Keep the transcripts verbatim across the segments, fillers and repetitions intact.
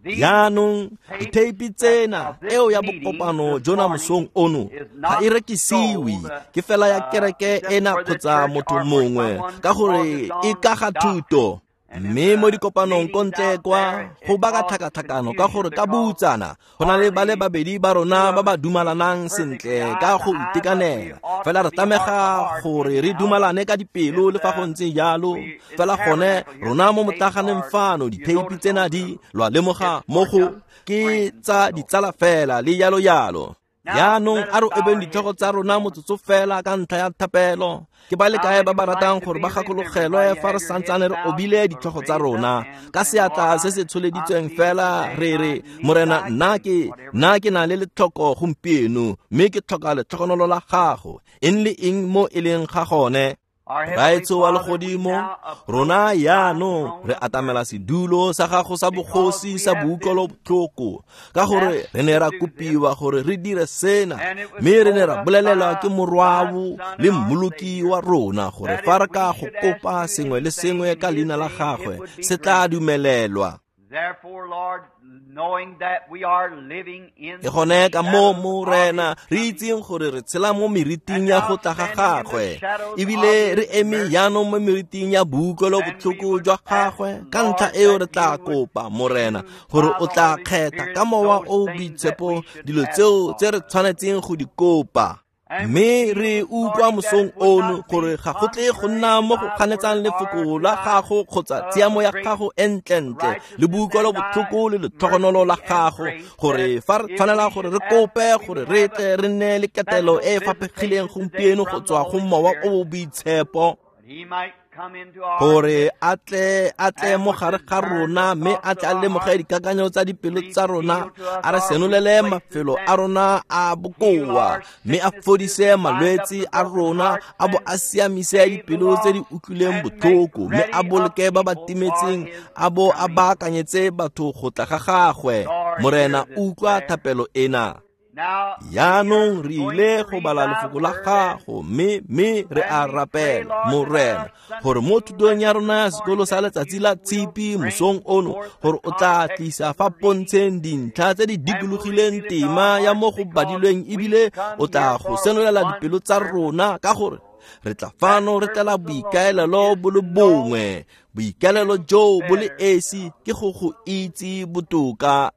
Jaanong ditheipi tsena eo ya bokopano jona mosong ono ga e rekisiwe, ke fela ya kereke ena kgotsa motho mongwe ka gore e ka ga thuto. Mme mo dikopanong ko ntle kwa go baka tlhakatlhakano ka gore ka boutsana go na le ba le babedi ba rona ba ba dumalanang sentle ka go itekanela, fela re tlamega gore re dumalane ka dipelo le fa go ntse jalo. Fela gone rona mo motlaganeng fano ditheipi tsena di lwa lemoga mo go ke tsa ditsala fela le jalo jalo. Jaanong a re obeng ditlhogo tsa rona motsotso fela ka ntlha ya thapelo. Ke ba le kae ba ba ratang gore ba gakologelwe fa re santsane re obile ditlhogo tsa rona ka seatla se se tsholeditsweng fela re re, Morena, nna ke nna ke na le letlhoko gompieno, mme ke tlhoka letlhogonolo la gago, eng le eng mo e leng ga gone. Raetsho wa legodimo, rona jaanong re atamela sedulo sa gago sa bogosi sa boutlwelobotlhoko, ka gore re ne ra kopiwa gore re dire sena, mme re ne ra bolelelwa ke morwao le mmoloki wa rona gore fa re ka go kopa sengwe le sengwe ka leina la gagwe se tla dumelelwa. Ke gone ka moo, Morena, re itseng gore re tshela mo meriting ya go tla ga gagwe, ebile re eme jaanong mo meriting ya boutlwelobotlhoko jwa gagwe. Ka ntlha eo re tla kopa, Morena, gore o tla kgetha ka mowa o o boitshepo dilo tseo tse re tshwanetseng go di kopa. Mme re utlwa mosong ono gore ga go tle go nna mo go ganetsang lefoko la gago kgotsa tshiamo ya gago e ntlentle le boutlwelobotlhoko le letlhogonolo la gago, gore fa re tshwanela gore re kope gore re tle re nne le ketelo e e faphegileng gompieno go tswa go mowa o o boitshepo, gore a tle a tle mo gare ga rona mme a tle a lemoge dikakanyo tsa dipelo tsa rona, a re senolele mafelo a rona a bokoa, mme a fodise malwetse a rona, a bo a siamise dipelo tse di utlwileng botlhoko, mme a boloke ba ba timetseng, a bo a baakanyetse batho go tla ga gagwe. Morena, utlwa thapelo ena. Jaanong re ile go bala lefoko la gago, mme mme re a rapela, Morena, gore mo thutong ya rona ya sekolo sa letsatsi la tshipi mosong ono, gore o tla tlisa fa pontsheng dintlha tse di dikologileng tema ya mo go badilweng, ebile o tla go senolela dipelo tsa rona, ka gore re tla fano re tlela boikaelelo bo le bongwe. Boikaelelo joo bo le esi ke go go itse botoka.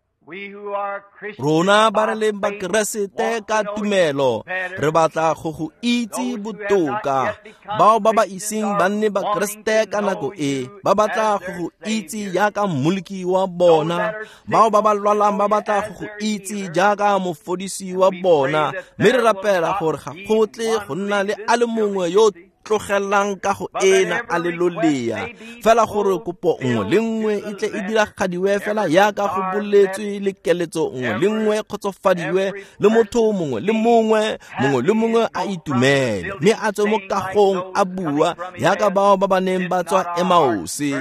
Rona ba re leng Bakeresete ka tumelo re batla go go itse botoka. Bao ba ba iseng ba nne Bakeresete ka nako e ba batla go go itse jaaka mmoloki wa bona. Bao ba ba lwalang ba batla go go itse jaaka mofodisi wa bona. Mme re rapela gore ga go tle go nna le a le mongwe yo tlogelang ka go ena a le lolea, fela gore kopo nngwe le nngwe e tle e diragadiwe fela jaaka go boletswe, le keletso nngwe le nngwe e kgotsofadiwe, le motho mongwe le mongwe mongwe le mongwe a itumele, mme a tswe mo kagong a bua jaaka bao ba ba neng ba tswa Emause.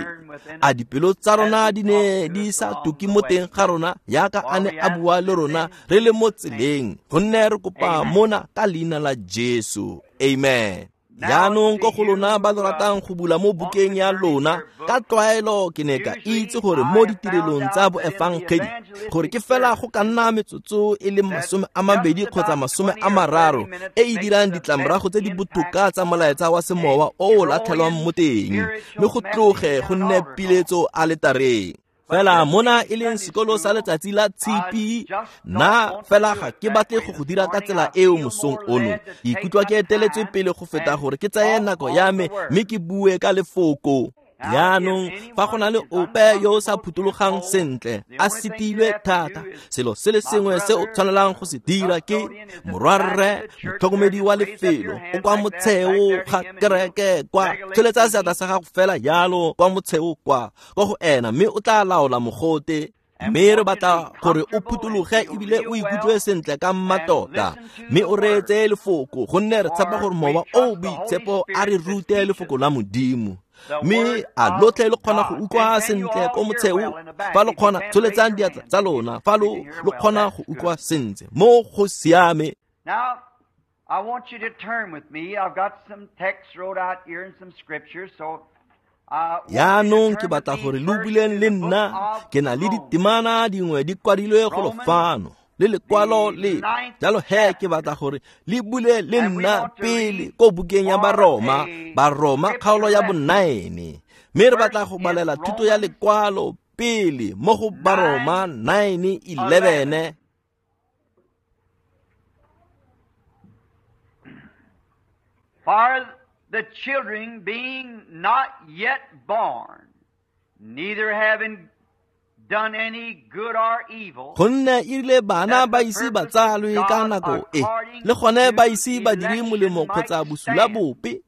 A dipelo tsa rona di ne di sa tuke mo teng ga rona jaaka a ne a bua le rona re le mo tseleng, gonne re kopa mona ka leina la Jesu. Amen. Jaanong ko go lona ba lo ratang go bula mo bukeng ya lona, ka tlwaelo ke ne ka itse gore mo ditirelong tsa boefangedi gore ke fela go ka nna metsotso e le masome a mabedi kgotsa masome a mararo e e dirang ditlamorago tse di botoka tsa molaetsa wa semowa o o latlhelwang mo teng, mme go tloge go nne piletso aletareng. Fela mona e leng sekolo sa letsatsi la tshipi, nna fela ga ke batle go go dira ka tsela eo mosong ono. Ke ikutlwa ke eteletswe pele go feta gore ke tsaye nako ya me mme ke bue ka lefoko. Jaanong fa go na le ope yo o sa phutologang sentle, a setilwe thata, selo se le sengwe se o tshwanelang go se dira ke morwarre, motlhokomedi wa lefelo, o kwa motsheo ga kereke kwa, tsholetsa seatla sa gago fela jalo kwa motsheo kwa, kwa go ena, mme o tla laola mogote. Mme re batla gore o phutologe ebile o ikutlwe sentle ka mmatota, mme o reetse lefoko, gonne re tshepa gore mowa o o boitshepo a re rute lefoko la Modimo. Mme a lotlhe le kgona go utlwa sentle ko motsheo? Fa lo kgona, tsholetsang diatla tsa lona fa lo lo kgona go utlwa sentle. Mo go siame. Now, I want you to turn with me. I've got some text wrote out here and some scriptures, so Jaanong ke batla gore lo buleng le nna, ke na le ditemana dingwe di kwadilwe golo fano le lekwalo le. Jalo he ke batla gore le bule le nna pele ko bukeng ya Baroma, Baroma kgaolo ya bonaene. Mme re batla go balela thuto ya lekwalo pele mo go Baroma nine eleven. For the children being not yet born, neither having done any good or evil, gonne e rile bana ba ise ba tsalwe ka nako e, le gone ba ise ba dire molemo kgotsa bosula bope,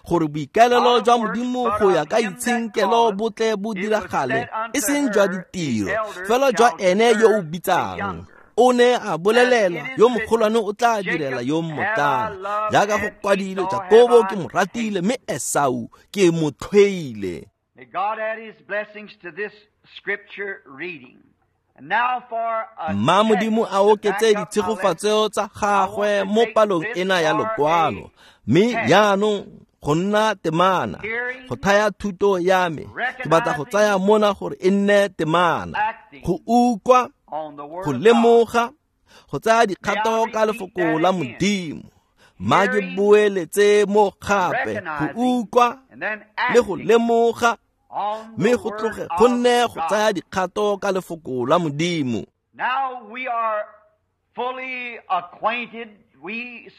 gore boikaelelo jwa Modimo go ya ka itshenkelo bo tle bo diragale, e seng jwa ditiro, fela jwa ene yo o bitsang. O ne a bolelela yo mogolwane o tla direla yo mmotlana, jaaka go kwadilwe, Jakobo ke mo ratile mme Esau ke mo tlhoile. May God add his blessings to this scripture reading. And now for a Mma Modimo a oketse ditshegofatso tsa gagwe mo palong ena ya lokwalo. Mme jaanong go nna temana, go thaya thuto ya me, ke batla go tsaya mona gore e nne temana, go utlwa, go lemoga, go tsaya dikgato ka lefoko la Modimo. Mma ke boeletse mo gape, go utlwa le go lemoga, mme go tloge go nne go tsaya dikgato ka lefoko la Modimo. Now we are fully acquainted, we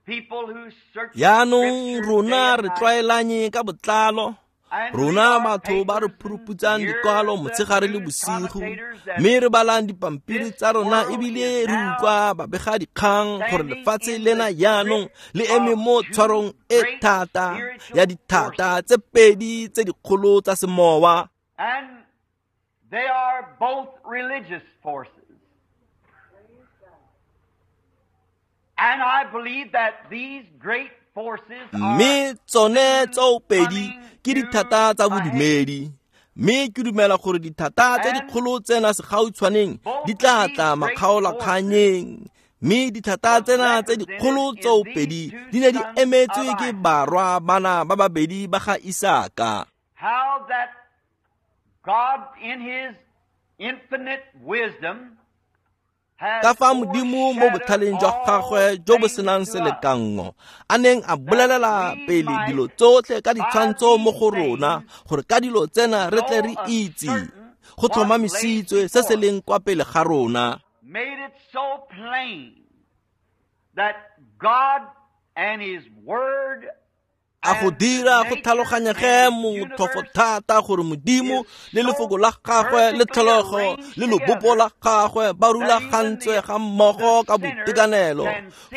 people who search Jaanong rona re tlwaelanye ka botlalo, rona batho ba re phuruputsang dikwalo motshegare le bosigo, mme re balang dipampiri tsa rona ebile re utlwa babega dikgang gore lefatshe lena jaanong le eme mo tshwarong e thata ya dithata tse pedi tse dikgolo tsa semowa. And they are both religious forces. And I believe that these great Mme tsone tsoopedi ke dithata tsa bodumedi. Mme ke dumela gore dithata tse dikgolo tsena segautshwaneng di tla tla makgaolakganyeng. Mme dithata tsena tse dikgolo tsoopedi di ne di emetswe ke barwa bana ba babedi ba ga Isaka. How that God in his infinite wisdom Ka fa Modimo mo botlhaleng jwa gagwe jo bo senang selekanngo a neng a bolelela pele dilo tsotlhe ka ditshwantsho mo go rona, gore ka dilo tsena re tle re itse go tlhomamisitswe se se leng kwa pele ga rona. Made it so plain that God and his word A go dira go tlhaloganyege motlhofo thata gore Modimo le lefoko la gagwe le tlholego le lobopo la gagwe ba rulagantswe ga mmogo ka boitekanelo,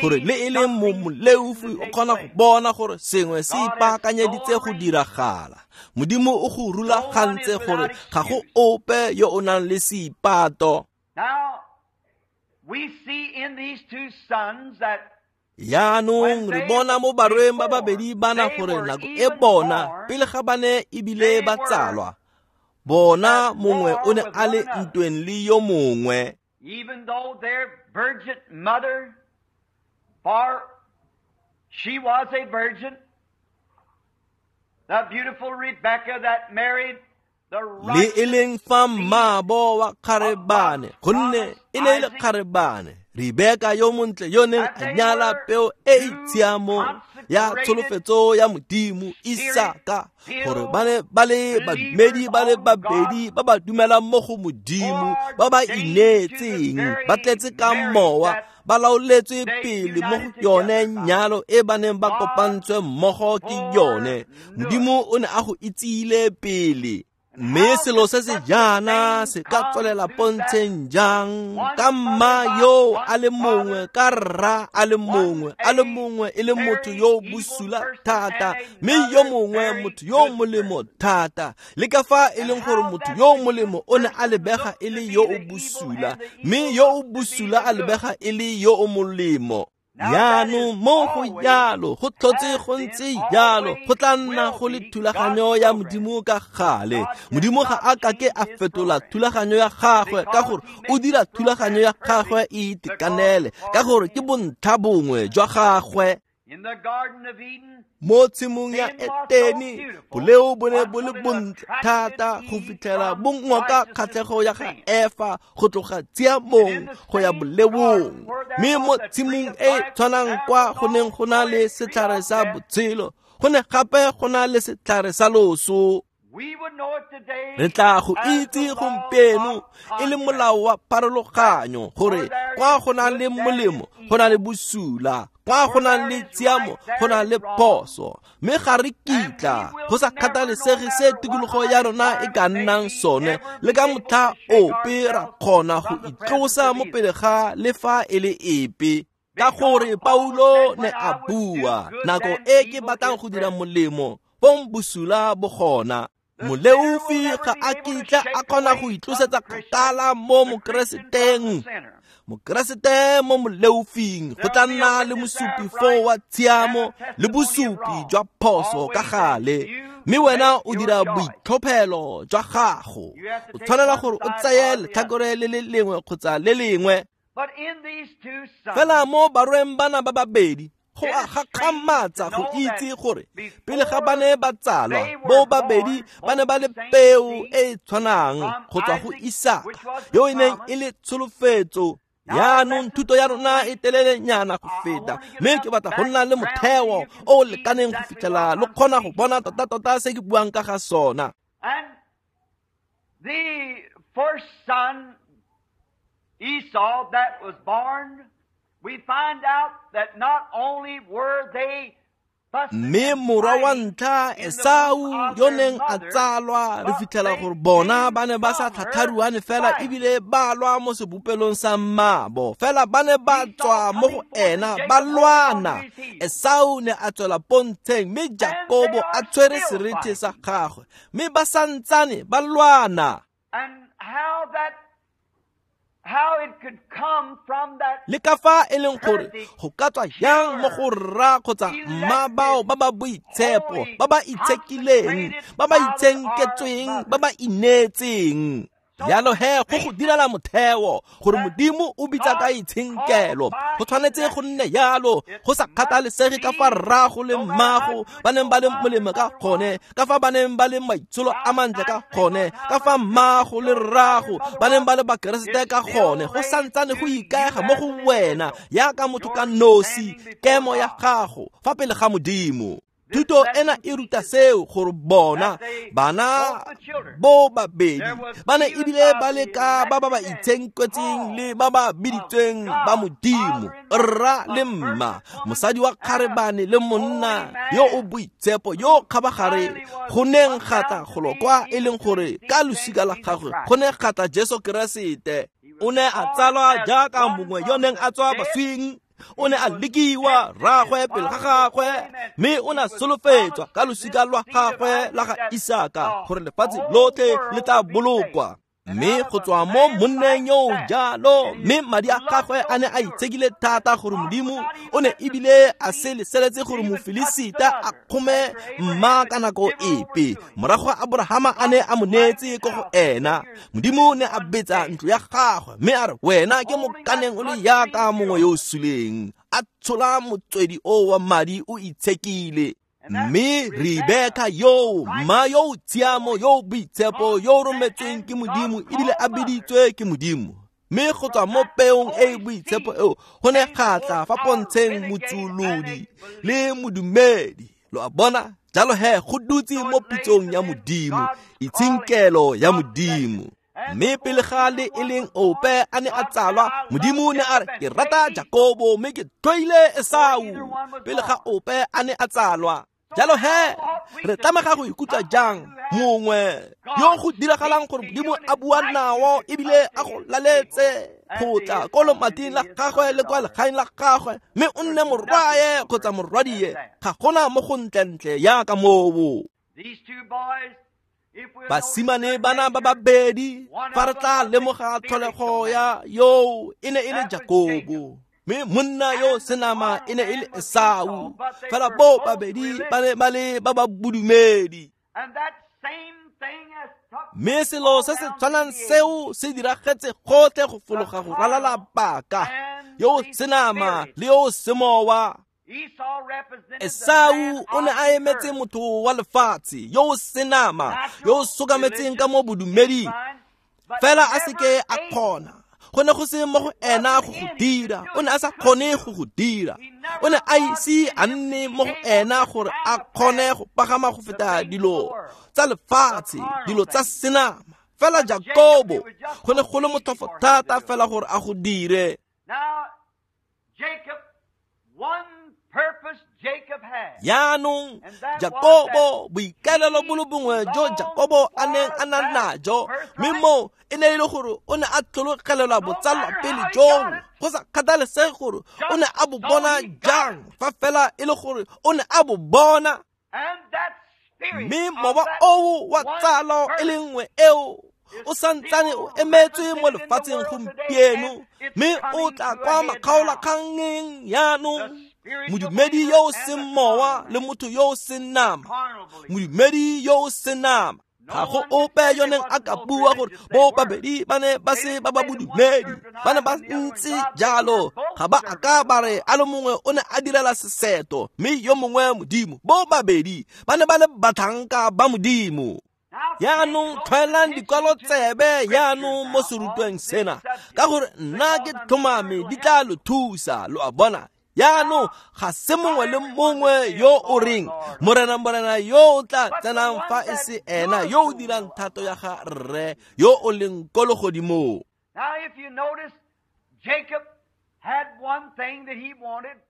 gore le e leng mo moleofi o kgona go bona gore sengwe se ipaakanyeditse go diragala. Modimo o go rulagantse gore ga go ope yo o nang le seipato. Now we see in these two sons that Jaanong re bona mo barweng ba babedi bana gore nako e bona pele ga ba ne ebile ba tsalwa, bona mongwe o ne a le ntweng le yo mongwe. Even though their virgin mother, for she was a virgin, the beautiful Rebecca that married the Le e leng fa mmaabo wa kgarebane, gonne e ne e le kgarebane, Rebeka yo montle yo neng a nyala peo e e tshiamo ya tsholofetso ya Modimo Isaka, gore ba ne ba le badumedi ba le babedi ba ba dumelang mo go Modimo, ba ba ineetseng, ba tletse ka mowa, ba laoletswe pele mo go yone nyalo e ba neng ba kopantswe mmogo ke yone. Modimo o ne a go itsile pele. Mme selo se se jaana se ka tswelela pontsheng jang ka mma yo a le mongwe, ka rra a le mongwe, a le mongwe e le motho yo o bosula thata, mme yo mongwe motho yo o molemo thata, le ka fa e leng gore motho yo o molemo o ne a lebega e le yo o bosula, mme yo o bosula a lebega e le yo o molemo. Jaanong mo go jalo, go tlhotse go ntse jalo, go tla nna go le thulaganyo ya Modimo ka gale. Modimo ga a kake a fetola thulaganyo ya gagwe, ka gore o dira thulaganyo ya gagwe e itekanele, ka gore ke bontlha bongwe jwa gagwe. Mo tshimong ya Etene, boleo bo ne bo le bontle thata go fitlhela bo ngoka kgatlhego ya ga Efa go tloga tshiamong go ya boleong. Mme mo tshimong e tshwanang kwa go neng go na le setlhare sa botshelo, go ne gape go na le setlhare sa loso. Re tla go itse gompieno e le molao wa pharologanyo gore kwa go na le molemo go na le bosula, kwa go na le tshiamo go na le phoso. Mme ga re kitla go sa kgathalesege se tikologo ya rona e ka nnang sone, le ka motlha ope ra kgona go itlosa mo pele ga le fa e le epe. Ka gore Paulo ne a bua, nako e ke batlang go dira molemo, bong bosula bo gona. Moleofi ga a kitla a kgona go itlosetsa kgakala mo mokereseteng. Mokeresete mo moleofing go tla nna le mosupi foo wa tshiamo le bosupi jwa phoso ka gale. Mme wena o dira boitlhophelo jwa gago. O tshwanela gore o tseye letlhakore le le lengwe kgotsa le lengwe. Fela mo barweng bana ba babedi, go a gakgamatsa go itse gore pele ga ba ne ba tsalwa, bo babedi ba ne ba le peo e e tshwanang go tswa go Isaka, yo e neng e le tsholofetso. Yaanong thuto ya rona e telelenyana go feta, mme ke batla go nna le motheo o o lekaneng go fitlhela lo kgona go bona tota-tota se ke buang ka ga sona. The first son, Esau, that was born, we find out that not only were they Mme morwa wa ntlha Esau yo neng a tsalwa, re fitlhela gore bona ba ne ba sa tlhatlharuane fela ebile ba lwa mo sebopelong sa mmaabo, fela ba ne ba tswa mo go ena ba lwana. Esau ne a tswela pontsheng, mme Jakobo a tshwere serethe sa gagwe, mme ba santsane ba lwana. And how that how it could come from that Le ka fa e leng gore go ka tswa yang mo go rra kgotsa mma bao ba ba boitshepo, ba ba itshekileng, ba ba itshenketsweng, ba ba ineetseng. Jalo he go go direla motheo gore Modimo o bitsa ka itshenkelo. Go tshwanetse go nne yalo, go sa kgathalesege ka fa rrago le mmago ba neng ba le molemo ka gone, ka fa ba neng ba le maitsholo a mantle ka gone, ka fa mmago le rrago ba neng ba le bakeresete ka gone. Go santsane go ikaega mo go wena yaka motho ka nosi, kemo ya gago fa pele ga Modimo. Thuto ena e ruta seo gore bona bana bo babedi ba ne ebile ba le ka ba ba ba itshenketseng le ba ba biditsweng ba Modimo, rra le mma, mosadi wa kgarebane le monna yo o boitshepo yo kgabagare go neng ga tla golo kwa e leng gore ka losika la gagwe go ne ga tla Jesu Keresete. O ne a tsalwa jaaka mongwe yo neng a tswa baswing. O ne a lekiwa rraagwe pele ga gagwe, mme o ne a solofetswa ka losika lwa gagwe la ga Isaka gore lefatshe lotlhe le tla bolokwa. Mme go tswa mo monneng yo jalo, mme madi a gagwe a ne a itshekile thata gore Modimo o ne ebile a se leseletse gore Mofilisita a kgome mma ka nako epe. Morago ga Aborahama a ne a mo neetse ko go ena, Modimo ne a betsa ntlo ya gagwe, mme a re wena ke mokaneng o le yaka mongwe yo o suleng, a tshola motswedi o wa madi o itshekile. Mme Rebeka yo, mma yo tshiamo yo boitshepo yo rometsweng ke Modimo ebile a biditswe ke Modimo. Mme go tswa mo peong e e boitshepo eo go ne ga tla fa pontsheng motsolodi le modumedi. Lo a bona? Jalo he go dutse mo pitsong ya Modimo, itshenkelo ya Modimo. Mme pele ga le e leng ope a ne a tsalwa, Modimo ne a re ke rata Jakobo mme ke tlhoile Esau. Pele ga ope a ne a tsalwa. Jalo he re tlamega go ikutlwa jang mongwe yo go diragalang gore Modimo a bua nao ebile a go laletse go tla ko lomating la gagwe le kwa legaeng la gagwe, mme o nne morwae kgotsa morwadie. Ga gona mo go ntlentle yaka moo. Basimane bana ba babedi fa re tla lemoga tlholego ya yo e ne e le Jakobo, mme monna yo senama e ne e le Esau. Fela bo babedi ba ne ba le ba ba bodumedi. Mme selo se se tshwanang seo se diragetse gotlhe go fologa go ralala paka, yo senama le yo semowa. Esau o ne a emetse motho wa lefatshe yo o senama, yo o sokametseng ka mo bodumeding, fela a seke a kgona. Go ne go se mo go ena go go dira, o ne a sa kgone go go dira. O ne a ise a nne mo go ena gore a kgone go pagama go feta dilo tsa lefatshe, dilo tsa senama. Fela Jakobo go ne go le motlhofo thata fela gore a go dire. Jaanong Jakobo, boikaelelo bo le bongwe jo Jakobo a neng a na najo, mme moo e ne e le gore o ne a tlhologelelwa botsalwa pele joo, go sa kgathalesege gore o ne a bo bona jang, fa fela e le gore o ne a bo bona. Mme mowa oo wa tsalo e le nngwe eo o santsane o emetswe mo lefatsheng gompieno, mme o tla kwa makgaolakgangeng jaanong. Modumedi yo o seng mowa le motho yo o seng nama, modumedi yo o seng nama. Ga go ope yo neng a ka bua gore bo babedi ba ne ba se ba ba bodumedi, ba ne ba ntse jalo. Ga ba a ka ba re a le mongwe o ne a direla seseto mme yo mongwe Modimo. Bo babedi ba ne ba le batlhanka ba Modimo. Jaanong tlhwaelang dikwalo tsebe jaanong mo serutweng sena, ka gore nna ke tlhomame di tla lo thusa, lo a bona. Jaanong ga se mongwe le mongwe yo o reng Morena, Morena, yo o tla tsenang fa e se ena yo o dirang thato ya ga Rre yo o leng ko legodimong.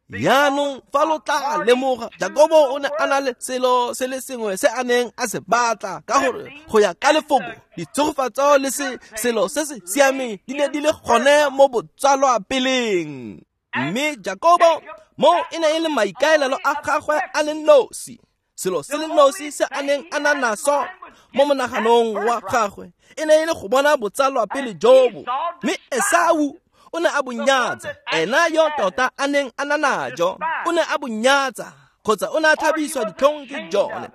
Jaanong fa lo tla lemoga, Jakobo o ne a na le selo se le sengwe se a neng a se batla, ka gore go ya ka lefoko ditshegofatso le se selo se se siameng di ne di le gone mo botsalwa peleng. Mme Jakobo mo e ne e le maikaelelo a gagwe a le nosi, selo se le nosi se a neng a na naso mo monaganong wa gagwe e ne e le go bona botsalwa pele jobo. Mme Esau o ne a bo nyatsa, ena yo tota a neng a na najo o ne a bo nyatsa, kgotsa o ne a tlhabiswa ditlhong ke jone.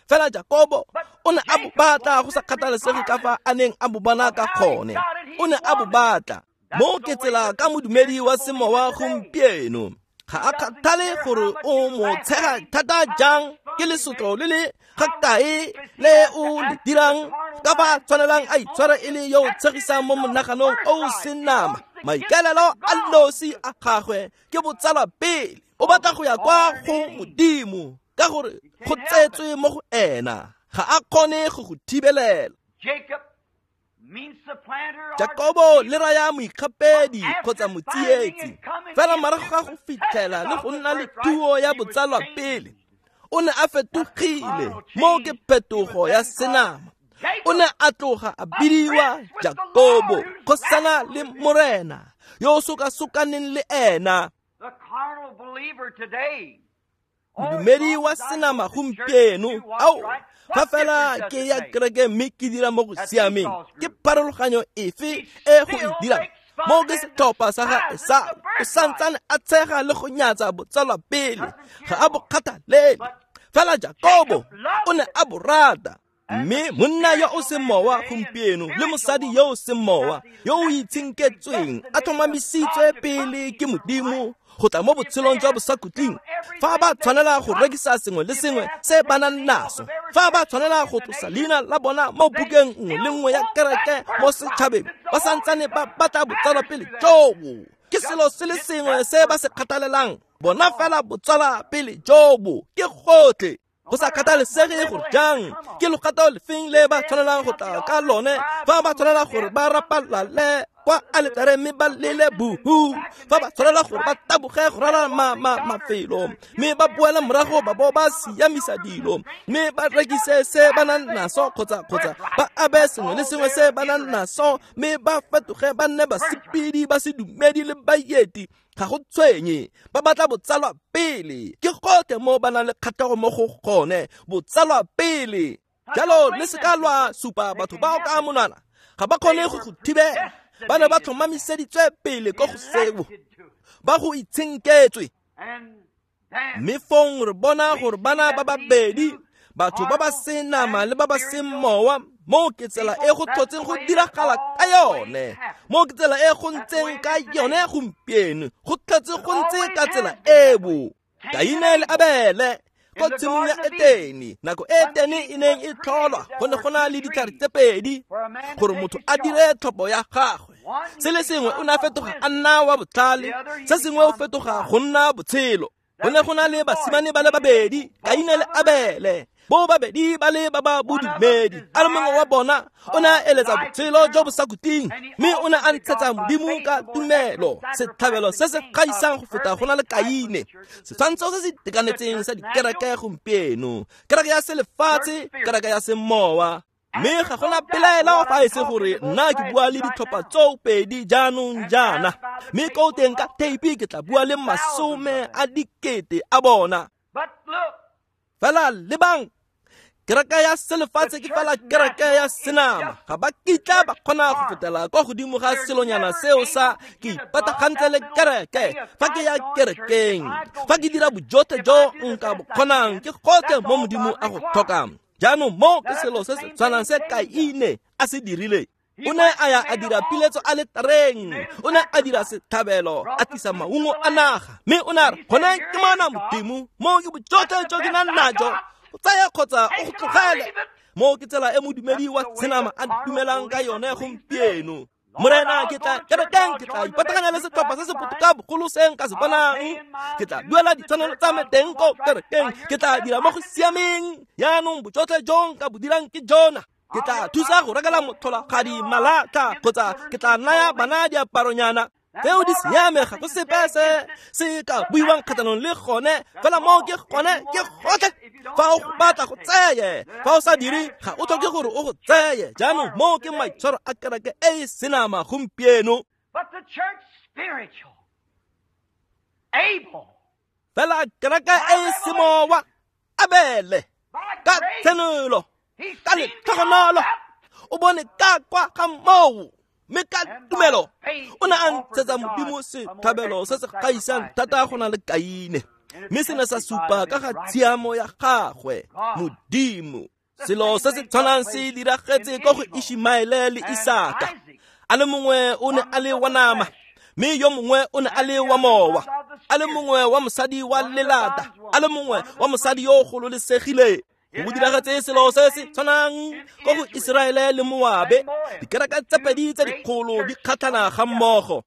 Fela Jakobo o ne a bo batla go sa kgathalesege ka fa a neng a bo bona ka gone, o ne a bo batla. Mo ke tsela ka modumedi wa semowa gompieno, ga a kgathale gore o mo tshega thata jang, ke lesotlo le le ga kae le o le dirang, ka fa tshwanelang a itshwara e le yo o tshegisang mo monaganong o o seng nama. Maikaelelo a nosi a gagwe ke botsalwa pele, o batla go ya kwa go Modimo ka gore go tsetswe mo go ena, ga a kgone go go thibelela. Jakobo le raya moikgapedi kgotsa motsietsi, fela morago ga go fitlhela le go nna le thuo ya botsalwa pele, o ne a fetogile. Mo ke phetogo ya senama. O ne a tloga a bidiwa Jakobo, kgosana le Morena yo o sokasokaneng le ena. Modumedi wa senama gompieno, ao fa fela ke ya kereke mme ke dira mo go siameng, ke pharologanyo efe e go e dirang? Mo ke setlhopha sa ga Esau, o santsane a tshega le go nyatsa botsalwa pele, ga a bo kgathalele. Fela Jakobo o ne a bo rata. Mme monna yo o seng mowa gompieno le mosadi yo o seng mowa yo o itshenketsweng a tlhomamisitswe pele ke Modimo go tla mo botshelong jwa bosakhutleng, fa ba tshwanela go rekisa sengwe le sengwe se ba nang naso, fa ba tshwanela go tlosa leina la bona mo bukeng nngwe le nngwe ya kereke mo setšhabeng, ba santsane ba batla botsalwa pele jobo. Ke selo se le sengwe se ba se kgathalelang, bona fela botsalwa pele jobo, ke gotlhe. Go sa kgathalesege gore jang ke logato lefeng le ba tshwanelang go tla ka lone, fa ba tshwanela gore ba rapalale kwa aletare mme ba lele buhu, fa ba tshwanela gore ba taboge go rala ma, ma, mafelo mme ba boela morago ba bo ba siamisa dilo mme ba rekise se ba nang naso, kgotsa kgotsa ba abe sengwe le sengwe se ba nang naso mme ba fetoge ba nne basepedi ba sedumedi le baeti, ga go tshwenye, ba batla botsalwa pele. Ke gotlhe mo ba nang le kgatlhego mo go gone, botsalwa pele. Jalo le seka lwa supa batho bao ka monwana, ga ba kgone go go thibela. Ba ne ba tlhomamiseditswe pele ko go seo, ba go itshenketswe. Mme fong re bona gore bana ba babedi, batho ba ba seng nama le ba ba seng mowa, mo ke tsela e go tlhotseng go diragala ka yone, mo ke tsela e go ntseng ka yone gompieno, go tlhotse go ntse ka tsela eo. Kaine le Abele ko tshimong ya Etene, nako Etene e neng e tlholwa, go ne go na le ditlhare tse pedi gore motho a dire tlhopho ya gagwe. Se le sengwe o ne a fetoga a nna wa botlhale, se sengwe o fetoga go nna botshelo. Go ne go na le basimane ba le babedi, Kaine le Abele. Bo babedi ba le ba ba bodumedi. A le mongwe wa bona o ne a eletsa botshelo jo bo sa khutleng, mme o ne a ntshetsa Modimo ka tumelo setlhabelo se se gaisang go feta go na le Kaine. Setshwantsho se se itekanetseng sa dikereke gompieno, kereke ya selefatshe, kereke ya semowa. Mme ga gona pelaelo fa e se gore nna ke bua le ditlhopha tseo pedi jaanong jaana, mme ko teng ka theipi ke tla bua le masome a dikete a bona. Fela lebang, kereke ya selefatshe ke fela kereke ya senama. Ga ba kitla ba kgona go fetela kwa godimo ga selonyana seo sa ke ipatagantse le kereke. Fa ke ya kerekeng, fa ke dira bojotlhe jo nka bo kgonang, ke gotlhe mo Modimo a go tlhokang. Jaanong mo ke selo se se tshwanang se Kaine a se dirile. O ne a ya a dira piletso a le tareng, o ne a dira setlhabelo, a tlisa maungo a naga, mme o ne a re, gone ke mana Modimo, mo ke bojotlhe jo ke nang najo, o tsaya kgotsa o go tlogele. Mo ke tsela e modumedi wa tshenama a dumelang ka yone gompieno. Morena, ke tla kerekeng, ke tla ipataganya le setlhopha se se botoka bogolo se nka se bonang. Ke tla duela ditshwanelo tsa me teng ko kerekeng, ke tla dira mo go siameng. Jaanong bojotlhe jo nka bo dirang ke jona. Ke tla thusa go rekela motlholagadi malatlha, kgotsa ke tla naya bana diaparonyana. Tseo di siame, ga go sepe se se ka buiwang kgatlhanong le gone, fela moo ke gone ke gotlhe. Fa o go batla go tseye, fa o sa dire ga o tlhoke gore o go tseye. Jaanong moo ke maitshwaro a kereke e e senama gompieno. Fela kereke e e semowa, Abele, ka tshenolo, ka letlhogonolo, o bone ka kwa ga moo, mme ka tumelo o ne a ntshetsa Modimo setlhabelo se se gaisang thata go na le Kaine, mme se ne sa supa ka ga tshiamo ya gagwe Modimo. Selo se se tshwanang se diragetse ko go Ishmaele le Isaka. A le mongwe o ne a le wa nama, mme yo mongwe o ne a le wa mowa. A le mongwe wa mosadi wa lelata, a le mongwe wa mosadi yo o gololesegileng. Go diragetse selo se se tshwanang ko go Iseraele le Moabe. Dikereke tse pedi tse dikgolo di kgatlhana ga mmogo.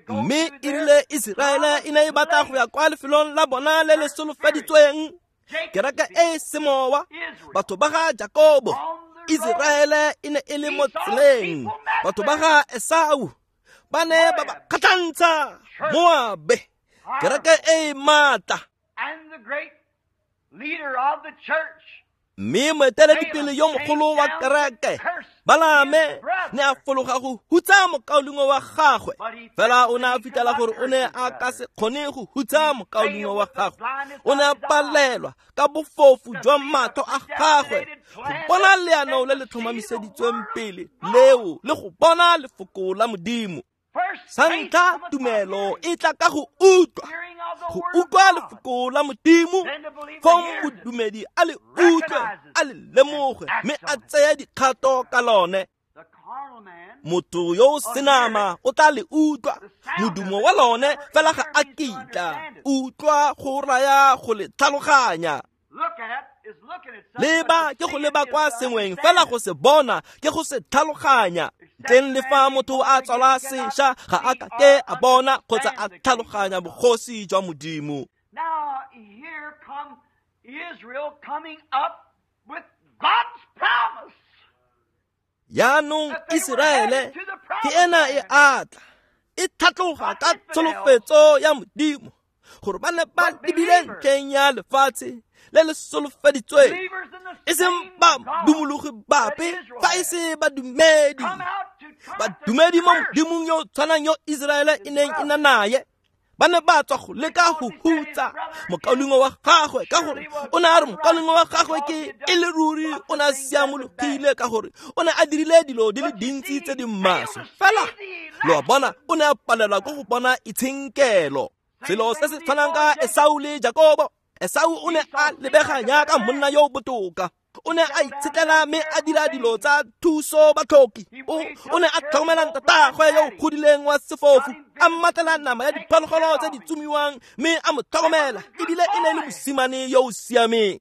Mme e rile Iseraele e ne e batla go ya kwa lefelong la bona le le solofeditsweng, kereke e semowa, batho ba ga Jakobo, Iseraele e ne e le mo tseleng, batho ba ga Esau ba ne ba ba kgatlhantsha Moabe, kereke e maatla. Mme moeteledipele yo mogolo wa kereke, Balame, ne a fologa go hutsa mokaulengwe wa gagwe. Fela o ne a fitlhela gore o ne a ka se kgone go hutsa mokaulengwe wa gagwe. O ne a palelwa ka bofofu jwa matlho a gagwe go bona leano le le tlhomamiseditsweng pele leo le go bona lefoko la Modimo. Sa ntlha, tumelo e tla ka go utlwa, go utlwa lefoko la Modimo. Fong modumedi a le utlwe, a le lemoge, mme a tseye dikgato ka lone. Motho yo o senama o tla le utlwa modumo wa lone, fela ga a kitla utlwa go raya go le tlhaloganya. Leba ke go leba kwa sengweng, fela go se bona ke go se tlhaloganya. Ntleng le fa motho a tswalwa sešwa, ga a ka ke a bona kgotsa a tlhaloganya bogosi jwa Modimo. Jaanong Iseraele ke ena e atla, e tlhatloga ka tsholofetso ya Modimo, gore ba ne ba lebile ntlheng ya lefatshe le le solofeditsweng, e seng ba dumologi bape, fa e se badumedi. Badumedi mo Modimong yo tshwanang yo Iseraele e neng e na naye, ba ne ba tswa go leka go hutsa mokaulengwe wa gagwe, ka gore o ne a re mokaulengwe wa gagwe ke e le ruri o ne a siamologile, ka gore o ne a dirile dilo di le dintsi tse di maswe. Fela lo a bona, o ne a palelwa ke go bona itshenkelo. Selo se se tshwanang ka Esau le Jakobo. Esau o ne a lebega jaaka monna yo botoka. O ne a itshetlela mme a dira dilo tsa thuso batlhoki. O o ne a tlhokomela ntatagwe yo o godileng wa sefofu, a mmatlela nama ya diphologolo tse di tsomiwang mme a mo tlhokomela, ebile e ne e le mosimane yo o siameng.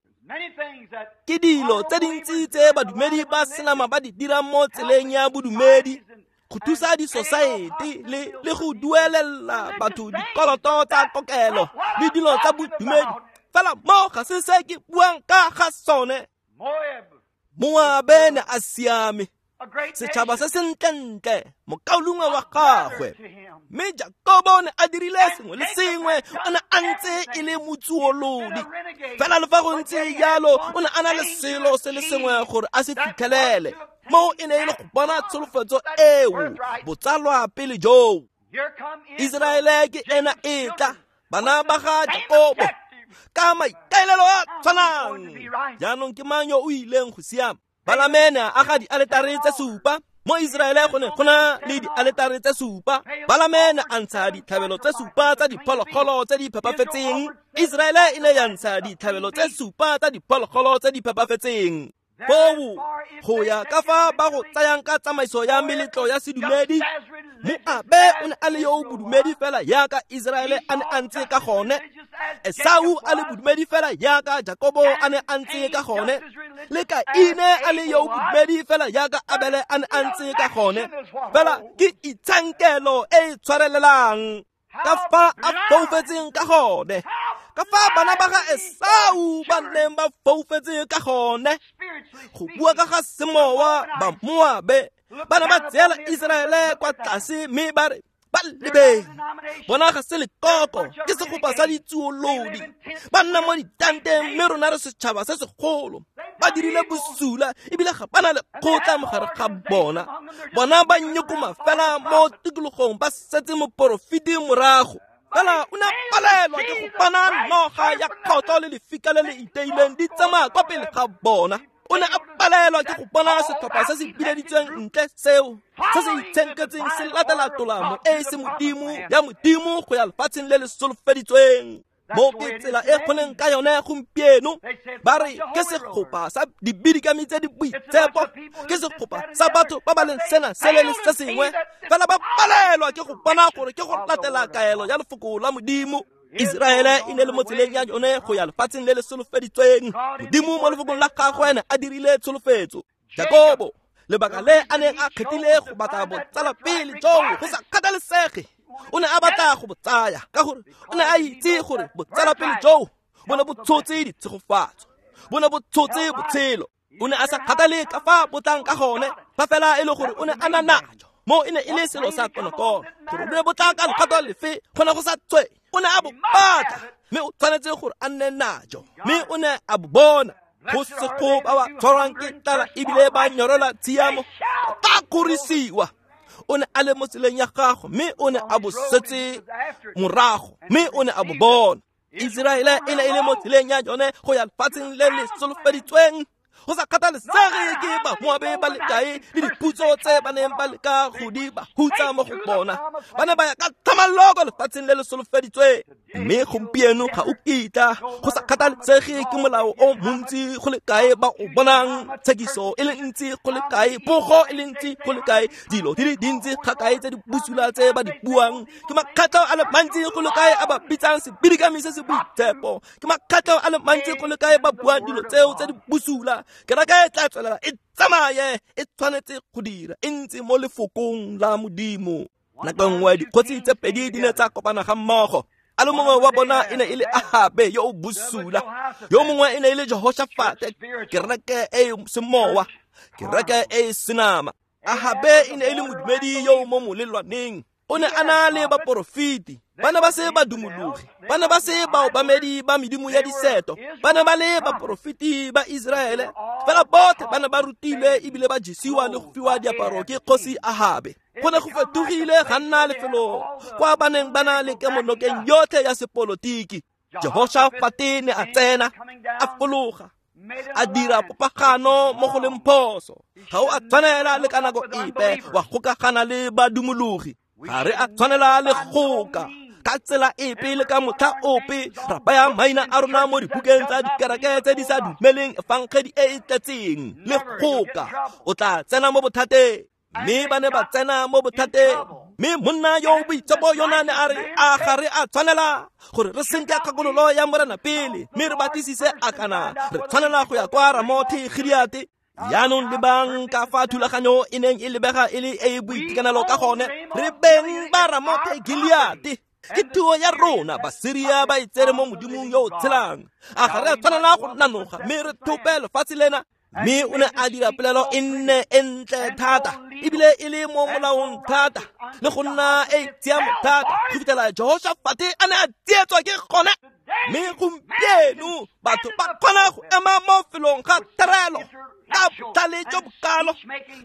Ke dilo tse dintsi tse badumedi ba senama ba di dirang mo tseleng ya bodumedi go thusa disosaete le le go duelela batho dikoloto tsa kokelo le dilo tsa bodumedi. Fela mo ga se se ke buang ka ga sone. Moabe ne a siame, setšhaba se sentlentle, mokaulengwe wa gagwe. Mme Jakobo ne a dirile sengwe le sengwe, o ne a ntse e le motsuolodi. Fela le fa go ntse jalo, o ne a na le selo se le sengwe gore a se fitlhelele. Mo e ne e le go bona tsholofetso eo, botsalwa pele joo. Iseraele ke ena e tla, bana ba ga Jakobo, ka maikaelelo a tshwanang. Jaanong ke mang yo o ileng go siama? Balame ne a aga dialetare tse supa. Mo Iseraele go ne go na le dialetare tse supa. Balame ne a ntsha ditlhabelo tse supa tsa diphologolo tse di phepafetseng. Iseraele e ne ya ntsha ditlhabelo tse supa tsa diphologolo tse di phepafetseng. Foo go ya ka fa ba go tsayang ka tsamaiso ya meletlo ya sedumedi, Moabe o ne a le yo o bodumedi fela jaaka Iseraele a ne a ntse ka gone, Esau a le bodumedi fela jaaka Jakobo a ne a ntse ka gone, le Kaine a le yo o bodumedi fela jaaka Abele a ne a ntse ka gone. Fela ke itshenkelo e e tshwarelelang ka fa a foufetseng ka gone, ka fa bana ba ga Esau ba neng ba foufetse ka gone. Go bua ka ga semowa, ba Moabe ba ne ba tseela Iseraele kwa tlase mme ba re ba lebeng, bona ga se lekoko, ke segopa sa ditsuolodi. Ba nna mo ditanteng mme rona re setšhaba se segolo. Ba dirile bosula ebile ga ba na lekgotla mo gare ga bona. Bona ba nyokoma fela mo tikologong, ba setse moporofeti morago. Fela o ne a palelwa ke go bona noga ya kgotlho le lefika le le iteileng di tsamaya kwa pele ga bona. O ne a palelwa ke go bona setlhopha se se bileditsweng ntle seo, se se itshenketseng se latela tolamo e e se modimo ya modimo go ya lefatsheng le le solofeditsweng. Mo ke tsela e go leng ka yone gompieno. Ba re ke segopa sa dibidikami tse di boitshepo, ke segopa sa batho ba ba leng sena sele le se sengwe. Fela ba palelwa ke go bona gore ke go latela kaelo ya lefoko la modimo. Iseraele e ne le mo tseleng ya yone go ya lefatsheng le le solofeditsweng. Modimo mo lefokong la gagwe ne a dirile tsholofetso. Jakobo, lebaka le a neng a kgethile go batla botsala pele joo go sa kgathalesege, o ne a batla go bo tsaya ka gore o ne a itse gore botsala pele joo bo ne bo tshotse ditshegofatso, bo ne bo tshotse botshelo. O ne a sa kgathale ka fa bo tlang ka gone, fa fela e le gore o ne a na najo. Mo e ne e le selo sa konokono gore bo ne bo tla ka lekgato lefe, go ne go sa tswe. O ne a bo batla mme o tshwanetse gore a nne najo, mme o ne a bo bona. Go sego ba ba tshwarwang ke tlala ebile ba nyorelwa tshiamo ba kgorisiwa. O ne a le mo tseleng ya gagwe mme o ne a bo setse morago, mme o ne a bo bona. Iseraele e ne e le mo tseleng ya yone go ya lefatsheng le le solofeditsweng. Go sa kgathalesege ke ba Moabe ba le kae le diputso tse ba neng ba leka go di ba hutsa mo go bona, ba ne ba ya ka tlhamallo lefatsheng le le solofeditsweng. Mme gompieno ga o kitla, go sa kgathalesege ke molao o montsi go le kae ba o bonang, tshekiso e le ntsi go le kae, pogo e le ntsi go le kae, dilo di le dintsi ga kae tse di bosula tse ba di buang, ke makgatlho a le mantsi go le kae a ba bitsang sebidikami se se boitshepo, ke makgatlho a le mantsi go le kae ba buang dilo tseo tse di bosula. Kereke e tla tswelela e tsamaye, e tshwanetse go dira e ntse mo lefokong la modimo. Nako nngwe dikgosi tse pedi di ne tsa kopana ga mmogo. A le mongwe wa bona e ne e le Ahabe yo o bosula, yo mongwe e ne e le Jehoshafate, kereke e semowa, kereke e senama. Ahabe e ne e le modumedi yo o mo molelwaneng. O ne a na le baporofeti, ba ne ba se badumologi, ba ne ba se baobamedi ba medimo ya diseto, ba ne ba le baporofeti ba Iseraele. Fela botlhe ba ne ba rutilwe ebile ba jesiwa le go fiwa diaparo ke kgosi Ahabe. Go ne go fetogile ga nna lefelo kwa ba neng ba na le kemonokeng yotlhe ya sepolotiki. Jehoshafate ne a tsena, a fologa, a dira popagano mo go leng phoso. Ga o a tshwanela le ka nako epe wa gokagana le badumologi. Ga re a tshwanela le goka ka tsela epe le ka motlha ope ra baya maina a rona mo dibukeng tsa dikereke tse di sa dumeleng efangedi e e tletseng le goka, o tla tsena mo bothateng. Mme ba ne ba tsena mo bothateng. Mme monna yo o boitshepo yona ne a re, a ga re a tshwanela gore re senke kgakololo ya Morena pele, mme re batlisise a kana re tshwanela go ya kwa Ramothe Gileate. Jaanong lebang ka fa thulaganyo e neng e lebega e le e e boitekanelo ka gone. Re beng ba Ramothe Gileate, ke thuo ya rona. Basiria ba e tsere mo Modimong yo o tshelang. A ga re a tshwanela go nanoga mme re thope lefatshe lena? Mme o ne a dira polelo e nne e ntle thata, ebile e le mo molaong thata, le go nna e tshiamo thata, go fitlhela Jehoshafate a ne a tsietswa ke gone. Mme gompieno batho ba kgona go ema mo felong ga terelo ka botlhale jo bokalo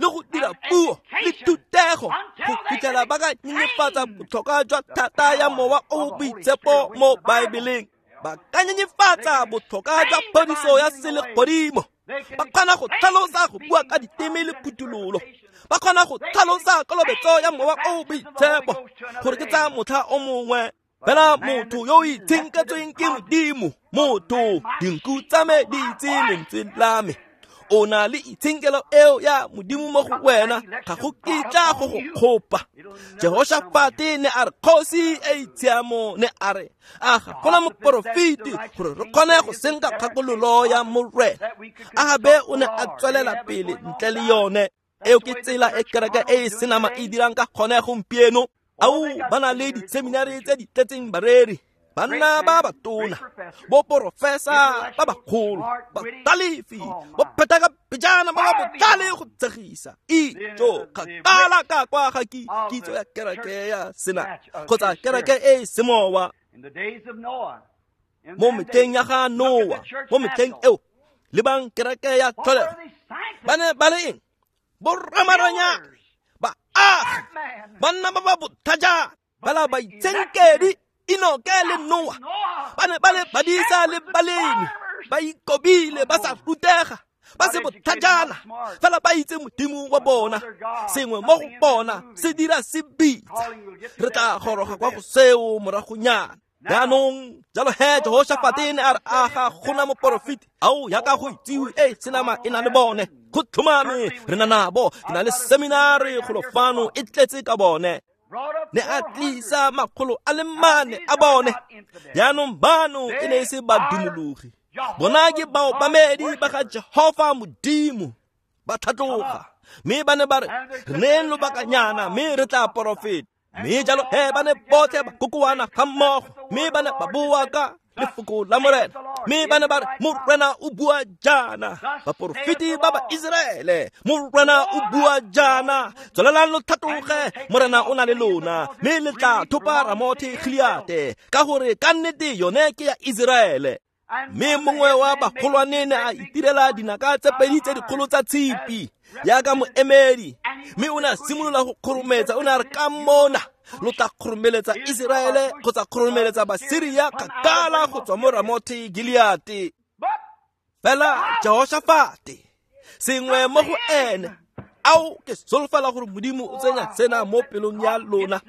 le go dira puo le thutego go fitlhela ba ka nyenyefatsa botlhokwa jwa thata ya Mowa o o Boitshepo mo Baebeleng. Ba ka nyenyefatsa botlhokwa jwa phodiso ya selegodimo. Ba kgona go tlhalosa go bua ka diteme le phuthololo. Ba kgona go tlhalosa kolobetso ya Mowa o o Boitshepo gore ke tsa motlha o mongwe. Fela motho yo o itshenketsweng ke Modimo, motho, dinku tsa me di itse lentswe la me. O na le itshenkelo eo ya Modimo mo go wena, ga go kitla go go kgopa. Jehoshafate ne a re, kgosi e e tshiamo ne a re, a ga gona moporofeti gore re kgone go senka kgakololo ya Morena. Ahabe o ne a tswelela pele ntle le yone. Eo ke tsela e kereke e e senama e dirang ka gone gompieno. Ao, ba na le diseminari tse di tletseng bareri, banna ba batona, bo porofesa ba bagolo, batalefi, bo pheta ka pejana ba ba botlhale go tshegisa. Ijo kgakala ka kwa ga kitso ya kereke ya sena kgotsa kereke e e semowa. Mo metlheng ya ga Noa, mo metlheng eo, lebang kereke ya tlholego. Ba ne ba le eng? Borramaranyane, baagi, banna ba ba botlhajana, fela baitshenkedi Enoke le Noa. Ba ne ba le badisa le balemi, ba ikobile, ba sa rutega, ba se botlhajana, fela ba itse Modimo wa bona. Sengwe mo go bona se dira se bitsa. Re tla goroga kwa go seo moragonyana. Jaanong jalo he Jehoshafate ne a re, a ga gona moporofeti? Ao, yaka go itsiwe e senama e na le bone. Go tlhomame re na nabo. Ke na le seminari golo fano e tletse ka bone. Ne a tlisa makgolo a le mane a bone. Jaanong bano e ne e se badumologi. Bona ke baobamedi ba ga Jehofa Modimo. Ba tlhatloga, mme ba ne ba re, re neng lobakanyana mme re tla porofeta. Mme jalo he ba ne botlhe ba kokoana ga mmogo, mme ba ne ba bua ka lefoko la Morena. Mme ba ne ba re, Morena o bua jaana. Baporofeti ba ba Iseraele, Morena o bua jaana. Tswelelang lo tlhatloge, Morena o na le lona, mme le tla thopa Ramothe Gileate, ka gore ka nnete yone ke ya Iseraele. Mme mongwe wa bagolwane ne a itirela dinaka tse pedi tse dikgolo tsa tshipi yaka moemedi, mme o ne a simolola go kgorometsa. O ne a re, ka mona lo tla kgoromeletsa Iseraele kgotsa kgoromeletsa Basiria kgakala go tswa mo Ramothe Gileate. Fela Jehoshafate, sengwe mo go ene, ao ke solofela gore Modimo o tsenya sena mo pelong ya lona.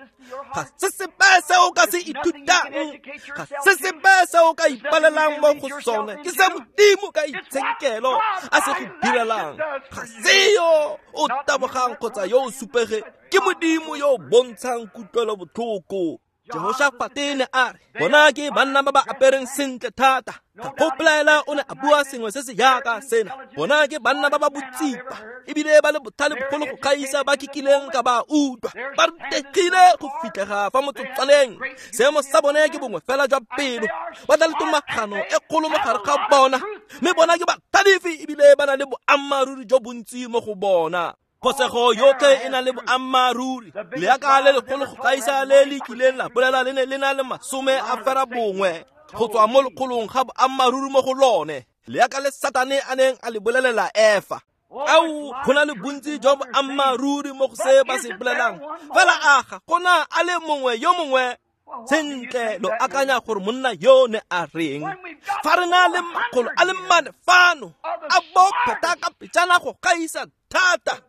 Ga se sepe se o ka se ithutang, ga se sepe se o ka ipalelang mo go sone, ke se Modimo ka itshenkelo a se go direlang. Ga se yo o tabogang kgotsa yo o supege, ke Modimo yo o bontshang kutlwelo botlhoko. Jehoshafate ne a re, bona ke banna ba ba apereng sentle thata. Ga go pelaela o ne a bua sengwe se se yaka sena. Bona ke banna ba ba botsipa, ebile ba le botlhale bogolo go gaisa ba ke kileng ka ba utlwa. Ba rutegile go fitlhega fa motsotswaneng. Seemo sa bone ke bongwe fela jwa pelo. Ba tla le tomagano e kgolo mo gare ga bona, mme bona ke batlhalefi ebile ba na le boammaaruri jo bontsi mo go bona. Phosego yotlhe e na le boammaaruri. Leaka le legolo go gaisa le le kileng la bolela le ne le na le masome a fera bongwe go tswa mo lekgolong ga boammaaruri mo go lone. Leaka le Satane a neng a le bolelela Efa. Ao, go na le bontsi jwa boammaaruri mo go se ba se bolelang. Fela a ga gona a le mongwe yo mongwe. Sentle lo akanya gore monna yo ne a reng? Fa re na le makgolo a le mane fano, a bo pheta ka pejana go gaisa thata,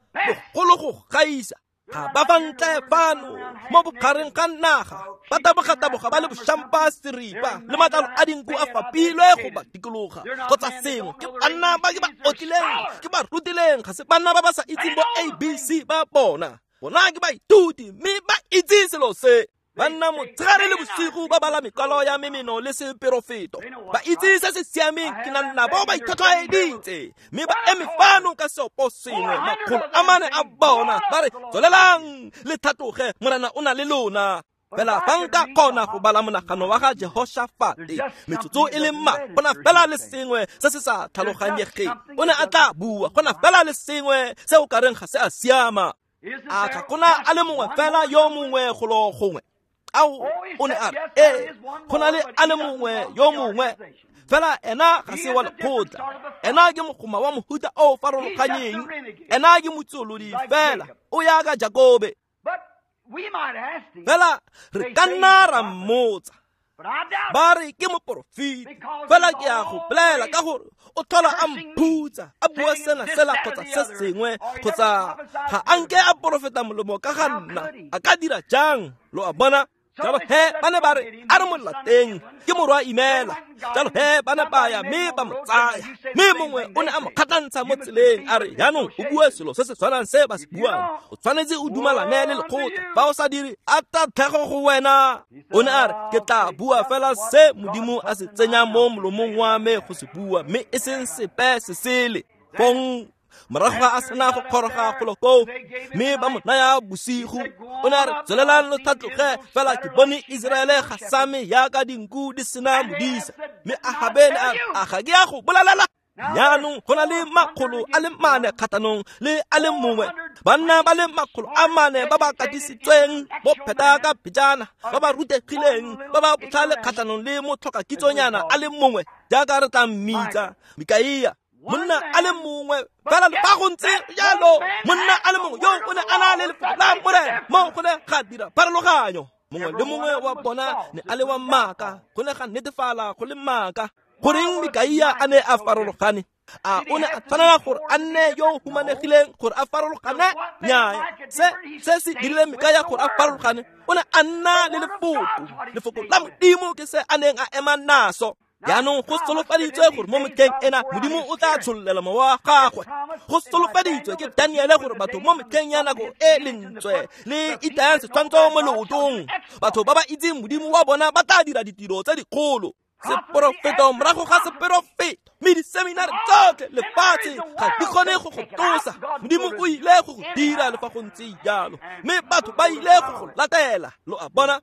bogolo go gaisa. Ga ba fa ntle fano mo bogareng ga naga, ba taboga-taboga ba le bošampa seripa le matlalo a dinku a fapilwe go ba dikologa kgotsa sengwe. Ke banna ba ke ba otlileng, ke ba rutileng, ga se banna ba ba sa itseng bo A B C ba bona. Bona ke baithuti mme ba itse selo se. Banna motshegare le bosigo ba bala mekwalo ya memeno le seperofeto. Ba itse se se siameng, ke na nabo ba itlhotlhwaeditse mme ba eme fano ka seopo sengwe, makgolo a mane a bona, ba re tswelelang le tlhatloge, Morena o na le lona. Fela fa nka kgona go bala monagano wa ga Jehoshafate metsotso e le mma, go na fela le sengwe se se sa tlhaloganyegeng. O ne a tla bua, go na fela le sengwe se o ka reng ga se a siama. A ga gona a le mongwe fela yo mongwe golo gongwe? Ao, o ne a re, ee, go na le a le mongwe yo mongwe, fela ena ga se wa lekgotla. Ena ke mogoma wa mohuta o farologanyeng, ena ke motsolodi fela, o yaka Jakobe. Fela re ka nna ra mmotsa, ba re ke moporofeti, fela ke a go bolela ka gore o tlhola a mphutsa, a bua sena sela kgotsa se sengwe, kgotsa ga a nke a porofeta molomo ka ga nna, a ka dira jang? Lo a bona? Jalo he ba ne ba re a re mo lateng, ke morwa Imela. Jalo he ba ne ba ya mme ba mo tsaya, mme mongwe o ne a mo kgatlhantsha mo tseleng a re, jaanong o bue selo se se tshwanang se ba se buang, o tshwanetse o dumalane le lekgotla, fa o sa dire a tatlhego go wena. O ne a re, ke tla bua fela se Modimo a se tsenyang mo molomong wa me go se bua, mme e seng sepe se sele. Fong morago ga a sena go kgoroga golo koo, mme ba mo naya bosigo, o ne a re, tswelelang lo tlhatloge, fela ke bone Iseraele ga same yaka dinku di sena modisa. Mme Ahabe ne a re, a ga ke a go bolelela? Jaanong go na le makgolo a le mane kgatlhanong le a le mongwe, banna ba le makgolo a mane ba ba katisitsweng bo pheta ka pejana, ba ba rutegileng, ba ba botlhale kgatlhanong le motlhokakitsonyana a le mongwe, jaaka re tla mmitsa Mikaia. Monna a le mongwe fela le fa go ntse jalo, monna a le mongwe yo o ne a na le lefoko la Morena, mo go ne ga dira pharologanyo. Mongwe le mongwe wa bona ne a le wa maaka, go ne ga netefala go le maaka. Goreng Mikaia a ne a farologane? A o ne a tshwanela gore a nne yo humanegileng gore a farologane? Nnyaa, se se se dirile Mikaia gore a farologane, o ne a nna le lefoko. Lefoko la Modimo ke se a neng a ema naso. Jaanong go solofaditswe gore mo metlheng ena Modimo o tla tshollela mowa wa gagwe. Go solofaditswe ke Daniele gore batho mo metlheng ya nako e lentswe le itayang setshwantsho mo leotong, batho ba ba itseng Modimo wa bona ba tla dira ditiro tse dikgolo. Seporofeto morago ga seporofeto, mme diseminari tsotlhe lefatshe ga di kgone go go tlosa. Modimo o ile go go dira le fa go ntse jalo, mme batho ba ile go go latela. Lo a bona?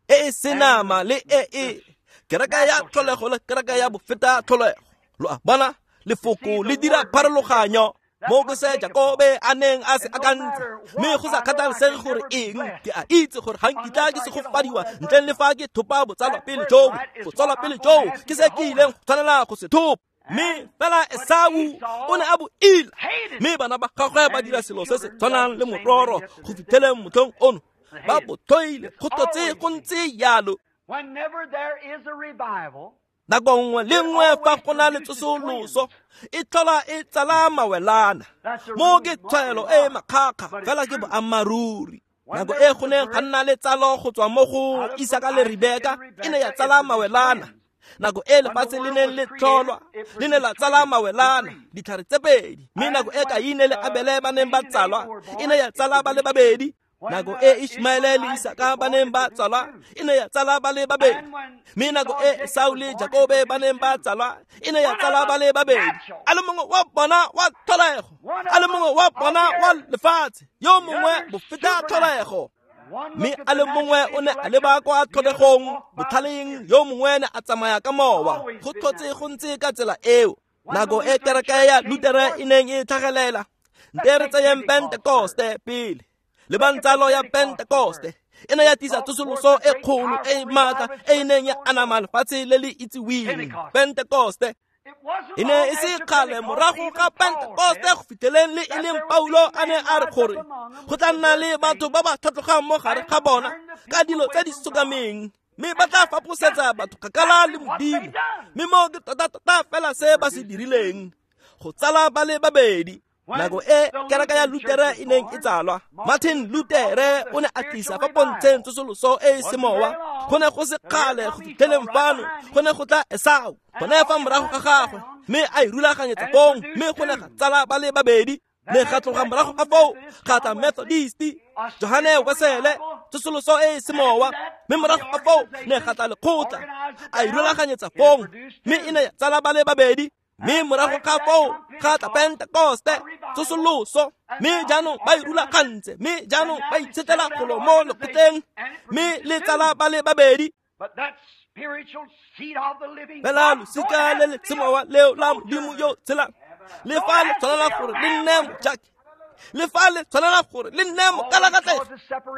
E e senama le e e kereke ya tlholego le kereke ya bofeta tlholego. Lo a bona? Lefoko le dira pharologanyo. Mo ke se Jakobe a neng a se akantse, mme go sa kgathalesege gore eng, ke a itse gore ga nkitla ke segofadiwa ntleng le fa ke thopa botsalwa pele joo. Go tswalwa pele joo ke se ke ileng go tshwanela go se thopa. Mme fela Esau o ne a bo ila, mme bana ba gagwe ba dira selo se se tshwanang le mororo go fitlheleng motlhong ono, ba bo tlhoile, go tlotse go ntse jalo. Nako nngwe le nngwe fa go na le tsosoloso, e tlhola e tsala mawelana. Mo ke tshwaelo e makgakga, fela ke boammaaruri. Nako e go neng ga nna le tsalo go tswa mo go Isaka le Rebeka, e ne ya tsala mawelana. Nako e lefatshe le neng le tlholwa, le ne la tsala mawelana, ditlhare tse pedi. Mme nako e Kaine le Abele ba neng ba tsalwa, e ne ya tsala ba le babedi. Nako e Ishmaele le Isaka ba neng ba tsalwa, e ne ya tsala ba le babedi. Mme nako e Esau le Jakobe ba neng ba tsalwa, e ne ya tsala ba le babedi. A le mongwe wa bona wa tlholego, a le mongwe wa bona wa lefatshe, yo mongwe bofeta tlholego. Mme a le mongwe o ne a leba kwa tlholegong, botlhaleng, yo mongwe ne a tsamaya ka mowa. Go tlhotse go ntse ka tsela eo. Nako e kereke ya Lutere e neng e tlhagelela, nte re tseyeng Pentekoste pele. Le bantsalo ya Pentekoste e ne ya tlisa tsosoloso e kgolo e maatla e e neng ya anama lefatshe le le itsiweng. Pentekoste e ne e se kgale morago ga Pentekoste go fitlheleng le e leng Paulo a ne a re gore go tla nna le batho ba ba tlhatlogang mo gare ga bona ka dilo tse di sokameng, mme ba tla faposetsa batho kgakala le Modimo. Mme mo ke tota-tota fela se ba se dirileng, go tsala ba le babedi. Nako e kereke ya Lutere e neng e tsalwa, Martin Lutere o ne a tlisa fa pontsheng tsosoloso e e semowa. Go ne go se kgale go fitlheleng fano go ne go tla Esau gone fa morago ga gagwe, mme a e rulaganyetsa fong, mme go ne ga tsala ba le babedi. Ne ga tloga morago ga foo ga tla Methodist, Johane Wesele, tsosoloso e e semowa, mme morago ga foo ne ga tla lekgotla, a e rulaganyetsa fong, mme e ne ya tsala ba le babedi. Mme morago ga foo ga tla Pentekoste, tsosoloso, mme jaanong ba e rulagantse, mme jaanong ba itshetlela golo mo lekgotleng, mme le tsala ba le babedi. Fela losika le le semowa leo la Modimo yo tshelang, le fa le tshwanela gore le nne mojaki, le fa le tshwanela gore le nne mokalakatlego,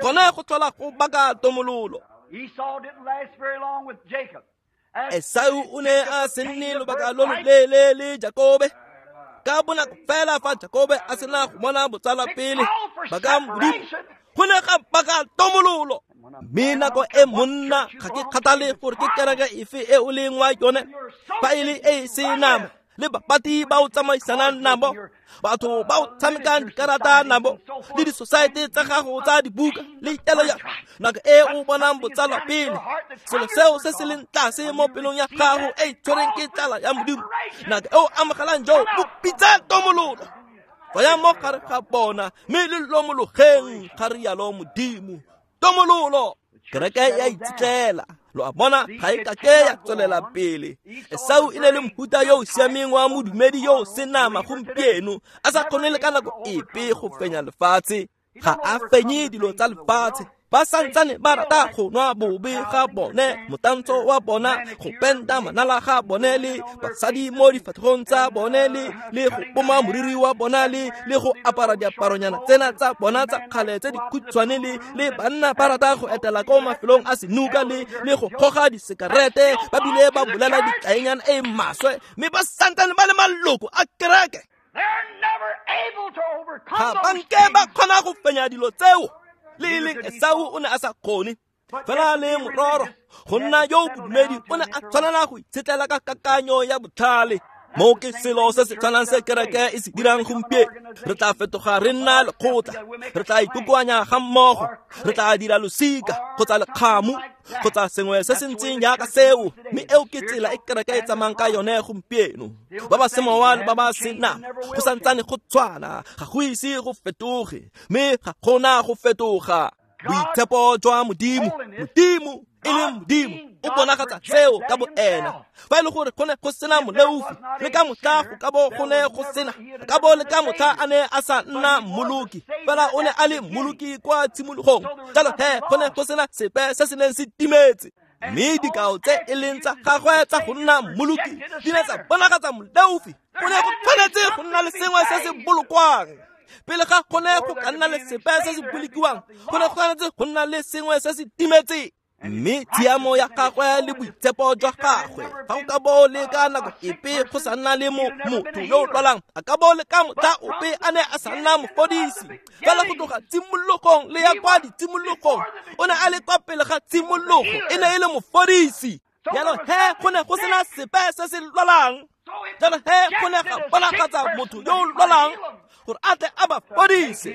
gone go tlhola go baka tomololo. Esau o ne a se nne lobaka lo loleele le Jakobe. Ka bonako fela fa Jakobe a sena go bona botsala pele ba ka Modimo, go ne ga baka tomololo. Mme nako e monna, ga ke kgathale gore ke kereke efe e o leng wa yone, fa e le e se nama, le bapati ba o tsamaisanang nabo, batho ba o tshamekang dikarata nabo, le di-society tsa gago tsa dibuka le itelo ya nako e o bonang botsala pele, selo seo se se leng tlase mo pelong ya gago e tshwereng ke tlala ya Modimo, nako e o amogelang joo bo pitsa tomololo. Tswayang mo gare ga bona mme le lomologeng, ga rialo Modimo. Tomololo. Kereke ya itshetlela. Lo a bona, ga e kake ya tswelela pele. Esau e ne le mohuta yo o siameng wa modumedi yo o senama gompieno, a sa kgone le ka nako epe go fenya lefatshe. Ga a fenye dilo tsa lefatshe. Ba santsane ba rata go nwa bobe ga bone, motantsho wa bona, go penta manala ga bone, le basadi mo difatlhegong tsa bone, le le go poma moriri wa bona, le le go apara diaparonyana tsena tsa bona tsa kgale tse dikhutshwane, le le banna ba rata go etela ko mafelong a senuka, le le go goga disekarete, ba bile ba bolela ditlaenyana e maswe, mme ba santsane ba le maloko a kereke. Ga ba nke ba kgona go fenya dilo tseo. Le leng Esau o ne a sa kgone, fela le mororo go nna yo bodumedi o ne a tshwanela go itshetlela ka kakanyo ya botlhale. Mo ke selo se se tshwanang se kereke e se dirang gompieno. Re tla fetoga re nna lekgotla, re tla ikokoanya ga mmogo, re tla dira losika kgotsa lekgamu kgotsa sengwe se se ntseng jaaka seo, mme eo ke tsela e kereke e tsamayang ka yone gompieno. Ba ba semowa le ba ba senama go santsane go tshwana, ga go ise go fetoge, mme ga gona go fetoga. Boitshepo jwa Modimo, Modimo e leng Modimo o bonagatsa seo ka bo ena. Fa e le gore go ne go sena moleofi, le ka motlha go ka bo go ne go sena, ka bo le ka motlha a ne a sa nna mmoloki, fela o ne a le mmoloki kwa tshimologong. Jalo he go ne go sena sepe se se neng se timetse. Mme dikao tse e leng tsa gagwe tsa go nna mmoloki di ne tsa bonagatsa moleofi. Go ne go tshwanetse go nna le sengwe se se bolokwang. Pele ga go ne go ka nna le sepe se se bolokiwang, go ne go tshwanetse go nna le sengwe se se timetseng. Mme tshiamo ya gagwe le boitshepo jwa gagwe, fa go ka bo le ka nako epe go sa nna le motho yo o lwalang, a ka bo le ka motlha ope a ne a sa nna mofodisi. Fela go tloga tshimologong le ya kwa ditshimologong, o ne a le kwa pele ga tshimologo, e ne e le mofodisi. Jalo he go ne go sena sepe se se lwalang. Jalo he go ne ga bonagatsa motho yo o lwalang gore a tle a ba fodise,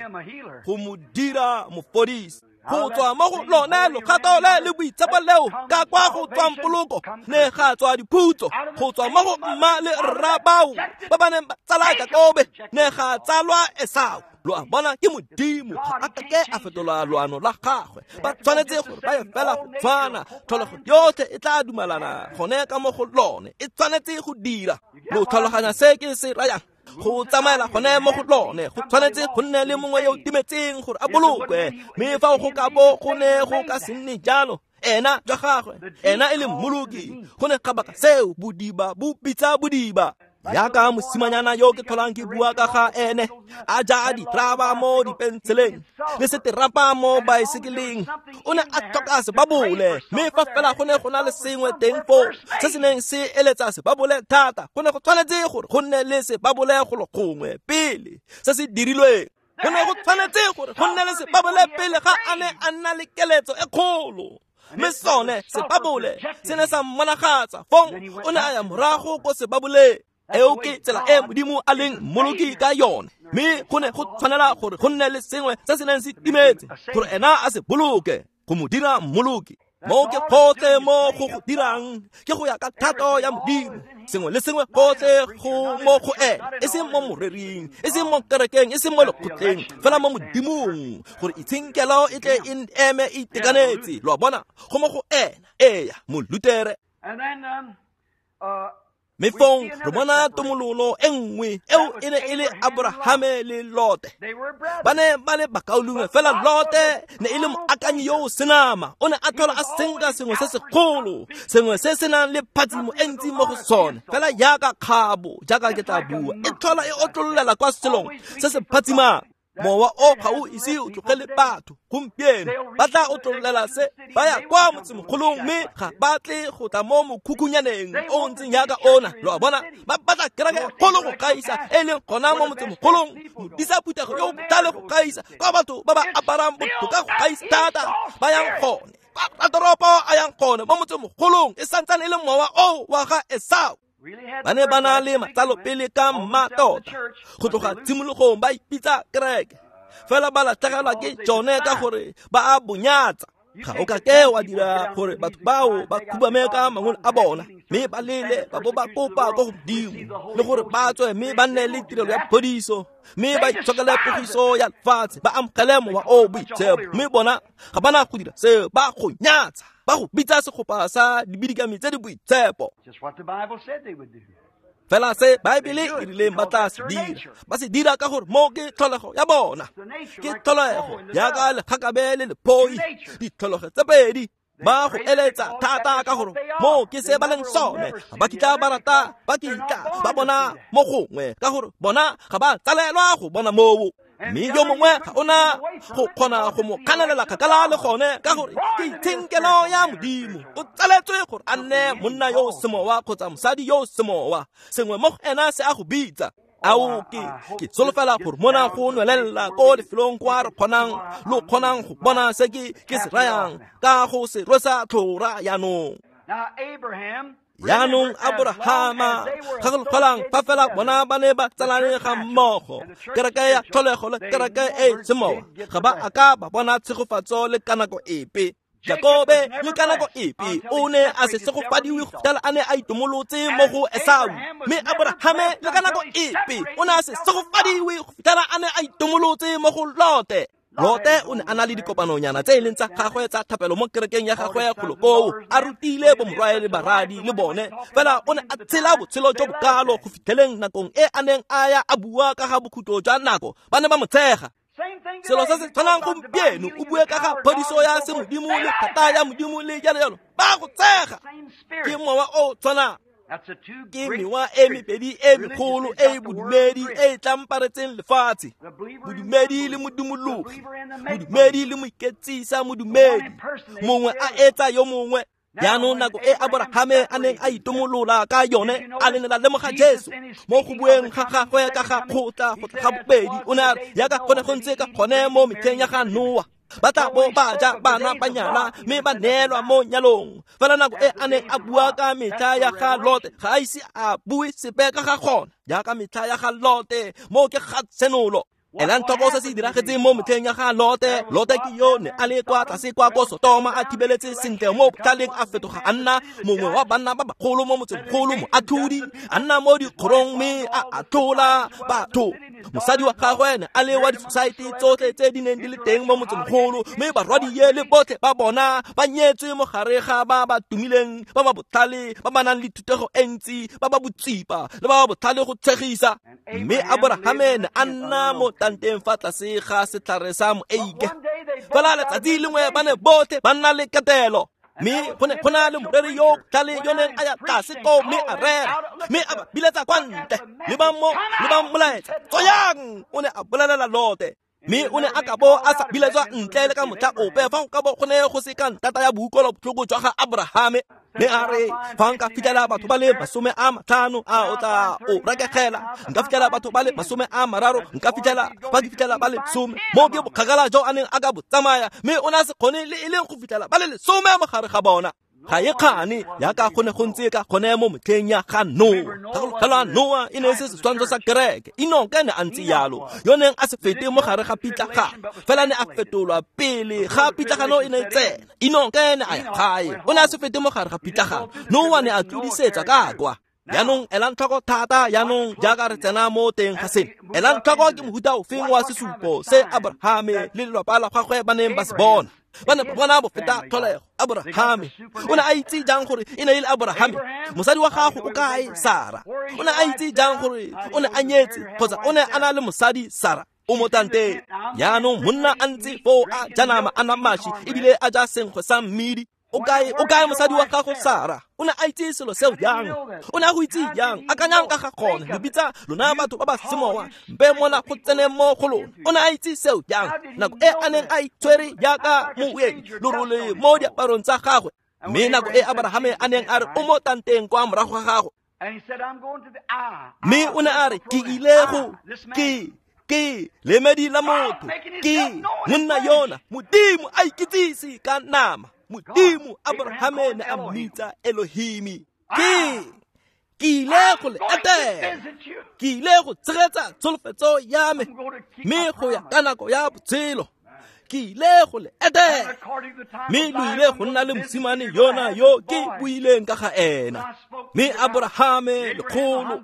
go mo dira mofodisi. Go tswa mo go lone logato le le boitshepo leo ka kwa go tswang poloko, ne ga tswa diphutso. Go tswa mo go mma le rra bao ba ba neng ba tsala Jakobe, ne ga tsalwa Esau. Lo a bona, ke Modimo, ga a kake a fetola loano la gagwe. Ba tshwanetse gore ba ye fela go tshwana, tlholego yotlhe e tla dumalana gone ka mo go lone, e tshwanetse go dira. Lo tlhaloganya se ke se rayang? Go tsamaela gone mo go lone, go tshwanetse go nne le mongwe yo o timetseng gore a bolokwe. Mme fa go ka bo go ne go ka se nne jalo, ena jwa gagwe, ena e le mmoloki, go ne ga baka seo bodiba bo pitsa bodiba. Yaka mosimanyana yo ke tlholang ke bua ka ga ene, a ja ditraba mo dipenseleng le seterapa mo baesekeleng, o ne a tlhoka sebabole. Mme fa fela go ne go na le sengwe teng foo se se neng se eletsa sebabole thata, go ne go tshwanetse gore go nne le sebabole golo gongwe pele se se dirilweng. Go ne go tshwanetse gore go nne le sebabole pele ga a ne a nna le keletso e kgolo. Mme sone sebabole se ne sa mmonagatsa, fong o ne a ya morago ko sebaboleng. Eo ke tsela e Modimo a leng mmoloki ka yone. Mme go ne go tshwanela gore go nne le sengwe se se neng se timetse gore ena a se boloke go mo dira mmoloki. Mo ke gotlhe mo go go dirang ke go ya ka thato ya Modimo. Sengwe le sengwe gotlhe go mo go ene, e seng mo morering, e seng mo kerekeng, e seng mo lekgotleng, fela mo Modimong, gore itshenkelo e tle e eme e itekanetse. Lo a bona, go mo go ena. Eya, Molutere. Mme fong re bona tomololo e nngwe eo e ne e le Aborahame le Lote. Ba ne ba le bakaulengwe, fela Lote ne e le moakanyi yo o senama. O ne a tlhola a senka sengwe se segolo, sengwe se se nang le phatsimo e ntsi mo go sone, fela jaaka kgabo, jaaka ke tla bua, e tlhola e otlololela kwa selong se se phatsimang. Mowa o ga o ise o tlogele batho gompieno, ba tla otlololela se ba ya kwa motsemogolong, mme ga ba tle go tla mo mokhukhunyaneng o o ntseng jaaka ona. Lo a bona, ba batla kereke kgolo go gaisa e leng gona mo motsemogolong, modisa phuthego yo o botlhale go gaisa, kwa batho ba ba aparang botoka go gaisa thata ba yang gone, kwa ratoropo a yang gone mo motsemogolong. E santsane e le mowa o wa ga Esau. Ba ne ba na le matsalo pele ka mmatota, go tloga tshimologong ba ipitsa kereke, fela ba latlhegelwa ke tsone ka gore ba a bonyatsa. Ga o ka ke wa dira gore batho bao ba khubame ka mangolo a bona, mme ba lele ba bo ba kopa ko godimo, le gore ba tswe mme ba nne le tirelo ya phodiso, mme ba itshokele pogiso ya lefatshe, ba amogele mowa o boitshepo. Mme bona ga ba na go dira seo, ba go nyatsa, ba go bitsa segopa sa dibidikami tse di boitshepo. Fela se Baebele e rileng ba tla se dira, ba se dira ka gore mo ke tlholego ya bona. Ke tlholego jaaka legakabe le lephoi, ditlholego tse pedi. Ba go eletsa thata ka gore mo ke se ba leng sone. Ga ba kitla ba rata, ba kitla ba bona mo gongwe, ka gore bona ga ba tsalelwa go bona moo. Mme yo mongwe ga ona go kgona go mo kganelela kgakala le gone, ka gore ke itshenkelo ya Modimo. O tsaletswe gore a nne monna yo o semowa kgotsa mosadi yo o semowa. Sengwe mo go ena se a go bitsa. Ao, ke ke solofela gore mona go nwelelela ko lefelong kwa re kgonang lo kgonang go bona se ke ke se rayang ka go se rwesa tlhora jaanong. Jaanong Aborahama, gakologelwang fa fela bona ba ne ba tsalane ga mmogo, kereke ya tlholego le kereke e semowa, ga ba a ka ba bona tshegofatso le ka nako epe. Jakobe le ka nako epe o ne a se segofadiwe go fitlhela a ne a itomolotse mo go Esau, mme Aborahame le ka nako epe o ne a se segofadiwe go fitlhela a ne a itomolotse mo go Lote. Lote o ne a na le dikopanonyana tse e leng tsa gagwe tsa thapelo mo kerekeng ya gagwe kgolo koo, a rutile bomorwae le baradi le bone, fela o ne a tshela botshelo jo bokalo go fitlheleng nakong e a neng a ya a bua ka ga bokhutlo jwa nako, ba ne ba mo tshega. Selo se se tshwanang gompieno, o bue ka ga phodiso ya semodimo le thata ya Modimo le jalo jalo, ba go tshega. Ke mowa o tshwanang. Ke mewa e mebedi e megolo e bodumedi e e tlamparetseng lefatshe, bodumedi le modumologi, bodumedi le moiketsisa modumedi, mongwe a etsa yo mongwe. Jaanong nako e Aborahame a neng a itomolola ka yone, a ne la lemoga Jesu mo go bueng ga gagwe ka ga kgotla go tla ga bobedi. O ne a re, jaaka go ne go ntse ka gone mo metlheng ya ga Noa, ba tla bo ba ja bana ba nyala mme ba neelwa mo nyalong. Fela nako e a neng a bua ka metlha ya ga Lote, ga a ise a bue sepe ka ga gona. Jaaka metlha ya ga Lote, mo ke ga tshenolo. Elang tlhoko se se diragetseng mo metlheng ya ga Lote. Lote ke yo ne a le kwa tlase kwa ko Sotoma, a thibeletse sentle mo botlhaleng, a fetoga a nna mongwe wa banna ba bagolo mo motsemogolo, moatlhodi, a nna mo dikgorong mme a atlhola batho. Mosadi wa gagwe ne a le wa di-society tsotlhe tse di neng di le teng mo motsemogolo, mme barwadie le botlhe ba bona ba nyetswe mo gare ga ba ba tumileng, ba ba botlhale, ba ba nang le thutego e ntsi, ba ba botsipa le ba ba botlhale go tshegisa. Mme Aborahame ne a nna mo tanteng fa tlase ga setlhare sa moeike. Fela letsatsi lengwe ba ne botlhe ba nna le ketelo, mme go ne go na le moreri yo botlhale yo neng a ya tlase koo mme a rera, mme a ba biletsa kwa ntle, le ba mo le ba molaetsa, tsoyang! O ne a bolelela Lote. Mme o ne a ka bo a sa biletswa ntle le ka motlha ope fa go ka bo go ne go se ka ntata ya boutlwelobotlhoko jwa ga Aborahame. Mme a re, fa nka fitlhela batho ba le masome a matlhano, a o tla o rekegela. Nka fitlhela batho ba le masome a mararo, nka fitlhela fa ke fitlhela ba le some. Mo ke bokgakala jo a neng a ka bo tsamaya, mme o ne a se kgone le e leng go fitlhela ba le lesome mo gare ga bona. Ga e kgane jaaka go ne go ntse ka gone mo metlheng ya ga Noa. Gakologelwa Noa e ne e se setshwantsho sa kereke. Enoke ne a ntse jalo, yo neng a se fete mo gare ga pitlagano, fela ne a fetolwa pele ga pitlagano e ne e tsena. Enoke ne a ya gae, o ne a se fete mo gare ga pitlagano. Noa ne a tlodisetsa ka kwa. Jaanong elang tlhoko thata jaanong jaaka re tsena mo teng ga seno. Elang tlhoko ke mohuta ofeng wa sesupo se Abrahame le lelapa la gagwe ba neng ba se bona. Ba ne ba bona bofeta tlholego. Abrahame o ne a itse jang gore e ne e le Abrahame? Mosadi wa gago o kae, Sara? O ne a itse jang gore o ne a nyetse kgotsa o ne a na le mosadi, Sara? O mo tanteng. Jaanong monna a ntse foo a ja nama a nwa mašwi ebile a ja senkgwe sa mmidi. O kae, o kae mosadi wa gago, Sara? O ne a itse selo seo jang? O ne a go itse jang? Akanyang ka ga gone, lo bitsa lona batho ba ba semowa, mpe mona go tsene mo go lona. O ne a itse seo jang? Nako e a neng a itshwere jaaka moeng, lorole mo diaparong tsa gagwe. Mme nako e Abrahame a neng a re o mo tanteng kwa morago ga gagwe. Mme o ne a re, ke ile go, ke, ke lemedi la motho, ke monna yona, Modimo a ikitsise ka nama. Modimo Abrahame ne a mmitsa Elohimi. Ke ke ile go le etela, ke ile go tshegetsa tsholofetso ya me, mme go ya ka nako ya botshelo ke ile go le etela, mme lo ile go nna le mosimane yona yo ke buileng ka ga ena. Mme Abrahame lekgolo,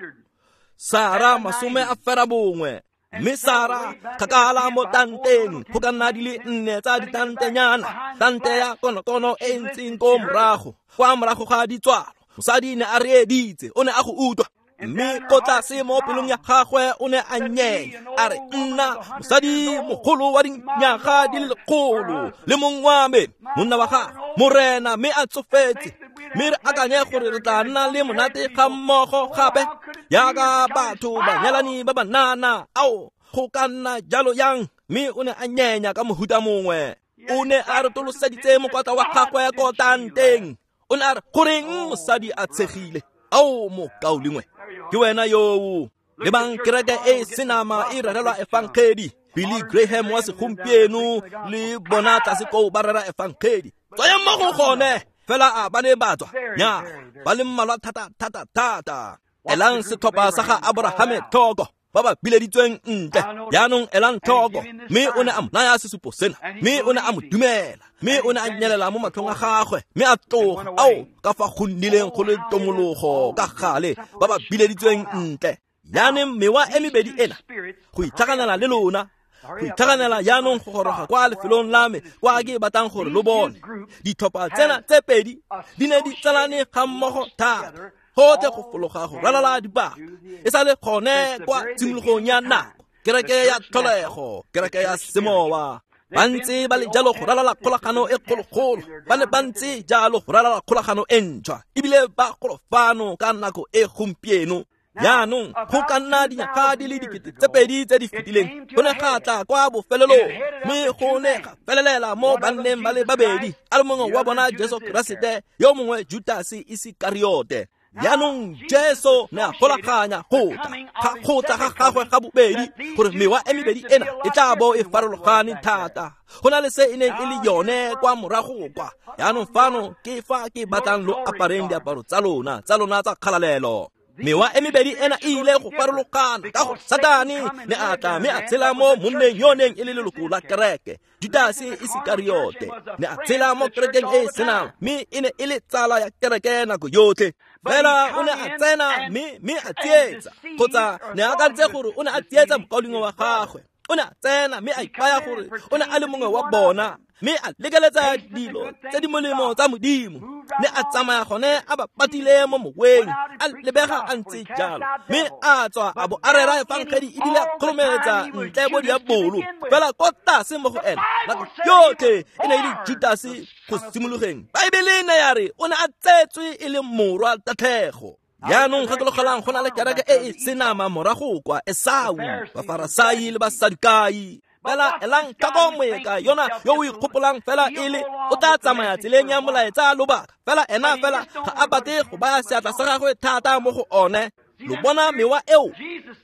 Sara masome a fera bongwe. Mme Sara kgakala mo tanteng, go ka nna di le nne tsa ditantenyana, tante ya konokono e ntseng ko morago, kwa morago ga ditswalo. Mosadi ne a reeditse, o ne a go utlwa. Mme ko tlase mo pelong ya gagwe o ne a nyenya, a re, nna mosadi mogolo wa dinyaga di le lekgolo le mong wa me, monna wa gagwe, morena, mme a tsofetse. Mme re akanye gore re tla nna le monate ga mmogo gape jaaka batho banyalani ba banana. Ao, go ka nna jalo yang? Mme o ne a nyenya ka mohuta mongwe. O ne a retoloseditse mokwatla wa gagwe ko tanteng. O ne a re, goreng mosadi a tshegile? Ao, mokaulengwe, ke wena yoo. Lebang kereke e senama e rerelwa efangedi. Billy Graham wa segompieno le bona tlase koo ba rera efangedi. Tswayang mo go gone. Fela a ba ne ba tswa, nya, ba le mmalwa thata thata thata. Elang setlhopha sa ga Abrahame tlhoko, ba ba bileditsweng ntle. Jaanong elang tlhoko, mme o ne a mo naya sesupo sena, mme o ne a mo dumela, mme o ne a nyelela mo matlhong a gagwe, mme a tloga. Ao, ka fa go nnileng go le tomologo ka gale, ba ba bileditsweng ntle. Jaanong mewa e mebedi ena, go itlhaganela le lona, go itlhaganela jaanong go goroga kwa lefelong la me kwa ke batlang gore lo bone. Ditlhopha tsena tse pedi di ne di tsalane ga mmogo thata, gotlhe go fologa go ralala dipaka. E sa le gone kwa tshimologong ya nako, kereke ya tlholego, kereke ya semowa. Ba ntse ba le jalo go ralala kgolagano e kgologolo, ba ne ba ntse jalo go ralala kgolagano e ntšhwa, ebile ba golo fano ka nako e gompieno. Jaanong go ka nna dinyaga di le dikete tse pedi tse di fetileng, go ne ga tla kwa bofelelong, mme go ne ga felelela mo banneng ba le babedi, a le mongwe wa bona Jesu Keresete, yo mongwe Judase Isekariote. Jaanong Jesu ne a golaganya go tla ga go tla ga gagwe ga bobedi, gore mewa e mebedi ena e tla bo e farologane thata go na le se e neng e le yone kwa morago kwa. Jaanong fano ke fa ke batlang lo apareng diaparo tsa lona tsa lona tsa kgalalelo. Mewa e mebedi ena e ile go farologana ka gore Satane ne a tla mme a tshela mo monneng yo neng e le leloko la kereke, Judase Isekariote. Ne a tshela mo kerekeng e e senang, mme e ne e le tsala ya kereke nako yotlhe. Fela o ne a tsena mme mme a tsietsa, kgotsa ne a akantse gore o ne a tsietsa mokaulengwe wa gagwe. O ne a tsena mme a ipaya gore o ne a le mongwe wa bona, mme a lekeletsa dilo tse di molemo tsa Modimo. Ne a tsamaya gone a ba patile mo moweng, a lebega a ntse jalo, mme a tswa a bo a rera efangedi ebile a kgoromeletsa ntle bo diabolo. Fela ko tlase mo go ena nako yotlhe e ne e le Judase go simologeng. Baebele ne ya re o ne a tsetswe e le morwa tatlhego. Jaanong gakologelang go na le kereke e e senama morago kwa, Esau, Bafarasai le Basadukai. Fela elang tlhoko moeka yona yo o ikgopolang fela e le o tla tsamaya tseleng ya molaetsa lobaka, fela ena fela ga a batle go baya seatla sa gagwe thata mo go one. Lo bona mewa eo?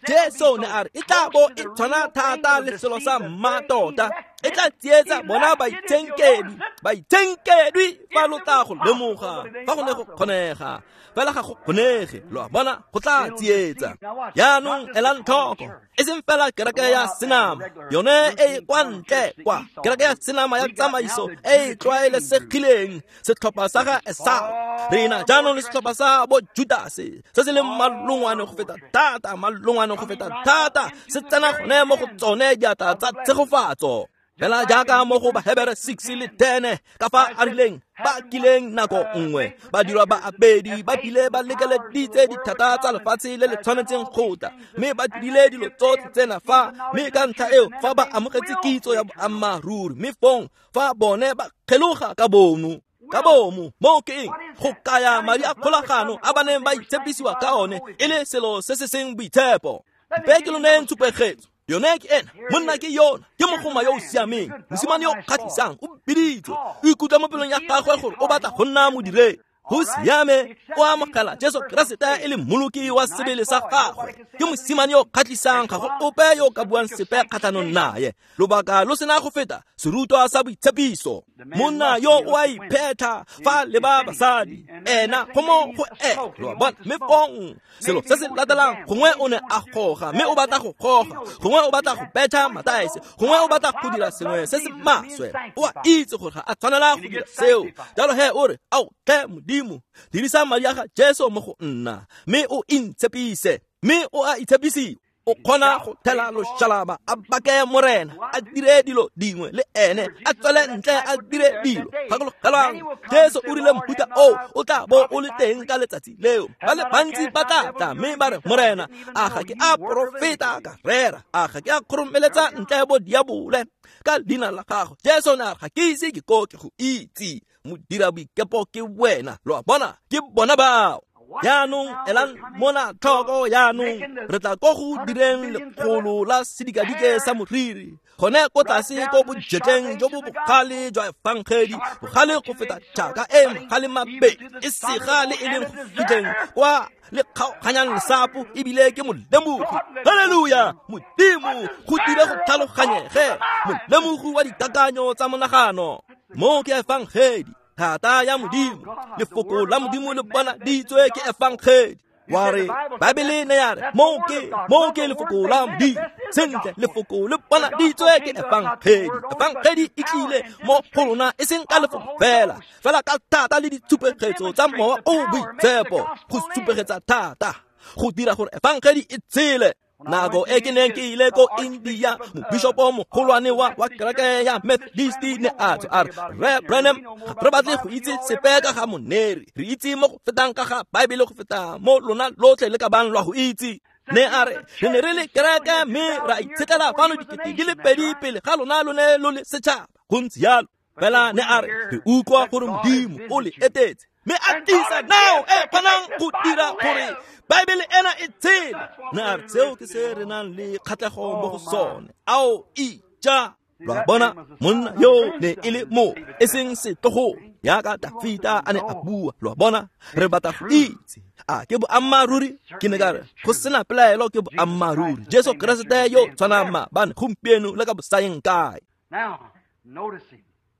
Jesu ne a re e tla bo e tshwana thata le selo sa mmatota, E tla tsietsa bona baitshenkedwi, baitshenkedwi fa lo tla go lemoga, fa go ne go kgonega, fela ga go kgonege, lo a bona, go tla tsietsa. Jaanong elang tlhoko, e seng fela kereke ya senama, yone e e kwa ntle kwa, kereke ya senama ya tsamaiso e e tlwaelesegileng, setlhopha sa ga Esau. Re na jaanong le setlhopha sa bo Judase, se se leng malongwane go feta thata, malongwane go feta thata, se tsena gone mo go tsone diatla tsa tshegofatso. Fela jaaka mo go Bahebere six le ten, ka fa a rileng ba kileng nako nngwe ba dirwa ba abedi, ba bile ba lekeleditse dithata tsa lefatshe le le tshwanetseng go tla, mme ba dirile dilo tsotlhe tsena fa, mme ka ntlha eo fa ba amogetse kitso ya boammaaruri, mme fong fa bone ba kgeloga ka bomo ka bomo, moo ke eng? Go kaya madi a kgolagano a ba neng ba itshepisiwa ka one e le selo se se seng boitshepo. Mpe ke lo neyeng tshupegetso. Yone ke ena, monna ke yona, ke mogoma yo o siameng, mosimane yo o kgatlhisang, o biditswe, o ikutlwa mo pelong ya gagwe gore o batla go nna modiredi. Go siame, o amogela Jesu Keresete e le mmoloki wa sebele sa gagwe. Ke mosimane yo o kgatlhisang, ga go ope yo o ka buang sepe kgatlhanong naye. Lobaka lo sena go feta serutwa sa boitshepiso. Monna yo o a iphetha fa leba basadi, ena go mo go e, lo a bona, mme fong selo se se latelang, gongwe o ne a goga, mme o batla go goga, gongwe o batla go betha mataese, gongwe o batla go dira sengwe se se maswe. O a itse gore ga a tshwanela go dira seo. Jalo he o re, ao tlhe Modimo, dirisa madi a ga Jesu mo go nna, mme o intshepise, mme o a itshepisiwa. O kgona go thela loshalaba, a bake morena, a dire dilo dingwe le ene, a tswele ntle a dire dilo. Gakologelwang, Jesu o rile mohuta oo o tla bo o le teng ka letsatsi leo. Ba le bantsi ba tla tla mme ba re, Morena, a ga ke a porofeta ka rera, a ga ke a kgoromeletsa ntle bo diabole ka leina la gago. Jesu ne a re, ga ke ise ke ko ke go itse, modira boikepo ke wena. Lo a bona, ke bona bao. Jaanong elang mona tlhoko, jaanong re tla ko go direng lekgolo la sedikadike sa moriri, gone ko tlase ko bojetleng jo bo bogale jwa efangedi, bogale go feta jaaka e mogale mabedi, e sega le e leng go fitlheng kwa le kgaoganyang lesapo, ebile ke molemogi. Haleluya! Modimo go dire go tlhaloganyege, molemogi wa dikakanyo tsa monagano. Mo ke efangedi, thata ya Modimo, lefoko la Modimo le bonaditswe ke efangedi. Wa re Baebele ne ya re, mo ke, mo ke lefoko la Modimo. Sentle, lefoko le bonaditswe ke efangedi. Efangedi e tlile mo go rona e seng ka lefoko fela, fela ka thata le ditshupegetso tsa Mowa o o Boitshepo, go supegetsa thata, go dira gore efangedi e tshele. Nako e ke neng ke ile ko India, mobishopo mogolwane wa wa kereke ya Methodist ne a tswa a re, Rre Branham, ga re batle go itse sepe ka ga moneri, re itse mo go fetang ka ga Baebele go feta mo lona lotlhe le ka bang lwa go itse. Ne a re, re ne re le kereke mme ra itshetlela fano dikete di le pedi pele ga lona lone lo le setšhaba. Go ntse jalo. Fela ne a re, re utlwa gore Modimo o le etetse, mme a tlisa nao e kgonang go dira gore Baebele ena e tshele. Ne a re, seo ke se re nang le kgatlhego mo go sone. Ao ija! Lo a bona, monna yo ne e le mo, e seng setlogo, jaaka Dafita a ne a bua. Lo a bona, re batla go itse, a ke boammaaruri? Ke ne ka re, go sena pelaelo ke boammaaruri. Jesu Keresete yo tshwanang maabane, gompieno le ka bosayeng kae.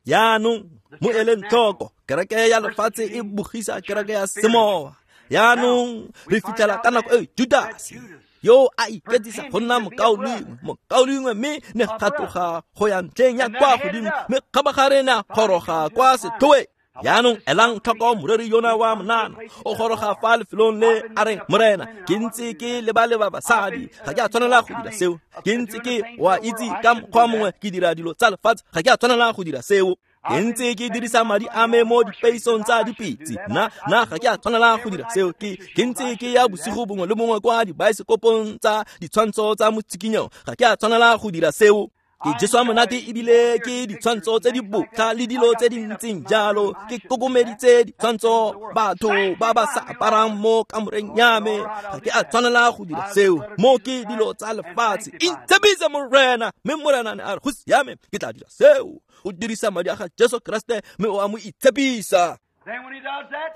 Jaanong mo eleng tlhoko, kereke ya lefatshe e bogisa kereke ya semowa. Jaanong re fitlhela ka nako e Judase yo a iketsisa go nna mokaulengwe, mokaulengwe, mme ne ga tloga go ya ntlheng ya kwa godimo, mme kgabagare ne a goroga kwa setlhoeng. Jaanong elang tlhoko moreri yona wa monana, o goroga fa lefelong le a reng, Morena, ke ntse ke leba-leba basadi, ga ke a tshwanela go dira seo. Ke ntse ke wa itse ka mokgwa mongwe ke dira dilo tsa lefatshe, ga ke a tshwanela go dira seo. Ke ntse ke dirisa madi a me mo dipeisong tsa dipitse, nna nna ga ke a tshwanela go dira seo. Ke ke ntse ke ya bosigo bongwe le bongwe kwa dibaesekopong tsa ditshwantsho tsa motshikinyo, ga ke a tshwanela go dira seo. Ke jeswa monate ebile ke ditshwantsho tse di botlha le dilo tse di ntseng jalo. Ke kokomeditse ditshwantsho batho ba ba sa aparang mo kamoreng ya me, ga ke a tshwanela go dira seo. Mo ke dilo tsa lefatshe. Intshepise Morena, mme Morena ne a re, go siame, ke tla dira seo. O dirisa madi a ga Jesu Keresete mme o a mo itshepisa.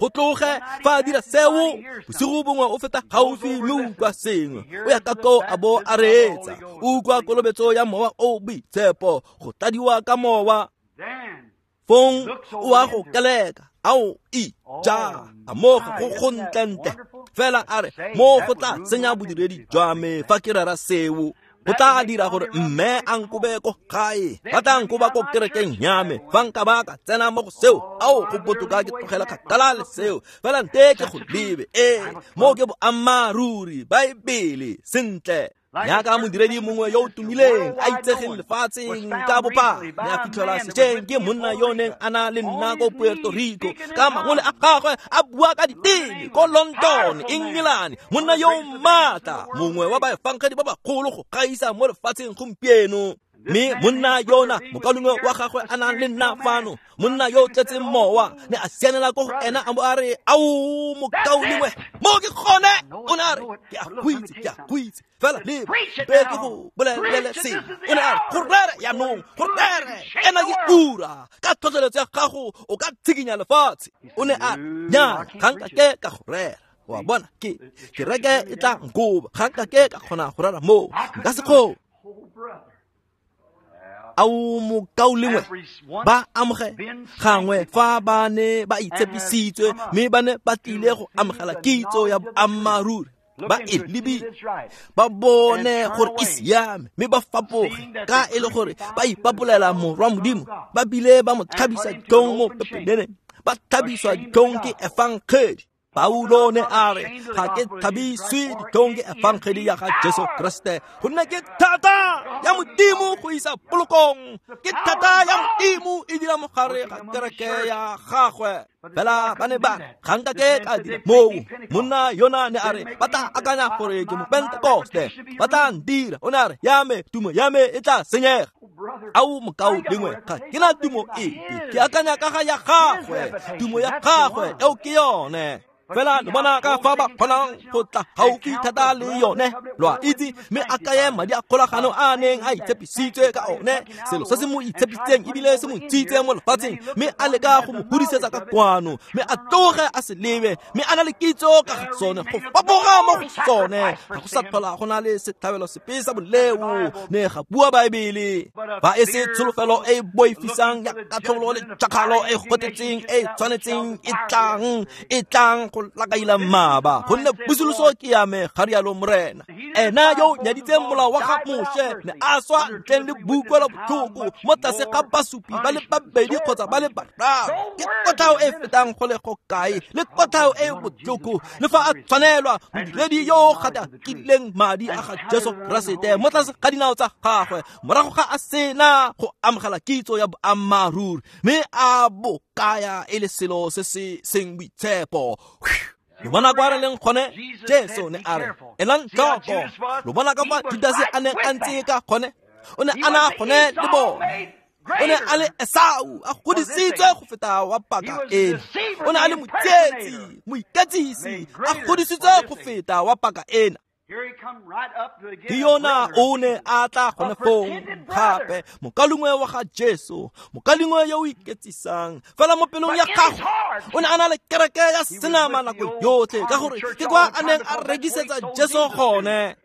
Go tloge fa a dira seo, bosigo bongwe o feta gaufi mme o utlwa sengwe, o ya ka koo a bo a reetsa, o utlwa kolobetso ya Mowa o o Boitshepo, go tladiwa ka Mowa. Fong o a go keleka, ao ija, a mo go go ntlentle. Fela a re, mo go tla senya bodiredi jwa me fa ke rera seo. Go tla dira gore mme a nkobe ko gae, ba tla nkoba ko kerekeng ya me fa nka ba ka tsena mo go seo. Ao go botoka ke tlogela kgakala le seo, fela nte ke go lebe. Ee, mo ke boammaaruri, Baebele sentle. Jaaka modiredi mongwe yo o tumileng a itsegeng lefatsheng ka bophara, ne a fitlhelwa sešweng ke monna yo neng a na le nna ko Puerto Rico, ka mangole a gagwe a bua ka diteme ko London, England. Monna yo o maatla, mongwe wa baefangedi ba bagolo go gaisa mo lefatsheng gompieno. Mme monna yona, mokaulengwe wa gagwe a nang le nna fano, monna yo o tletseng mowa, ne a sianela ko go ena a bo a re, ao mokaulengwe, mo ke gone. O ne a re, ke a go itse, ke a go itse, fela le be ke go bolelele sengwe. O ne a re, go rere jaanong, go rere, ena ke ura, ka tlhotlheletso ya gago o ka tshikinya lefatshe. O ne a re, nnyaa, ga nka ke ka go rera. Wa bona, ke kereke e tla nkoba, ga nka ke ka kgona go rera moo, nka se kgone. Ao mokaulengwe, ba amoge gangwe fa ba ne ba itshepisitswe, mme ba ne ba tlile go amogela kitso ya boammaaruri, ba e lebile, ba bone gore e siame, mme ba fapoge ka e le gore ba ipapolela Morwa Modimo, ba bile ba mo tlhabisa ditlhong mo pepeneneng, ba tlhabiswa ditlhong ke efangedi. Paulo ne a re, ga ke tlhabiswe ditlhong ke efangedi ya ga Jesu Kriste, gonne ke thata ya Modimo go isa polokong, ke thata ya Modimo e dira mo gare ga kereke ya gagwe. Fela ba ne ba ga nka ke ka dira moo. Monna yona ne a re, ba tla akanya gore ke Mopentekoste, ba tla ntira. O ne a re, ya me tumo ya me e tla senyega. Ao mokaulengwe, ga ke na tumo epe, ke akanya ka ga ya gagwe, tumo ya gagwe eo ke yone. Fela lo bona ka fa ba kgonang go tla gaufi thata le yone, lo a itse, mme a kaye madi a kgolagano a neng a itshepisitswe ka one, selo se se mo itshepisitseng ebile se mo ntshitse mo lefatsheng, mme a leka go mo hudisetsa ka kwano, mme a tloge a se lebe, mme a na le kitso ka ga sone, go fapoga mo go sone, ga go sa tlhola go na le setlhabelo sepe sa boleo, ne ga bua Baebele. Fa e se tsholofelo e e boifisang ya katlholo le tšhakgalo e gotetseng e tshwanetseng e tlang, e tlang go lakaila mmaba, gonne pusoloso ke ya me, ga rialo Morena. Ena yo nyaditseng molao wa ga Moshe ne a swa ntleng le boutlwelo botlhoko mo tlase ga basupi ba le babedi kgotsa ba le bararo. Ke kotlhao e fetang go le go kae, le kotlhao e botlhoko, le fa a tshwanelwa modiredi yo gatakileng madi a ga Jesu Keresete mo tlase ga dinao tsa gagwe, morago ga a sena go amogela kitso ya boammaaruri, mme a bo kaya e le selo se se seng boitshepo. Lo bona kwa re leng gone, Jesu ne a re, elang tlhoko. Lo bona ka fa Judase a neng a ntse ka gone, o ne a na gone le bone. O ne a le Esau, a godisitswe go feta wa paka ena. O ne a le motsietsi, moiketsisi, a godisitswe go feta wa paka ena. Ke yona o ne a tla gone foo gape, mokaulengwe wa ga Jesu, mokaulengwe yo o iketsisang. Fela mo pelong ya gagwe o ne a na le kereke ya senama nako yotlhe, ka gore ke kwa a neng a rekisetsa Jesu gone.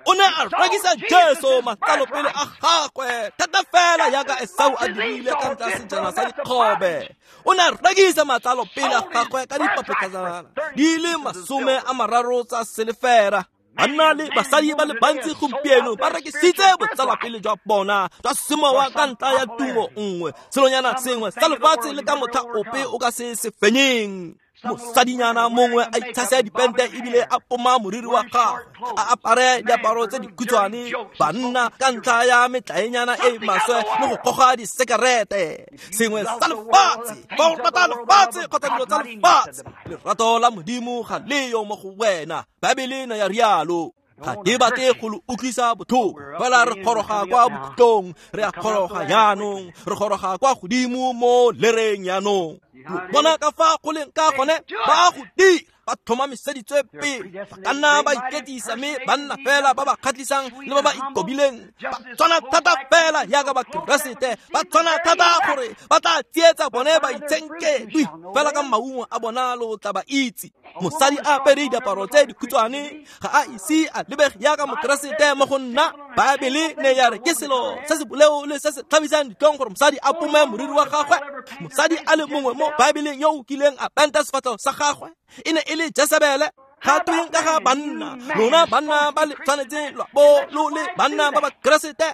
O ne a rekisa Jesu matlalo pele a gagwe, thata fela jaaka Esau a dirile ka ntlha ya sejana sa dikgobe. O ne a rekisa matlalo pele a gagwe ka dipapetlana di le masome a mararo tsa selefera. Banna le basadi ba le bantsi gompieno ba rekisitse botsalwapele jwa bona jwa semowa ka ntlha ya tumo nngwe, selonyana sengwe sa lefatshe le ka motlha ope o ka se se fenyeng. Mosadinyana mongwe a itshasa dipente ebile a poma moriri wa gagwe, a apare diaparo tse dikhutshwane, banna ka ntlha ya metlaenyana e maswe le go goga disekerete. Sengwe sa lefatshe, fa o rata lefatshe kgotsa dilo tsa lefatshe, lerato la Modimo ga leyo mo go wena. Baebele ne ya rialo. Ga ke batle go lo utlwisa botlhoko, fela re goroga kwa bokhutlong, re a goroga jaanong, re goroga kwa godimo mo lereng jaanong. Lo bona ka fa go leng ka gone, ba a go dira. Ba tlhomamiseditswe pele, ba ka nna ba iketisa mme ba nna fela ba ba kgatlhisang le ba ba ikobileng. Ba tshwana thata fela jaaka Bakeresete, ba tshwana thata gore ba tla tsietsa bone ba itshenkedwi fela ka maungo a bona lo tla ba itse. Mosadi a apere diaparo tse dikhutshwane ga a ise a lebege jaaka Mokeresete mo go nna. Baebele ne ya re ke selo se se boleo le se se tlhabisang ditlhong gore mosadi a pome moriri wa gagwe. Mosadi a le mongwe mo Baebeleng yo o kileng a penta sefatlhego sa gagwe e ne e le Jesebele. Ga tweng ka ga banna? Lona banna ba le tshwanetseng lwa bo lo le banna ba Bakeresete,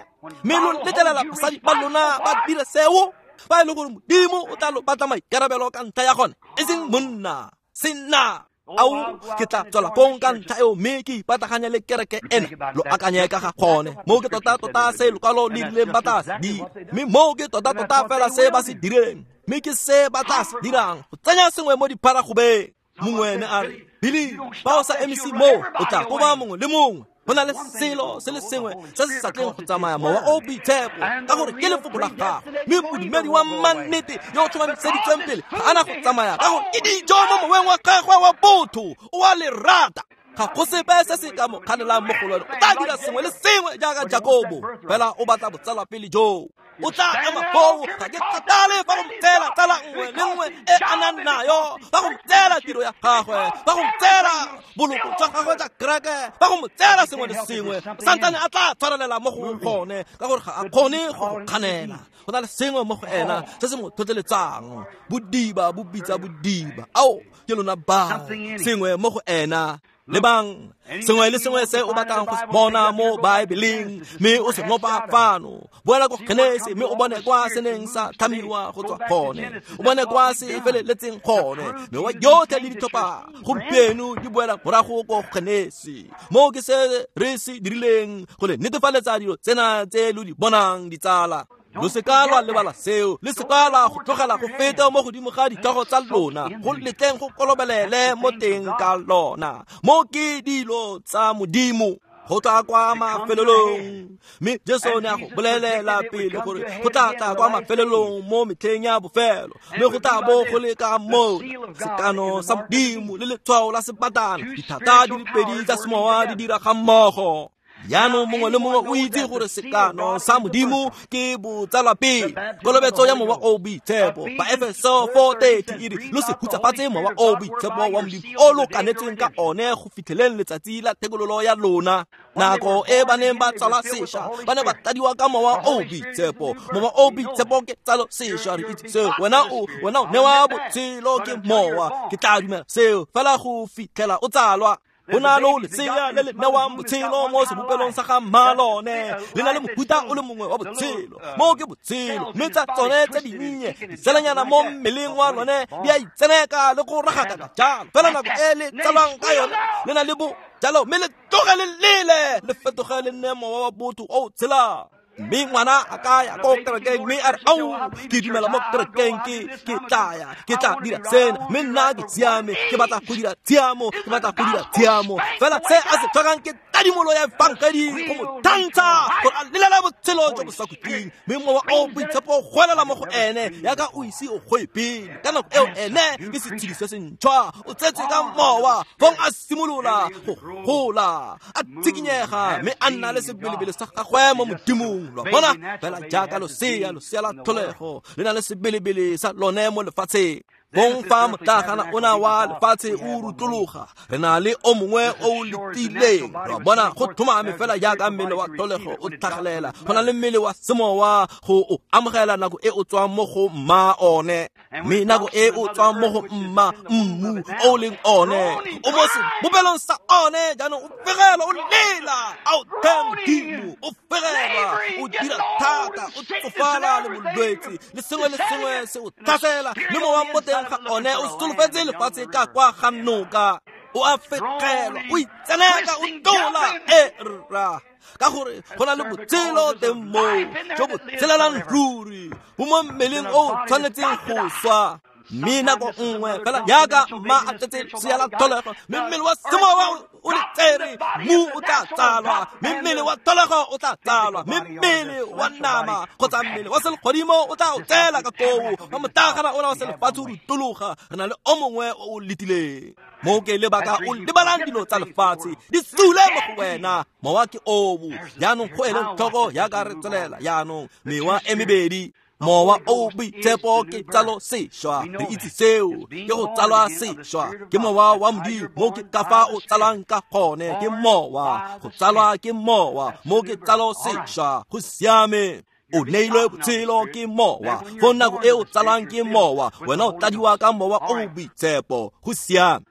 mme lo letlelela basadi ba lona ba dira seo, fa e le gore Modimo o tla lo batla maikarabelo ka ntlha ya gone, e seng monna, senna. Ao, ke tla tswela kong ka ntlha eo mme ke ipataganya le kereke ena. Lo akanye ka ga gone. Moo ke tota-tota se lokwalo le rileng ba tla se dira, mme moo ke tota-tota fela se ba se direng, mme ke se ba tla se dirang, go tsenya sengwe mo dipharagobeng. Mongwe ne a re, Billy, fa o sa emise moo, o tla koba mongwe le mongwe. Go na le selo se le sengwe se se sa tleng go tsamaya, mowa o boitshepo, ka gore ke lefoko la gago. Mme modumedi wa mannete yo o tlhomamiseditsweng pele ga a na go tsamaya, ka gore ke dijo mo moweng wa gagwe wa botho, o a le rata. Ga go sepe se se ka mo kganelang mo go lone. O tla dira sengwe le sengwe jaaka Jakobo, fela o batla botsalwapele joo. O tla ema foo, ga ke kgathale fa go mo tseela tsala nngwe le nngwe e a nang nayo, fa go mo tseela tiro ya gagwe, fa go mo tseela boloko jwa gagwe jwa kereke, fa go mo tseela sengwe le sengwe, santsane a tla tshwarelela mo go gone, ka gore ga a kgone go go kganela. Go na le sengwe mo go ena se se mo tlhotlheletsang. Bodiba bo bitsa bodiba. Ao, ke lona bao, sengwe mo go ena. Lebang, sengwe le sengwe se o batlang go se bona mo Baebeleng, mme o se ngopa fano. Boela ko Genesi mme o bone kwa se neng sa tlhamiwa go tswa gone, o bone kwa se feleletseng gone. Mewa yotlhe le ditlhopha gompieno di boela morago ko Genesi. Moo ke se re se dirileng go le netefaletsa dilo tsena tse lo di bonang, ditsala. Lo se ka lwa lebala seo, le se ka lwa go tlogela go feta mo godimo ga ditlhogo tsa lona, go letleng go kolobelele mo teng ka lona. Mo ke dilo tsa Modimo go tla kwa mafelelong. Mme Jesu ne a go bolelela pele gore go tla tla kwa mafelelong mo metlheng ya bofelo, mme go tla bo go le ka moo sekano sa Modimo le letshwao la sebatana, dithata di le pedi tsa semowa di dira ga mmogo. Jaanong mongwe le mongwe o itse gore sekano sa Modimo ke botsalwapele, kolobetso ya mowa o boitshepo. Baefeso four thirty e re lo se hutsafatse mowa o boitshepo wa Modimo o lo kanetsweng ka one go fitlheleng letsatsi la thekololo ya lona. Nako e ba neng ba tsalwa sešwa, ba ne ba tladiwa ka mowa o boitshepo. Mowa o boitshepo ke tsalo sešwa, re itse seo. Wena o wena o newa botshelo ke mowa, ke tla dumela seo fela go fitlhela o tsalwa. Go na le lesea le le newang botshelo mo sebopelong sa ga mma lone, le na le mofuta o le mongwe wa botshelo, moo ke botshelo. Mme tsa tsone tse dinnye ditselanyana mo mmeleng wa lone di a itseneka le go ragakaka jalo. Fela nako e le tsalwang ka yone le na le bo jalo, mme le tloge le lele le fetoge le nne mowa wa botho o tshelang. Mme ngwana a ka ya ko kerekeng mme a re, ao, ke dumela mo kerekeng, ke ke tla ya, ke tla dira sena, mme nna ke siame, ke batla go dira tshiamo, ke batla go dira tshiamo. Fela se a se tlhokang ke tadimolo ya efangedi go mo thantsha gore a lelela botshelo jo bo sa khutleng. Mme mowa o boitshepo o goelela mo go ene yaka o ise o goe pele. Ka nako eo ene ke setshedi se sentšhwa, o tsetswe ka mowa. Fong a simolola go gola, a tshikinyega, mme a nna le sebelebele sa gagwe mo Modimong. Lo bona fela jaaka losea, losea la tlholego le na le sebelebele sa lone mo lefatsheng. Bong fa motlagana ona wa lefatshe o rutlologa, re na le o mongwe o letileng. Lo bona go tlhomame fela jaaka mmele wa tlholego o tlhagelela, go na le mmele wa semowa go o amogela nako e o tswang mo go mma one. Mme nako e o tswang mo go mma mmu o leng one, o mo sebopelong sa one. Jaanong o fegelwa, o lela, ao tlhe Modimo, o fegelwa, o dira thata, o tsofala le bolwetse, le sengwe le sengwe se o tlhasela, le mowa mo teng ga one o solofetse lefatshe ka kwa ga noka. O a fegelwa, o itseneka, o tlola, e rra, ka gore go na le botshelo teng moo jo bo tshelelang ruri, bo mo mmeleng o tshwanetseng go swa. Mme nako nngwe fela jaaka mma a tletse lesea la tlholego, mme mmele wa semowa o le tsere, mmu o tla tsalwa, mme mmele wa tlholego o tla tsalwa, mme mmele wa nama kgotsa mmele wa selegodimo o tla o tsela ka koo, wa motlagana ona wa selefatshe o rutologa, re na le o mongwe o o letileng. Mo ke lebaka o lebalang dilo tsa lefatshe di sule mo go wena, mowa ke oo. Jaanong go eleng tlhoko jaaka re tswelela jaanong, mewa e mebedi. Mowa o boitshepo ke tsalo sešwa, re itse seo, ke go tsalwa sešwa, ke mowa wa Modimo, mo ke ka fa o tsalwang ka gone, ke mowa, go tsalwa ke mowa, mo ke tsalo sešwa, go siame. O neilwe botshelo ke mowa, fo nako e o tsalwang ke mowa, wena o tladiwa ka mowa o boitshepo, go siame.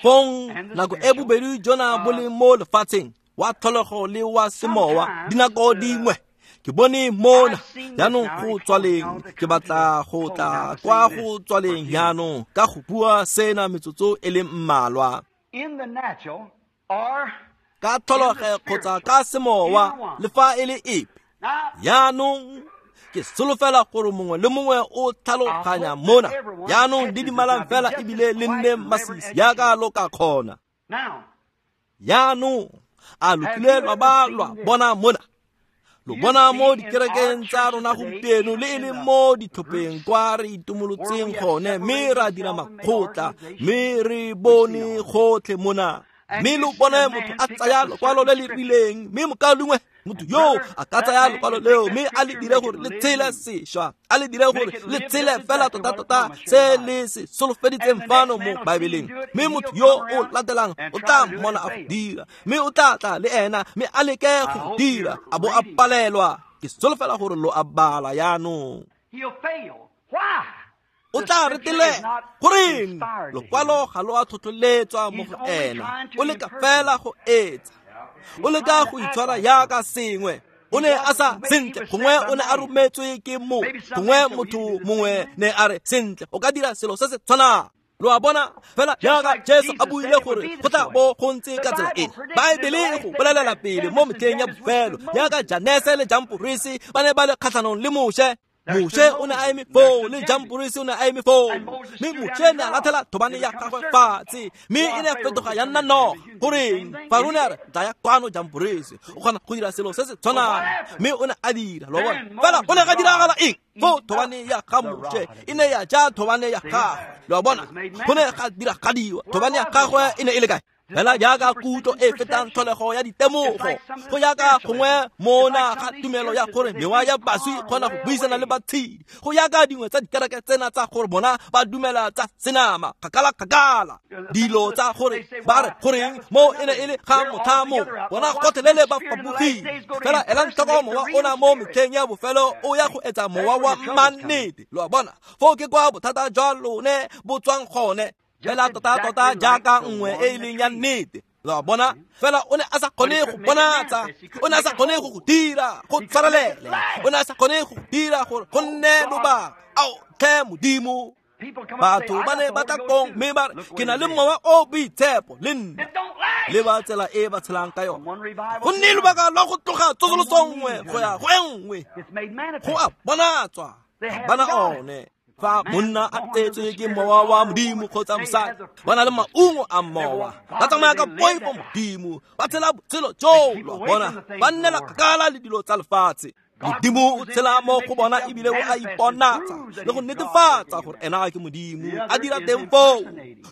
Fong nako e bobedi jona bo le mo lefatsheng, wa tlholego le wa semowa, dinako dingwe ke bone mona jaanong go tswaleng, ke batla go tla kwa go tswaleng jaanong ka go bua sena metsotso e le mmalwa. Ka tlholego kgotsa ka semowa, le fa e le epe. Jaanong ke solofela gore mongwe le mongwe o tlhaloganya mona. Jaanong didimalang fela ebile le nne masisi jaaka lo ka kgona. Jaanong a lo kile lwa ba lwa bona mona? Lo bona mo dikerekeng tsa rona gompieno le e leng mo ditlhopheng kwa re itumolotseng gone, mme ra dira makgotla, mme re bone gotlhe mona. Mme lo bone motho a tsaya lokwalo le le rileng, mme mokaulengwe motho yo a ka tsaya lokwalo leo mme a le dire gore le tshele sešwa, a le dire gore le tshele fela tota-tota se le se solofeditseng fano mo Baebeleng. Mme motho yo o latelang o tla mmona a go dira, mme o tla tla le ena mme a leke go dira, a bo a palelwa. Ke solofela gore lo a bala jaanong. O tla retelela goreng lokwalo ga lo a tlhotlheletswa mo go ena, o leka fela go etsa, o leka go itshwara jaaka sengwe. O ne a sa sentle, gongwe o ne a rometswe ke mo, gongwe motho mongwe ne a re sentle, o ka dira selo se se tshwanang. Lo a bona fela jaaka Jesu a buile gore go tla bo go ntse ka tsela ena. Baebele e go bolelela pele mo metlheng ya bofelo, jaaka Janese le Jamporisi ba ne ba le kgatlhanong le Moshe. Moshe o ne a eme foo, le Jamporisi o ne a eme foo, mme Moshe ne a latlhela thobane ya gagwe fatshe, mme e ne ya fetoga ya nna noga. Goreng? Faro ne a re, tlaya kwano Jamporisi, o kgona go dira selo se se tshwanang, mme o ne a dira. Lo bona fela go ne ga diragala eng? Foo thobane ya ga Moshe e ne ya ja thobane ya gagwe. Lo bona, go ne ga diragadiwa, thobane ya gagwe e ne e le kae? Fela jaaka kutlo e fetang tlholego ya ditemogo, go jaaka gongwe mona ga tumelo ya gore mewa ya baswi e kgona go buisana le batshedi, go jaaka dingwe tsa dikereke tsena tsa gore bona ba dumela tsa senama kgakala-kgakala, dilo tsa gore ba re goreng mo e ne e le ga motlha mo bona gotlhelele ba fapogile. Fela elang tlhoko mowa ona mo metlheng ya bofelo o ya go etsa mowa wa mannete. Lo a bona, foo ke kwa bothata jwa lone bo tswang gone. Fela tota-tota jaaka nngwe e e leng ya nnete. Lo a bona, fela o ne a sa kgone go bonatsa, o ne a sa kgone go go dira go tshwarelele, o ne a sa kgone go dira gore go nne lobaka. Ao tlhe Modimo, batho ba ne ba tla kong mme ba re ke na le mowa o boitshepo le nna, le ba tsela e ba tshelang ka yone. Go nne lobaka lwa go tloga tsosoloso nngwe go ya go e nngwe, go a bonatswa bana one. Fa monna a tsetswe ke mowa wa Modimo kgotsa mosadi, ba na le maungo a mowa, ba tsamaya ka poifo Modimo, ba tshela botshelo joo. Lo bona, ba nnela kgakala le dilo tsa lefatshe. Modimo o tshela mo go bona ebile o a iponatsa le go netefatsa gore ena ke Modimo, a dira teng foo.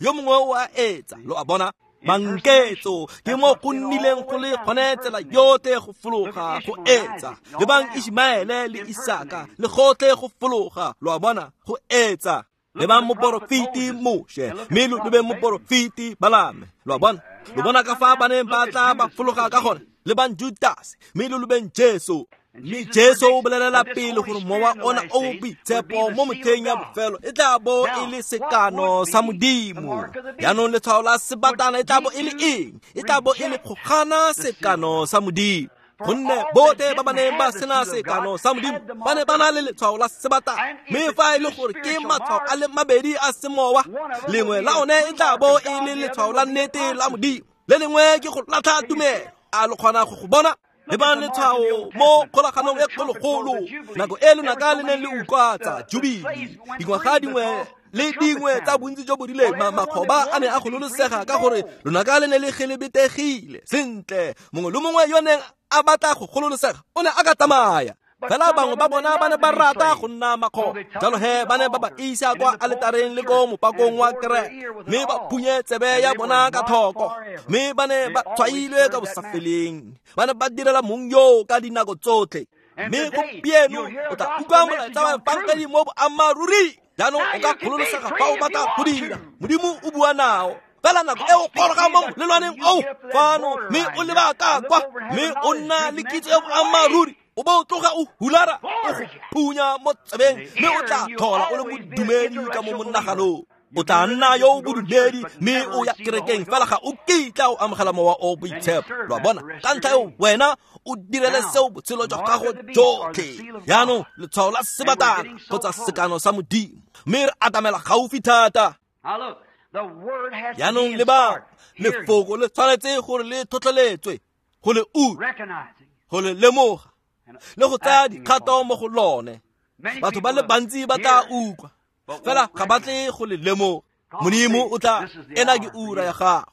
Yo mongwe o a etsa. Lo a bona, manketso ke mo go nnileng go le gone tsela yotlhe go fologa go etsa. Lebang Ishmaele le Isaka le gotlhe go fologa. Lo a bona, go etsa. Lebang moporofeti Moshe, mme lo lebe moporofeti Balame. Lo a bona, lo bona ka fa ba neng ba tla ba fologa ka gone. Lebang Judase, mme lo lebeng Jesu. Mme Jesu o bolelela pele gore mowa ona o boitshepo mo motlheng ya bofelo e tla bo e le sekano sa Modimo. Jaanong letshwao la sebatana e tla bo e le eng? E tla bo e le go gana sekano sa Modimo. Gonne botlhe ba ba neng ba sena sekano sa Modimo ba ne ba na le letshwao la sebatana. Mme fa e le gore ke matshwao a le mabedi a semowa, lengwe la one e tla bo e le letshwao la nnete la Modimo, le lengwe ke go latlha tumelo. A lo kgona go go bona? Lebang letshwao mo kgolaganong e kgologolo, nako e lonaka le neng le utlwatsa Jubile, dingwaga dingwe le dingwe tsa bontsi jo bo rileng, makgoba a ne a gololosega ka gore lonaka le ne le gelebetegile sentle. Mongwe le mongwe yo neng a batla go gololosega o ne a ka tsamaya. Fela bangwe ba bona ba ne ba rata go nna makgoba, jalo he ba ne ba ba isa kwa aletareng le ko mopakong wa kereke, mme ba phunye tsebe ya bona ka thoko, mme ba ne ba tshwailwe ka bosafeleng. Ba ne ba direla mong yo ka dinako tsotlhe. Mme gompieno o tla utlwa molaetsa wa efangedi mo boammaaruri. Jaanong o ka gololosega fa o batla go dira. Modimo o bua nao. Fela nako e o goroga mo molelwaneng oo fano, mme o leba ka kwa, mme o nna le kitso ya boammaaruri, o bo o tloga o hulara, o go phunya mo tsebeng, mme o tla tlhola o le bodumedi ka mo monaganong. O tla nna yo o bodumedi mme o ya kerekeng, fela ga o kitla o amogela mowa o boitshepo. Lo a bona? Ka ntlha eo wena o direle seo botshelo jwa gago jotlhe. Jaanong letshwao la sebatana kgotsa sekano sa Modimo, mme re atamela gaufi thata. Jaanong leba, lefoko le tshwanetse gore le tlhotlheletswe, go le utlwa, go le lemoga, le go tsaya dikgato mo go lone. Batho ba le bantsi ba tla utlwa, fela ga ba tle go le lemoga. Modimo o tla, ena ke ura ya gago.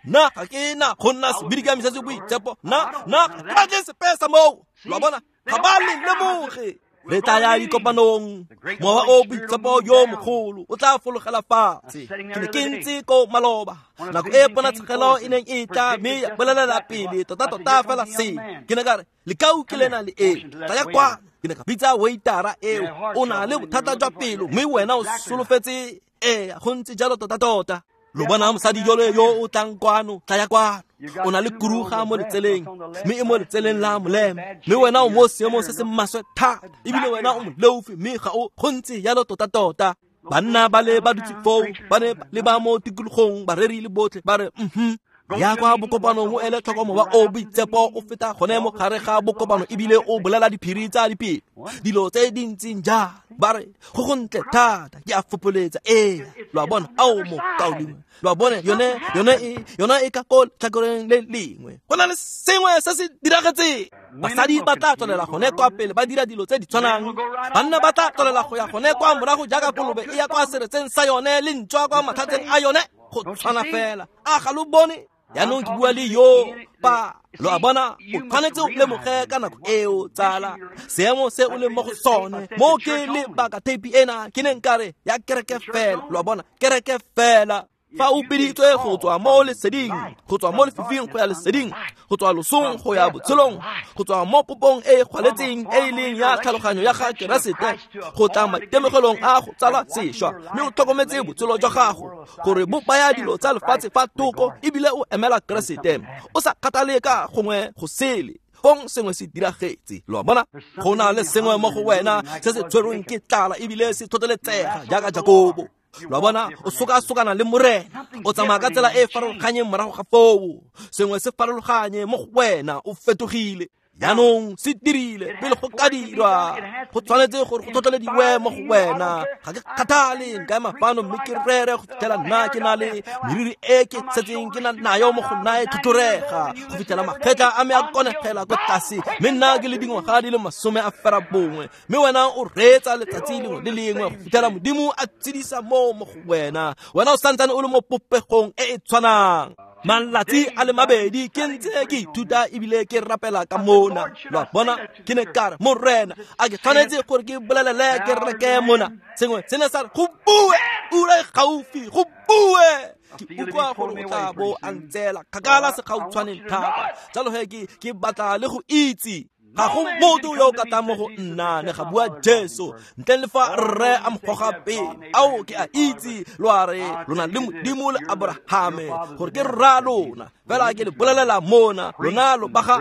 Nna ga ke na go nna sebidikami se se boitshepo, nna nna ga ke batle sepe sa moo. Lo a bona? Ga ba le lemoge. Le tla ya dikopanong, mowa o boitshepo yo mogolo o tla fologela fatshe. Ke ne ke ntse ko maloba, nako e ponatshegelo e neng e tla, mme ya bolelela pele tota-tota fela se. Ke ne ka re, lekau ke lena le e, tla ya kwano. Ke ne ka bitsa waitara eo, o na le bothata jwa pelo, mme wena o solofetse. Ee, go ntse jalo tota-tota. Lo bona mosadi jole yo o tlang kwano, tla ya kwano. O na le kuruga mo letseleng, mme e mo letseleng la molema, mme wena o mo seemong se se maswe thata, ebile wena o moleofi, mme ga o go ntse jalo tota-tota. Banna ba le ba dutse foo, ba ne le ba mo tikologong, bareri le botlhe ba re mhm. Ya kwa bokopanong o ele tlhoko mowa o boitshepo o feta gone mo gare ga bokopano, ebile o bolela diphiri tsa dipelo, dilo tse di ntseng jalo. Ba re go go ntle thata, ke a fopoletsa. Ee, lo a bona? Ao mokaulengwe, lo a bona? Yone yone e yona e ka ko letlhakoreng le lengwe. Go na le sengwe se se diragetseng. Basadi ba tla tswelela gone kwa pele ba dira dilo tse di tshwanang, banna ba tla tswelela go ya gone kwa morago jaaka kolobe e ya kwa seretseng sa yone le ntšwa kwa matlhatseng a yone, go tshwana fela. A ga lo bone? Jaanong ke bua le yo pa. Lo a bona? O tshwanetse o lemoge ka nako eo, tsala, seemo se o leng mo go sone. Mo ke lebaka theipi ena ke neng ka re ya kereke fela. Lo a bona? Kereke fela. Fa o biditswe go tswa mo leseding, go tswa mo lefifing go ya leseding, go tswa losong go ya botshelong, go tswa mo popong e e gwaletseng e e leng ya tlhaloganyo ya ga Keresete, go tla maitemogelong a go tsalwa sešwa, mme o tlhokometse botshelo jwa gago gore bo baya dilo tsa lefatshe fa thoko, ebile o emela Keresete, o sa kgathale ka gongwe go sele. Fong sengwe se diragetse. Lo a bona? Go na le sengwe mo go wena se se tshwerweng ke tlala ebile se tlhotlheletsega jaaka Jakobo. Lo a bona? O sokasokana le Morena, o tsamaya ka tsela e e farologanyeng morago ga foo. Sengwe se farologanye mo go wena, o fetogile. Jaanong se dirile pele go ka dirwa, go tshwanetse gore go tlhotlhelediwe mo go wena. Ga ke kgathale, nka ema fano mme ke rere go fitlhela nna ke na le meriri e ke setseng ke na nayo mo go nna e tlhotlhorega, go fitlhela magetla a me a konegela ko tlase, mme nna ke le dingwaga di le masome a fera bongwe, mme wena o reetsa letsatsi lengwe le lengwe go fitlhela Modimo a tshedisa moo mo go wena. Wena o santsane o le mo popegong e e tshwanang. Malatsi a le mabedi ke ntse ke ithuta ebile ke rapela ka mona. Lo a bona? Ke ne ka re, Morena, a ke tshwanetse gore ke bolelele ke reke mona? Sengwe se ne sa re, go bue, ura e gaufi, go bue. Ke utlwa gore o tla bo a ntseela kgakala segautshwaneng thata, jalo he ke ke batla le go itse. Ga go motho yo o ka tlang mo go nna, ne ga bua Jesu, ntle le fa rre a mo goga pele. Ao, ke a itse lo a re lona le Modimo le Abrahame gore ke rra lona, fela ke le bolelela mona, lona lo ba ga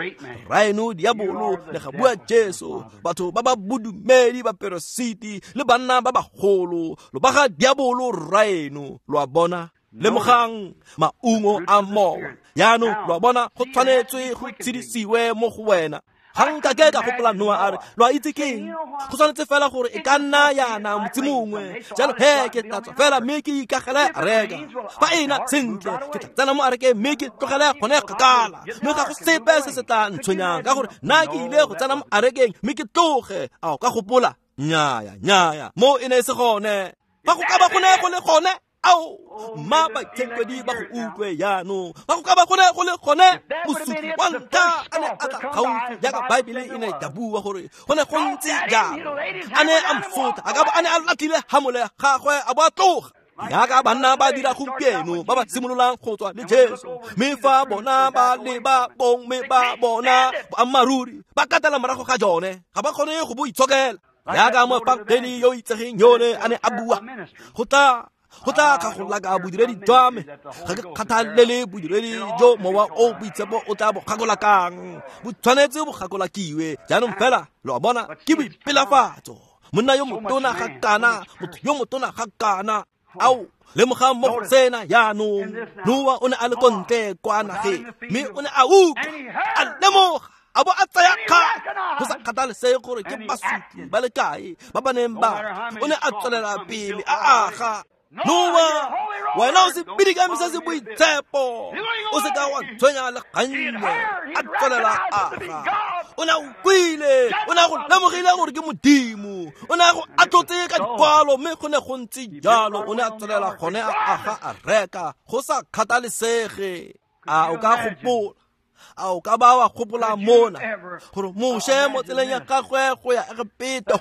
rraeno diabolo, ne ga bua Jesu. Batho ba ba bodumedi, baperesiti le banna ba bagolo, lo ba ga diabolo rraeno. Lo a bona? Lemogang maungo a mowa. Jaanong lo a bona, go tshwanetswe go tshedisiwe mo go wena. Ga nkake ka gopola Noa a re, lo a itse keng? Go tshwanetse fela gore e ka nna yana motse mongwe. Jalo he ke tla tswa fela mme ke ikagele areka. Fa e na sentle, ke tla tsena mo arekeng mme ke tlogele gone kgakala. Mme ga go sepe se se tla ntshwenyang ka gore nna ke ile go tsena mo arekeng mme ke tloge. A o ka gopola? Nnyaya, nnyaya, mo e ne e se gone. Fa go ka ba go ne go le gone, ao, mma baitshenkwedi ba go utlwe jaanong. Fa go ka ba go ne go le gone, mosupi wa ntlha a ne a tla gaufi jaaka Baebele e ne ya bua gore go ne go ntse jalo. A ne a msotla, a ka bo a ne a latlhile hamole ya gagwe a bo a tloga. Jaaka banna ba dira gompieno ba ba simololang go tswa le Jesu, mme fa bona ba leba bong mme ba bona boammaaruri, ba katela morago ga jone, ga ba kgone go bo itshokela. Jaaka moefangeli yo itsegeng yone a ne a bua, go tla go tla kgagolaka bodiredi jwa me, ga ke kgathalele bodiredi jo mowa o boitshepo o tla bo kgagolakang, bo tshwanetse bo kgagolakiwe. Jaanong fela lo a bona ke boipelafatso. Monna yo motona ga kana, motho yo motona ga kana. Ao, lemogang mo go sena jaanong. Noa o ne a le ko ntle kwa nageng, mme o ne a utlwa, a lemoga, a bo a tsaya kgato. Go sa kgathalesege gore ke basotli ba le kae ba ba neng ba, o ne a tswelela pele a aga. Noa, wena o se bidikame se se boitshepo, o se ka wa tshwenya le gannye. A tswelela aga. O ne a utlwile, o ne a go lemogile gore ke Modimo, o ne a go atlotse ka dikwalo, mme go ne go ntse jalo. O ne a tswelela gone a aga a reka, go sa kgathalesege. A o ka gopola? A o ka ba wa gopola mona gore Moshe mo tseleng ya gagwe go ya Egepeto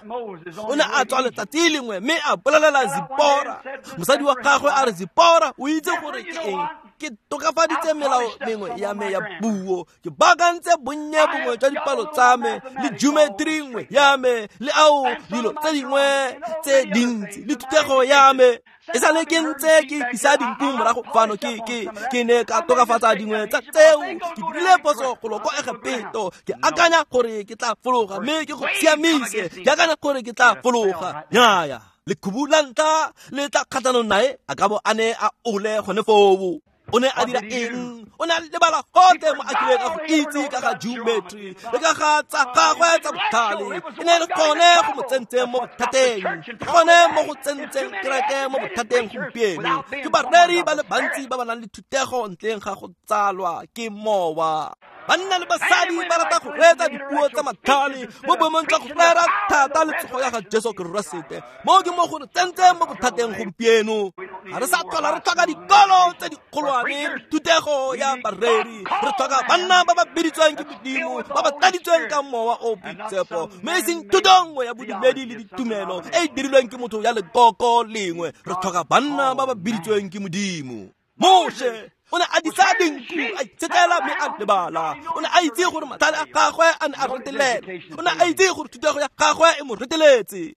o ne a tswa letsatsi lengwe mme a bolelela Zipora, mosadi wa gagwe, a re, Zipora, o itse gore ke eng? Ke tokafaditse melao mengwe ya me ya puo, ke baakantse bonnye bongwe jwa dipalo tsa me le geometry nngwe ya me le ao dilo tse dingwe tse dintsi le thutego ya me. E sale ke ntse ke isa dinku morago fano, ke ke ke ne ka tokafatsa dingwe tsa tseo. Ke dirile phoso golo ko Egepeto, ke akanya gore ke tla fologa mme ke go siamise, ke akanya gore ke tla fologa. Nnyaya, lekhubu la ntlha le tla kgatlhanong nae, a ka bo a ne a ole gone foo. O ne a dira eng? O ne a lebala gotlhe mo a kileng a go itse ka ga geometry le ka ga tsa gagwe tsa botlhale. E ne e le gone go mo tsentseng mo bothateng, gone mo go tsentseng kereke mo bothateng gompieno. Ke bareri ba le bantsi ba ba nang le thutego ntleng ga go tsalwa ke mowa. Banna le basadi ba rata go reetsa dipuo tsa matlhale mo boemong jwa go rera thata le tsogo ya ga Jesu Keresete. Mo ke mo go re tsentseng mo bothateng gompieno. Ga re sa tlhola re tlhoka dikolo tse dikgolwane, thutego ya bareri. Re tlhoka banna ba ba biditsweng ke Modimo, ba ba tladitsweng ka mowa o boitshepo, mme e seng thuto nngwe ya bodumedi le ditumelo e e dirilweng ke motho ya lekoko lengwe. Re tlhoka banna ba ba biditsweng ke Modimo. Moshe o ne a disa dinku, a itshetlela mme a lebala. O ne a itse gore matlhale a gagwe a ne a retelela. O ne a itse gore thutego ya gagwe e mo reteletse.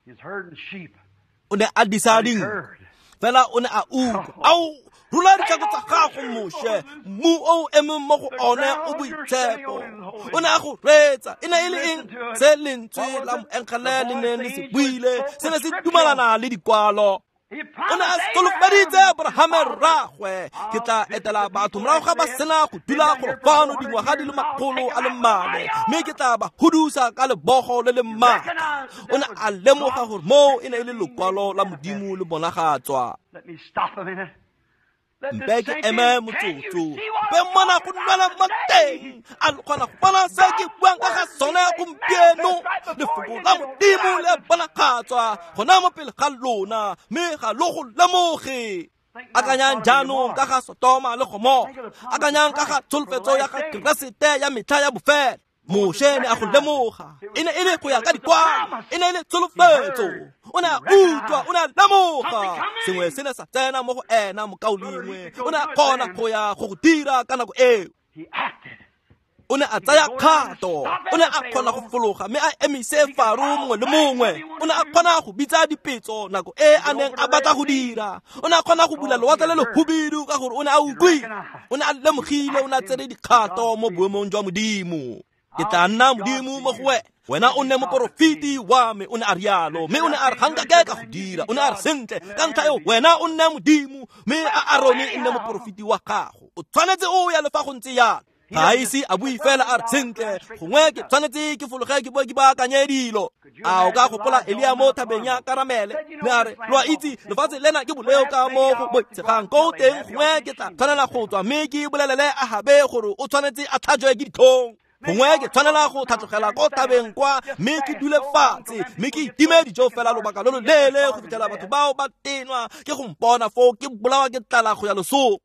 O ne a disa dinku, fela o ne a utlwa. Ao, rula ditlhako tsa gago, Moshe, mmu o emeng mo go one o boitshepo. O ne a go reetsa. E ne e le eng se lentswe la moengele le neng le se buile? Se ne se dumalana le dikwalo. O ne a solofeditse Abrahame rraagwe, ke tla etela batho morago ga ba sena go dula golo fano dingwaga di le makgolo a le mane, mme ke tla ba hudusa ka lebogo le le maatla. O ne a lemoga gore moo e ne e le lokwalo la Modimo le bonagatswa. Mpe ke eme motsotso, mpe mona go nwela mo teng, a le kgona go bona se ke buang ka ga sone gompieno. Lefoko la Modimo le bonagatswa gona mo pele ga lona, mme ga lo go lemoge. Akanyang jaanong ka ga Sotoma le Gomora, akanyang ka ga tsholofetso ya ga Keresete ya metlha ya bofelo. Moshe ne a go lemoga, e ne e le go ya ka dikwalo, e ne e le tsholofetso. O ne a utlwa, o ne a lemoga sengwe se ne sa tsena mo go ena mokaulengwe. O ne a kgona go ya go go dira ka nako eo. O ne a tsaya kgato, o ne a kgona go fologa mme a emise Faro mongwe le mongwe. O ne a kgona go bitsa dipetso nako e a neng a batla go dira. O ne a kgona go bula lewatle le lehubidu ka gore o ne a utlwile, o ne a lemogile, o ne a tsere dikgato mo boemong jwa Modimo. Ke tla nna Modimo mo go wena, wena o nne moporofeti wa me. O ne a rialo, mme o ne a re ga nkake ka go dira. O ne a re sentle, ka ntlha eo wena o nne Modimo, mme a Arone e nne moporofeti wa gago. O tshwanetse o ya le fa go ntse jalo. Ga a ise a bue fela a re sentle gongwe ke tshwanetse ke fologe ke boe ke baakanye dilo. A o ka gopola Elia mo thabeng ya Karamele ne a re lo a itse lefatshe lena ke boleo ka mo go boitshegang ko teng gongwe ke tla tshwanela go tswa mme ke bolelele Ahabe gore o tshwanetse a tlhajwe ke ditlhong. Gongwe ke tshwanela go tlhatlogela ko thabeng kwa mme ke dule fatshe mme ke itime dijo fela lobaka lo lo leele go fitlhela batho bao ba tenwa ke go mpona foo ke bolawa ke tlala go ya losong.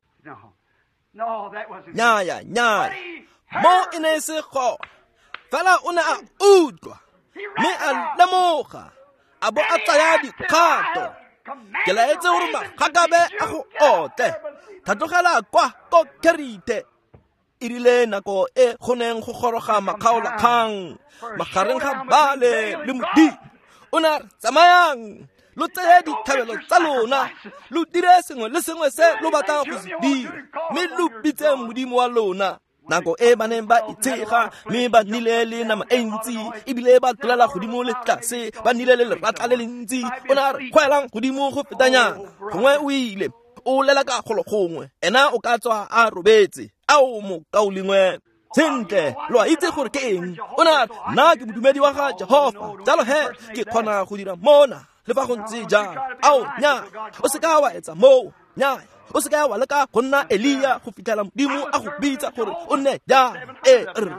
Nnyaya, nnyaya, mo e ne e se gona. Fela o ne a utlwa mme a lemoga a bo a tsaya dikgato. Ke laetse gore magakabe a go otle, tlhatlogela kwa ko Kerite. E rile nako e go neng go goroga makgaolakgang magareng ga Baale le Modimo, o ne a re tsamayang lo tseye ditlhabelo tsa lona, lo dire sengwe le sengwe se lo batlang go se dira, mme lo bitse Modimo wa lona. Nako e ba neng ba itshega mme ba nnile le nama e ntsi ebile ba tlolela godimo le tlase, ba nnile le leratla le le ntsi, o ne a re kgwelang godimo go fetanyana. Gongwe o ile o lela ka golo gongwe, ena o ka tswa a robetse. Ao mokaulengwe, sentle lo a itse gore ke eng. O ne a re nna ke modumedi wa ga Jehofa, jalo he ke kgona go dira mona le fa go ntse jang. Ao nnyaya, o seka wa etsa moo. Nnyaya, o seka wa leka go nna Elia go fitlhela Modimo a go bitsa gore o nne jang. E re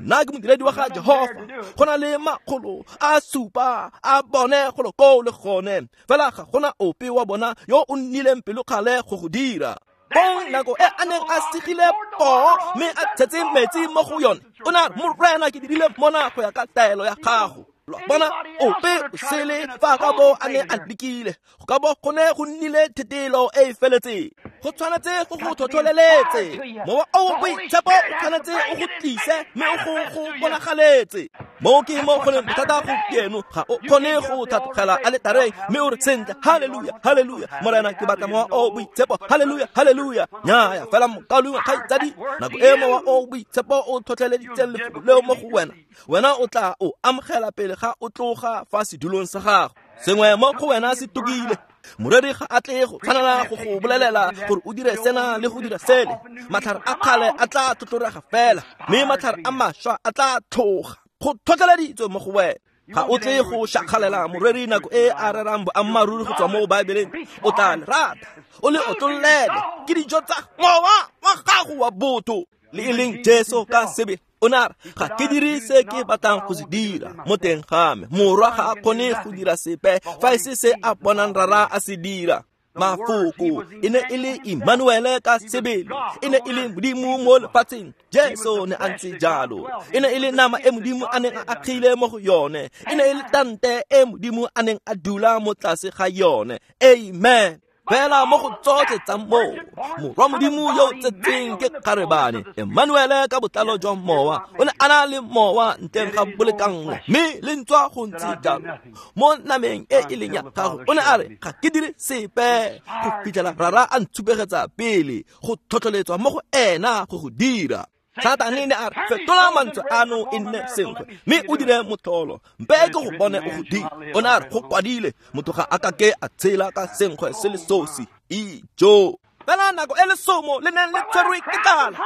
nna ke modiredi wa ga Jehofa, go na le makgolo a supa a bone golo koo le gone, fela ga gona ope wa bona yo o nnileng pelokgale go go dira. Bong nako e a neng a segile poo mme a tshetse metsi mo go yone, o ne a re Morena ke dirile mona go ya ka taelo ya gago. Lo bona ope o sele fa ka bo a ne a lekile, go ka bo go ne go nnile thetelo e e feletseng. Go tshwanetse go go tlhotlheletse mowa o boitshepo, o tshwanetse o go tlise mme o go go bonagaletse. Mo ke mo go leng bothata gompieno, ga o kgone go tlhatlogela aletareng mme o re sentle haleluya, haleluya, Morena ke batla mowa o boitshepo, haleluya, haleluya. Nnyaya, fela mokaulengwe kgaitsadi, nako e mowa o boitshepo o tlhotlheleditseng lefoko leo mo go wena, wena o tla o amogela pele ga o tloga fa sedulong sa gago. Sengwe mo go wena se tokile. Moreri ga a tle go tshwanela go go bolelela gore o dire sena le go dira sele. Matlhare a kgale a tla tlhotlhorega fela, mme matlhare a mašwa a tla tlhoga. Go tlhotlheleditswe mo go wena. Ga o tle go šakgalela moreri nako e a rerang boammaaruri go tswa mo Baebeleng. O tla le rata, o le otlollele. Ke dijo tsa mowa wa gago wa botho. Le e leng Jesu ka sebele o ne a re ga ke dire se ke batlang go se dira mo teng ga me. Morwa ga a kgone go dira sepe fa e se se a bonang Rara a se dira. Mafoko e ne e le Emmanuele ka sebele, e ne e le Modimo mo lefatsheng. Jesu ne a ntse jalo, e ne e le nama e Modimo a neng a agile mo go yone, e ne e le tante e Modimo a neng a dula mo tlase ga yone. Amen. Fela mo go tsotlhe tsa moo, morwa Modimo yo o tsetseng ke kgarebane Emmanuele ka botlalo jwa mowa, o ne a na le mowa ntleng ga bolekanngo, mme le ntswa go ntse jalo mo nameng e e leng ya gago. O ne a re ga ke dire sepe go fitlhela Rara a ntshupegetsa pele go tlhotlheletswa mo go ena go go dira. Satane ne a re fetola mantswe ano e nne senkgwe mme o dire motlholo, mpe ke go bone o go dira. O ne a re go kwadile, motho ga a ka ke a tshela ka senkgwe se le sosi. Ijo. Fela nako e lesomo le neng le tshwerwe ke tlala,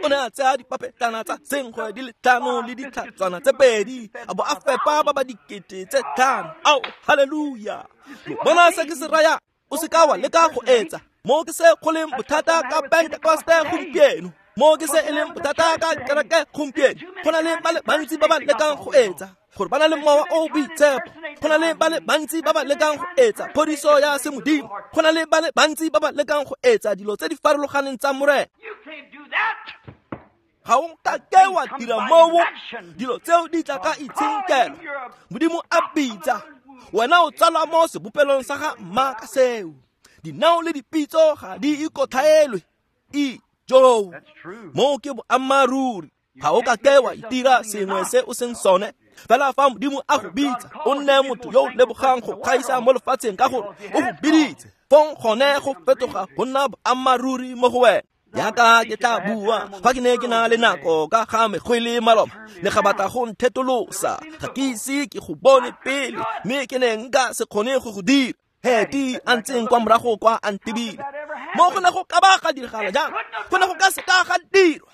o ne a tsaya dipapetlana tsa senkgwe di le tlhano le ditlhatswana tse pedi, a bo a fepa ba ba dikete tse tlhano. Ao, haleluya. Lo bona se ke se raya? O seka wa leka go etsa. Mo ke se go leng bothata ka Pentekoste gompieno, mo ke se e leng bothata ka kereke gompieno. Go na le ba le bantsi ba ba lekang go etsa gore ba na le mowa o boitshepo. Go na le ba le bantsi ba ba lekang go etsa phodiso ya semodimo. Go na le ba le bantsi ba ba lekang go etsa dilo tse di farologaneng tsa Morena. Ga o ka ke wa dira moo, dilo tseo di tla ka itshenkelo. Modimo a bitsa wena, o tsalwa mo sebopelong sa ga mma ka seo. Dinao le dipitso ga di ikotlhaelwe. Ijo, moo ke boammaaruri. Ga o ka ke wa itira sengwe se o seng sone. Fela fa Modimo a go bitsa, o nne motho yo o lebogang go gaisa mo lefatsheng ka gore o go biditse. Fong gone go fetoga go nna boammaaruri mo go wena. Jaaka ke tla bua fa ke ne ke na le nako ka ga megwele maloba, ne ga batla go nthetolosa. Ga ke ise ke go bone pele, mme ke ne nka se kgone go go dira. Heti a ntseng kwa morago kwa a ntebile. Mo go ne go ka ba ga diragala jang? Go ne go ka se ka ga dirwa.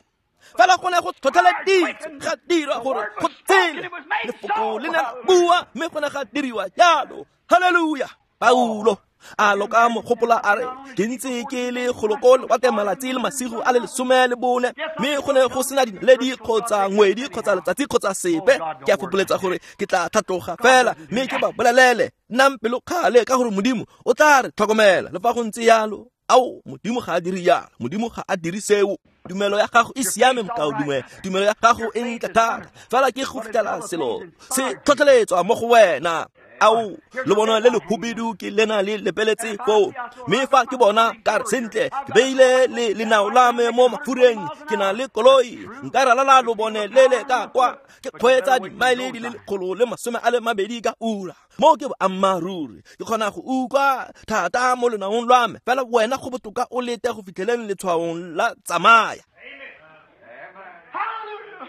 Fela go ne go tlhotlheleditswe ga dirwa gore go tshele. Lefoko le ne la bua mme go ne ga diriwa jalo. Haleluya. Paulo a loka mogopola a re ke ntse ke le goloko lewatle malatsi le masigo a le lesome le bone, mme go ne go sena dinaledi kgotsa ngwedi kgotsa letsatsi kgotsa sepe. Ke a fopoletsa gore ke tla tlhatloga fela mme ke ba bolelele nnang pelokgale ka gore Modimo o tla re tlhokomela. Le fa go ntse yalo, ao, Modimo ga a dire yalo, Modimo ga a dire seo. Tumelo ya gago e siame mokaulengwe, tumelo ya gago e ntle thata, fela ke go fitlhela selo se tlhotlheletswa mo go wena. Ao, le bona le lehubidu ke lena le lepeletse foo, mme fa ke bona ka re sentle ke beile le lenao la me mo mafureng, ke na le koloi, nka ralala lobone le le ka kwa, ke kgweetsa dimaele di le lekgolo le masome a le mabedi ka ura. Mo ke boammaaruri, ke kgona go utlwa thata mo lenaong lwa me, fela wena go botoka o lete go fitlheleng letshwaong la tsamaya.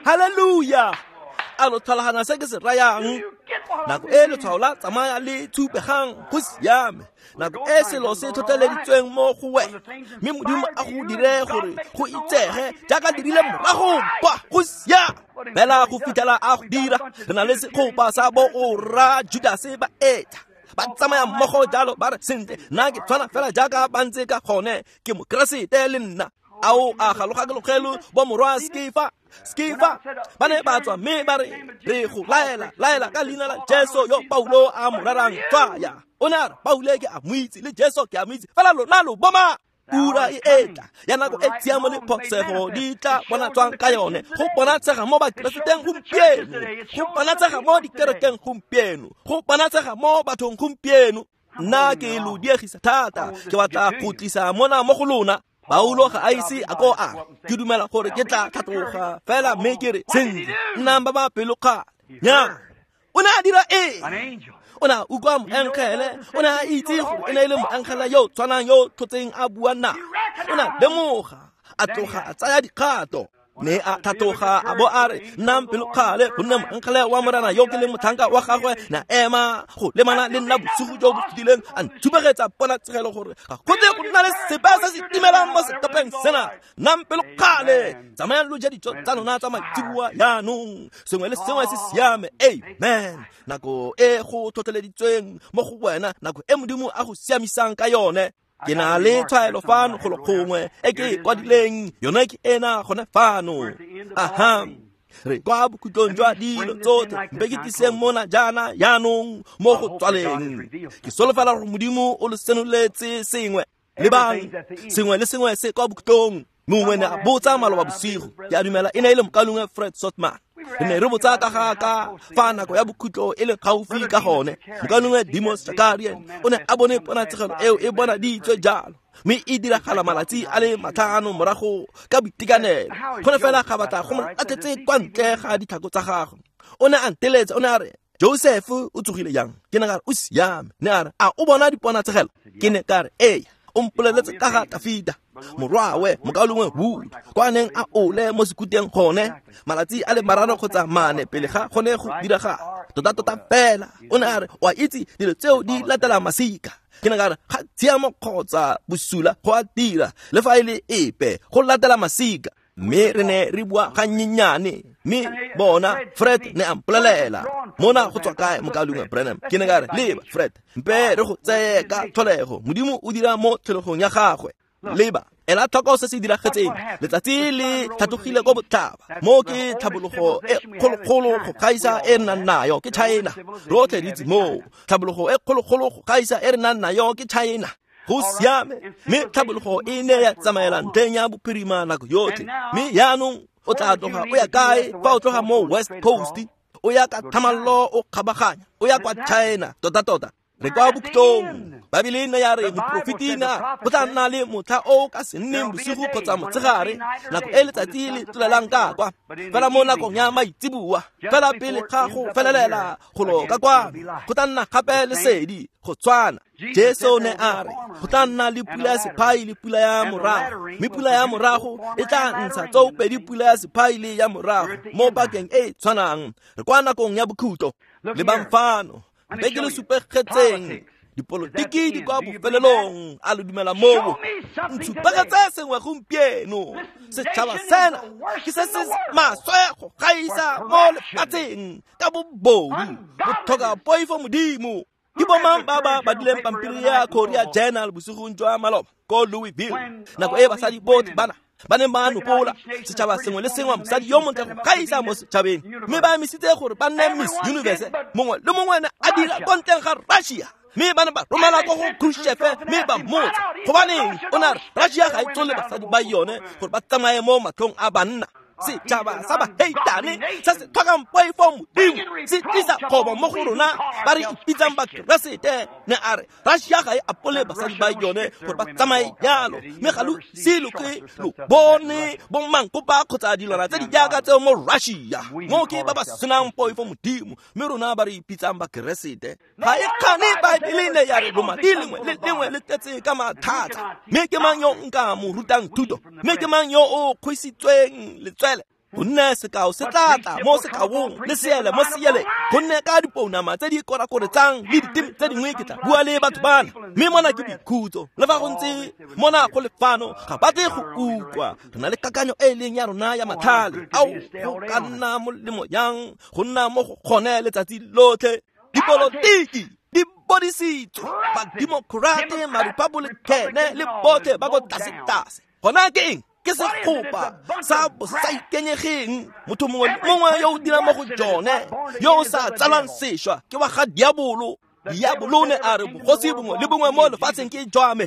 Haleluya. A lo tlhaloganya se ke se rayang? Nako e letshwao la tsamaya le tshupegang go siame, nako e selo se tlhotlheleditsweng mo go wena, mme Modimo a go dire gore go itsege jaaka dirile morago kwa go siame. Fela go fitlhela a go dira, re na le segopa sa bo ora Judase ba etla ba tsamaya mmogo jalo, ba re sentle nna ke tshwana fela jaaka ba ntse ka gone, ke mokeresete le nna. Ao, a galogakelogelo bo morwa Skefa, Skefa ba ne ba tswa mme ba re re go laela laela ka leina la Jesu yo Paulo a mo rerang tswaya. O ne a re Paulo ke a mo itse le Jesu ke a mo itse, fela lona lo boma. Ura e etla ya nako e tshiamo le phosego di tla bonatswang ka yone, go bonatshega mo bakereseteng gompieno, go bonatshega mo dikerekeng gompieno, go bonatshega mo bathong gompieno. Nna ke lo diegisa thata, ke batla go tlisa mona mo go lona. Paulo ga a ise a ko a ke dumela gore ke tla tlhatloga fela mme ke re sentle nnang ba ba pelokgale. Nya, o ne a dira eng? O ne a utlwa moengele, o ne a itse gore e ne e le moengele yo tshwanang yo tlhotseng a bua na. O ne a lemoga, a tloga a tsaya dikgato, mme a tlhatloga a bo a re nnang pelokgale, gonne moengele wa Morena yo ke leng motlhanka wa gagwe na ema go lemana le nna bosigo jo bo fetileng, a nthubegetsa ponatshegelo gore ga go tle go nna le sepe se se timelang mo sekepeng sena. Nnang pelokgale, tsamayang lo ja dijo tsa lona tsa maitseboa jaanong, sengwe le sengwe se siame. Amen. Nako e go tlhotlheleditsweng mo go wena, nako e Modimo a go siamisang ka yone. Ke na le tshwaelo fano golo gongwe e ke e kwadileng, yone ke ena gone fano. Aha, re kwa bokhutlong jwa dilo tsotlhe, mpe ke tliseng mona jaana jaanong mo go tswaleng. Ke solofela gore Modimo o lo senoletse sengwe. Lebang, sengwe le sengwe se kwa bokhutlong. Mongwe ne a botsa maloba bosigo, ke a dumela e ne e le mokaulengwe Fred Sotman. Re ne re botsa ka ga ka fa nako ya bokhutlo e le gaufi ka gone. Mokaulengwe Demos Shakarian o ne a bone ponatshegelo eo e bonaditswe jalo, mme e diragala malatsi a le matlhano morago ka boitekanelo. Go ne fela ga batla go mo latlhetse kwa ntle ga ditlhako tsa gagwe. O ne a nteletsa, o ne a re Joseph o tsogile jang? Ke ne ka re o siame. Ne a re a o bona diponatshegelo? Ke ne ka re ee. O mpoleletse ka ga Tafita morwawe mokaulengwe Wood kwa neng a ole mo sekuteng gone malatsi a le mararo kgotsa mane pele ga gone go diragala. Tota-tota fela o ne a re o a itse dilo tseo di latela masika. Ke ne ka re ga tshiamo kgotsa bosula go a dira le fa e le epe go latela masika. Mme re ne re bua gannyenyane, mme bona Fred ne a mpolelela mona go tswa kae mokaulengwe Branham? Ke ne ka re leba Fred, mpe re go tseye ka tlholego, Modimo o dira mo tlholegong ya gagwe. Leba, ela tlhoko se se diragetseng. Letsatsi le tlhatlogile ko botlhaba, mo ke tlhabologo e kgologolo go gaisa e re nang nayo ke China. Rotlhe re itse moo, tlhabologo e kgologolo go gaisa e re nang nayo ke China. Go siame, mme tlhabologo e ne ya tsamaela ntlheng ya bophirima nako yotlhe. Mme jaanong o tla tloga o ya kae fa o tloga mo West Coast? O ya ka thamallo o kgabaganya, o ya kwa China. Tota-tota re kwa bokhutlong. Baebele ne ya re moprofetina go tla nna le motlha o ka se nneng bosigo kgotsa motshegare, nako e letsatsi le tlolelang ka kwa, fela mo nakong ya maitseboa, fela pele ga go felelela golo ka kwano, go tla nna gape lesedi go tshwana. Jesu ne a re go tla nna le pula ya sephai le pula ya morago, mme pula ya morago e tla ntsha tsoopedi pula ya sephai le ya morago mo pakeng e e tshwanang. Re kwa nakong ya bokhutlo. Lebang fano, mpe ke le supegetseng Dipolotiki di kwa bofelelong, a lo dumela moo? Ntshupegetse sengwe gompieno. Setšhaba sena ke se se maswe go gaisa mo lefatsheng ka bobodu, botlhoka poifo Modimo. Ke bomang ba ba badileng pampiri ya Korea Journal bosigong jwa maloba ko Louisville, nako e basadi botlhe bana ba neng ba nopola setšhaba sengwe le sengwe mosadi yo montle go gaisa mo setšhabeng, mme ba emisitse gore ba nne Miss Universe, mongwe le mongwe ne a dira ko ntleng ga Russia, mme ba ne ba romela ko go Khrushchev mme ba mmotsa gobaneng o ne a re Russia ga e tsole basadi ba yone gore ba tsamaye mo matlhong a banna. Setšhaba sa baheitane se se tlhokang poifo Modimo se tlisa kgobo mo go rona ba re ipitsang Bakeresete. Ne a re Russia ga e apole basadi ba yone gore ba tsamaye jalo, mme ga lo ise lo ke lo bone bomankopa kgotsa dilwana tse di jaaka tseo mo Russia. Mo ke ba ba senang poifo Modimo, mme rona ba re ipitsang Bakeresete. Ga e kgane Baebele ne ya re lomati lengwe le lengwe le tletse ka mathata. Mme ke mang yo nka mo rutang thuto? Mme ke mang yo o kgwisitsweng letswele? Gonne sekao se tla tla mo sekaong le seele mo seele, gonne ka dipounama tse di korakoretsang le diteme tse dingwe ke tla bua le batho bana. Mme mona ke boikhutso, le fa go ntse mona go le fano ga ba tle go utlwa. Re na le kakanyo e e leng ya rona ya matlhale. Ao, go ka nna molemo yang go nna mo go gone letsatsi lotlhe. Dipolotiki di bodisitswe, bademokrate, marepabolikene le botlhe ba ko tlase-tlase. Gona ke eng? Ke segopa sa bosaikenyegeng. Motho mongwe le mongwe yo o dirang mo go jone, yo o sa tsalang sešwa, ke wa ga diabolo. Diabolo ne a re bogosi bongwe le bongwe mo lefatsheng ke jwa me,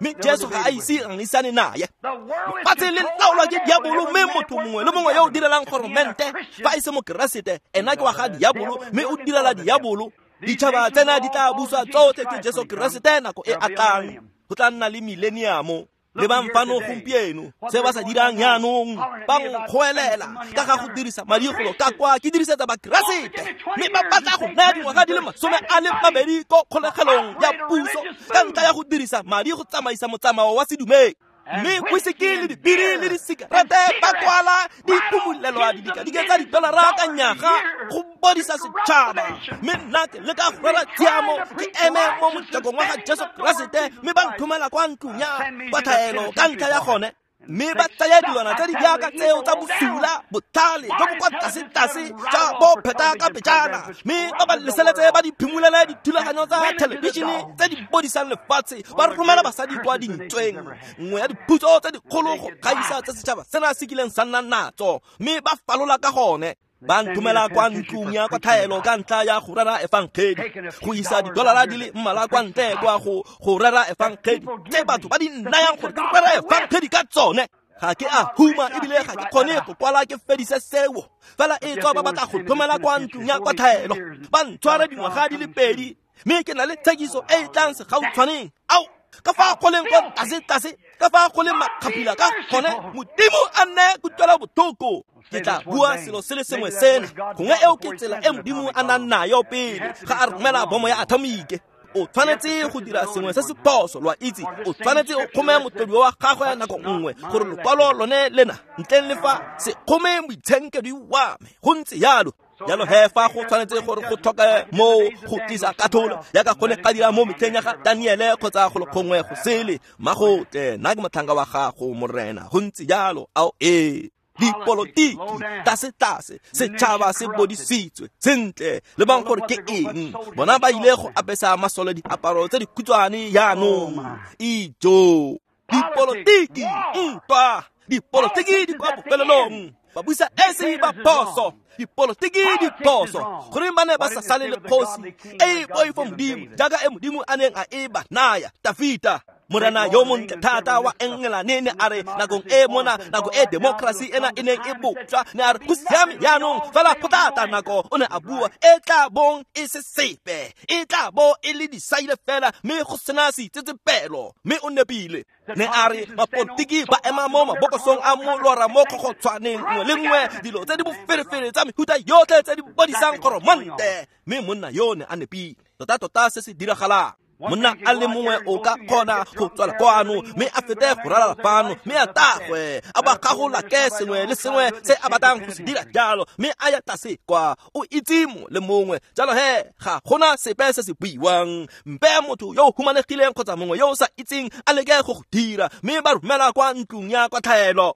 mme Jesu ga a ise a ngisane naye. Lefatshe le laolwa ke diabolo, mme motho mongwe le mongwe yo o direlang goromente fa e se Mokeresete, ena ke wa ga diabolo, mme o direla diabolo. Ditšhaba tsena di tla buswa tsotlhe ke Jesu Keresete nako e a tlang. Go tla nna le millennium. Lebang fano gompieno se ba sa dirang jaanong, ba nkgoelela ka ga go dirisa madi golo ka kwa ke dirisetsa Bakeresete, mme ba batla go naya dingwaga di le masome a le mabedi ko kgolegelong ya puso ka ntlha ya go dirisa madi go tsamaisa motsamao wa sedumedi. Mme whisky le dibiri le disikarete ba kwala diphumulelwa didikadike tsa didolara ka nyaga go bodisa setšhaba. Mme nna ke leka go rera tshiamo, ke eme mo mojakong wa ga Jesu Keresete, mme ba nthomela kwa ntlong ya kwatlhaelo ka ntlha ya gone. Mme ba tsaya dilwana tse di jaaka tseo tsa bosula, botlhale jo bo kwa tlase-tlase tsa bo pheta ka pejana, mme ba ba leseletse ba di phimolele dithulaganyo tsa thelebišene tse di bodisang lefatshe, ba romela basadi kwa dintsweng, nngwe ya diphutso tse dikgolo go gaisa tse setšhaba sena se kileng sa nna natso, mme ba falola ka gone. Ba nthomela kwa ntlong ya kwatlhaelo ka ntlha ya go rera efangedi, go isa didolara di le mmalwa kwa ntle kwa go go rera efangedi tse batho ba di nnayang gore ke rera efangedi ka tsone. Ga ke a huma ebile ga ke kgone go kwala ke fedise seo, fela e tswa ba batla go nthomela kwa ntlong ya kwatlhaelo, ba ntshware dingwaga di le pedi, mme ke na le tshekiso e e tlang segautshwaneng. Ao, ka fa go leng kwa tlase-tlase, ka fa go leng makgaphila ka gone, Modimo a nne kutlwela botlhoko. Ke tla bua selo se le sengwe sena, gongwe eo ke tsela e Modimo a nang nayo pele ga a romela bomo ya atomike. O tshwanetse go dira sengwe se se phoso, lo a itse. O tshwanetse o kgome motlodi wa gagwe nako nngwe gore lokwalo lone lena ntleng le fa se kgome moitshenkedwi wa me. Go ntse jalo. Jalo he fa go tshwanetse gore go tlhoke moo go tlisa katlholo jaaka go ne ga dira mo metlheng ya ga Daniele kgotsa go le gongwe go sele, mmagotle nna ke motlhanka wa gago Morena. Go ntse jalo. Ao ee. Dipolotiki tlase-tlase, setšhaba se bodisitswe sentle. Lebang gore ke eng bona ba ile go apesa masole diaparo tse dikhutshwane jaanong. Ijo, dipolotiki, ntwa, dipolotiki di kwa bofelelong. Ba busa esi ba phoso, dipolotiki di phoso. Goreng ba ne ba sa sale le kgosi e e poifo Modimo jaaka e Modimo a neng a e ba naya Tafita? Morena yo montle thata wa Engelane ne a re nakong e mona, nako e democracy ena e neng e bopjwa, ne a re go siame jaanong, fela go tla tla nako, o ne a bua, e tla bong e se sepe, e tla bo e le disaile fela, mme go sena seitsetsepelo. Mme o nepile. Ne a re mapolotiki ba ema mo mabokosong a molora mo kgokgotshwaneng nngwe le nngwe, dilo tse di boferefere tsa mehuta yotlhe tse di bodisang goromente. Mme monna yo ne a nepile. Tota-tota se se diragalang. Monna a le mongwe o ka kgona go tswela kwano mme a fete go ralala fano mme a tagwe a ba gagolake sengwe le sengwe se a batlang go se dira jalo mme a ya tlase kwa o itse mongwe le mongwe. Jalo he ga gona sepe se se buiwang. Mpe motho yo o humanegileng kgotsa mongwe yo o sa itseng a leke go go dira mme ba romela kwa ntlong ya kwatlhaelo.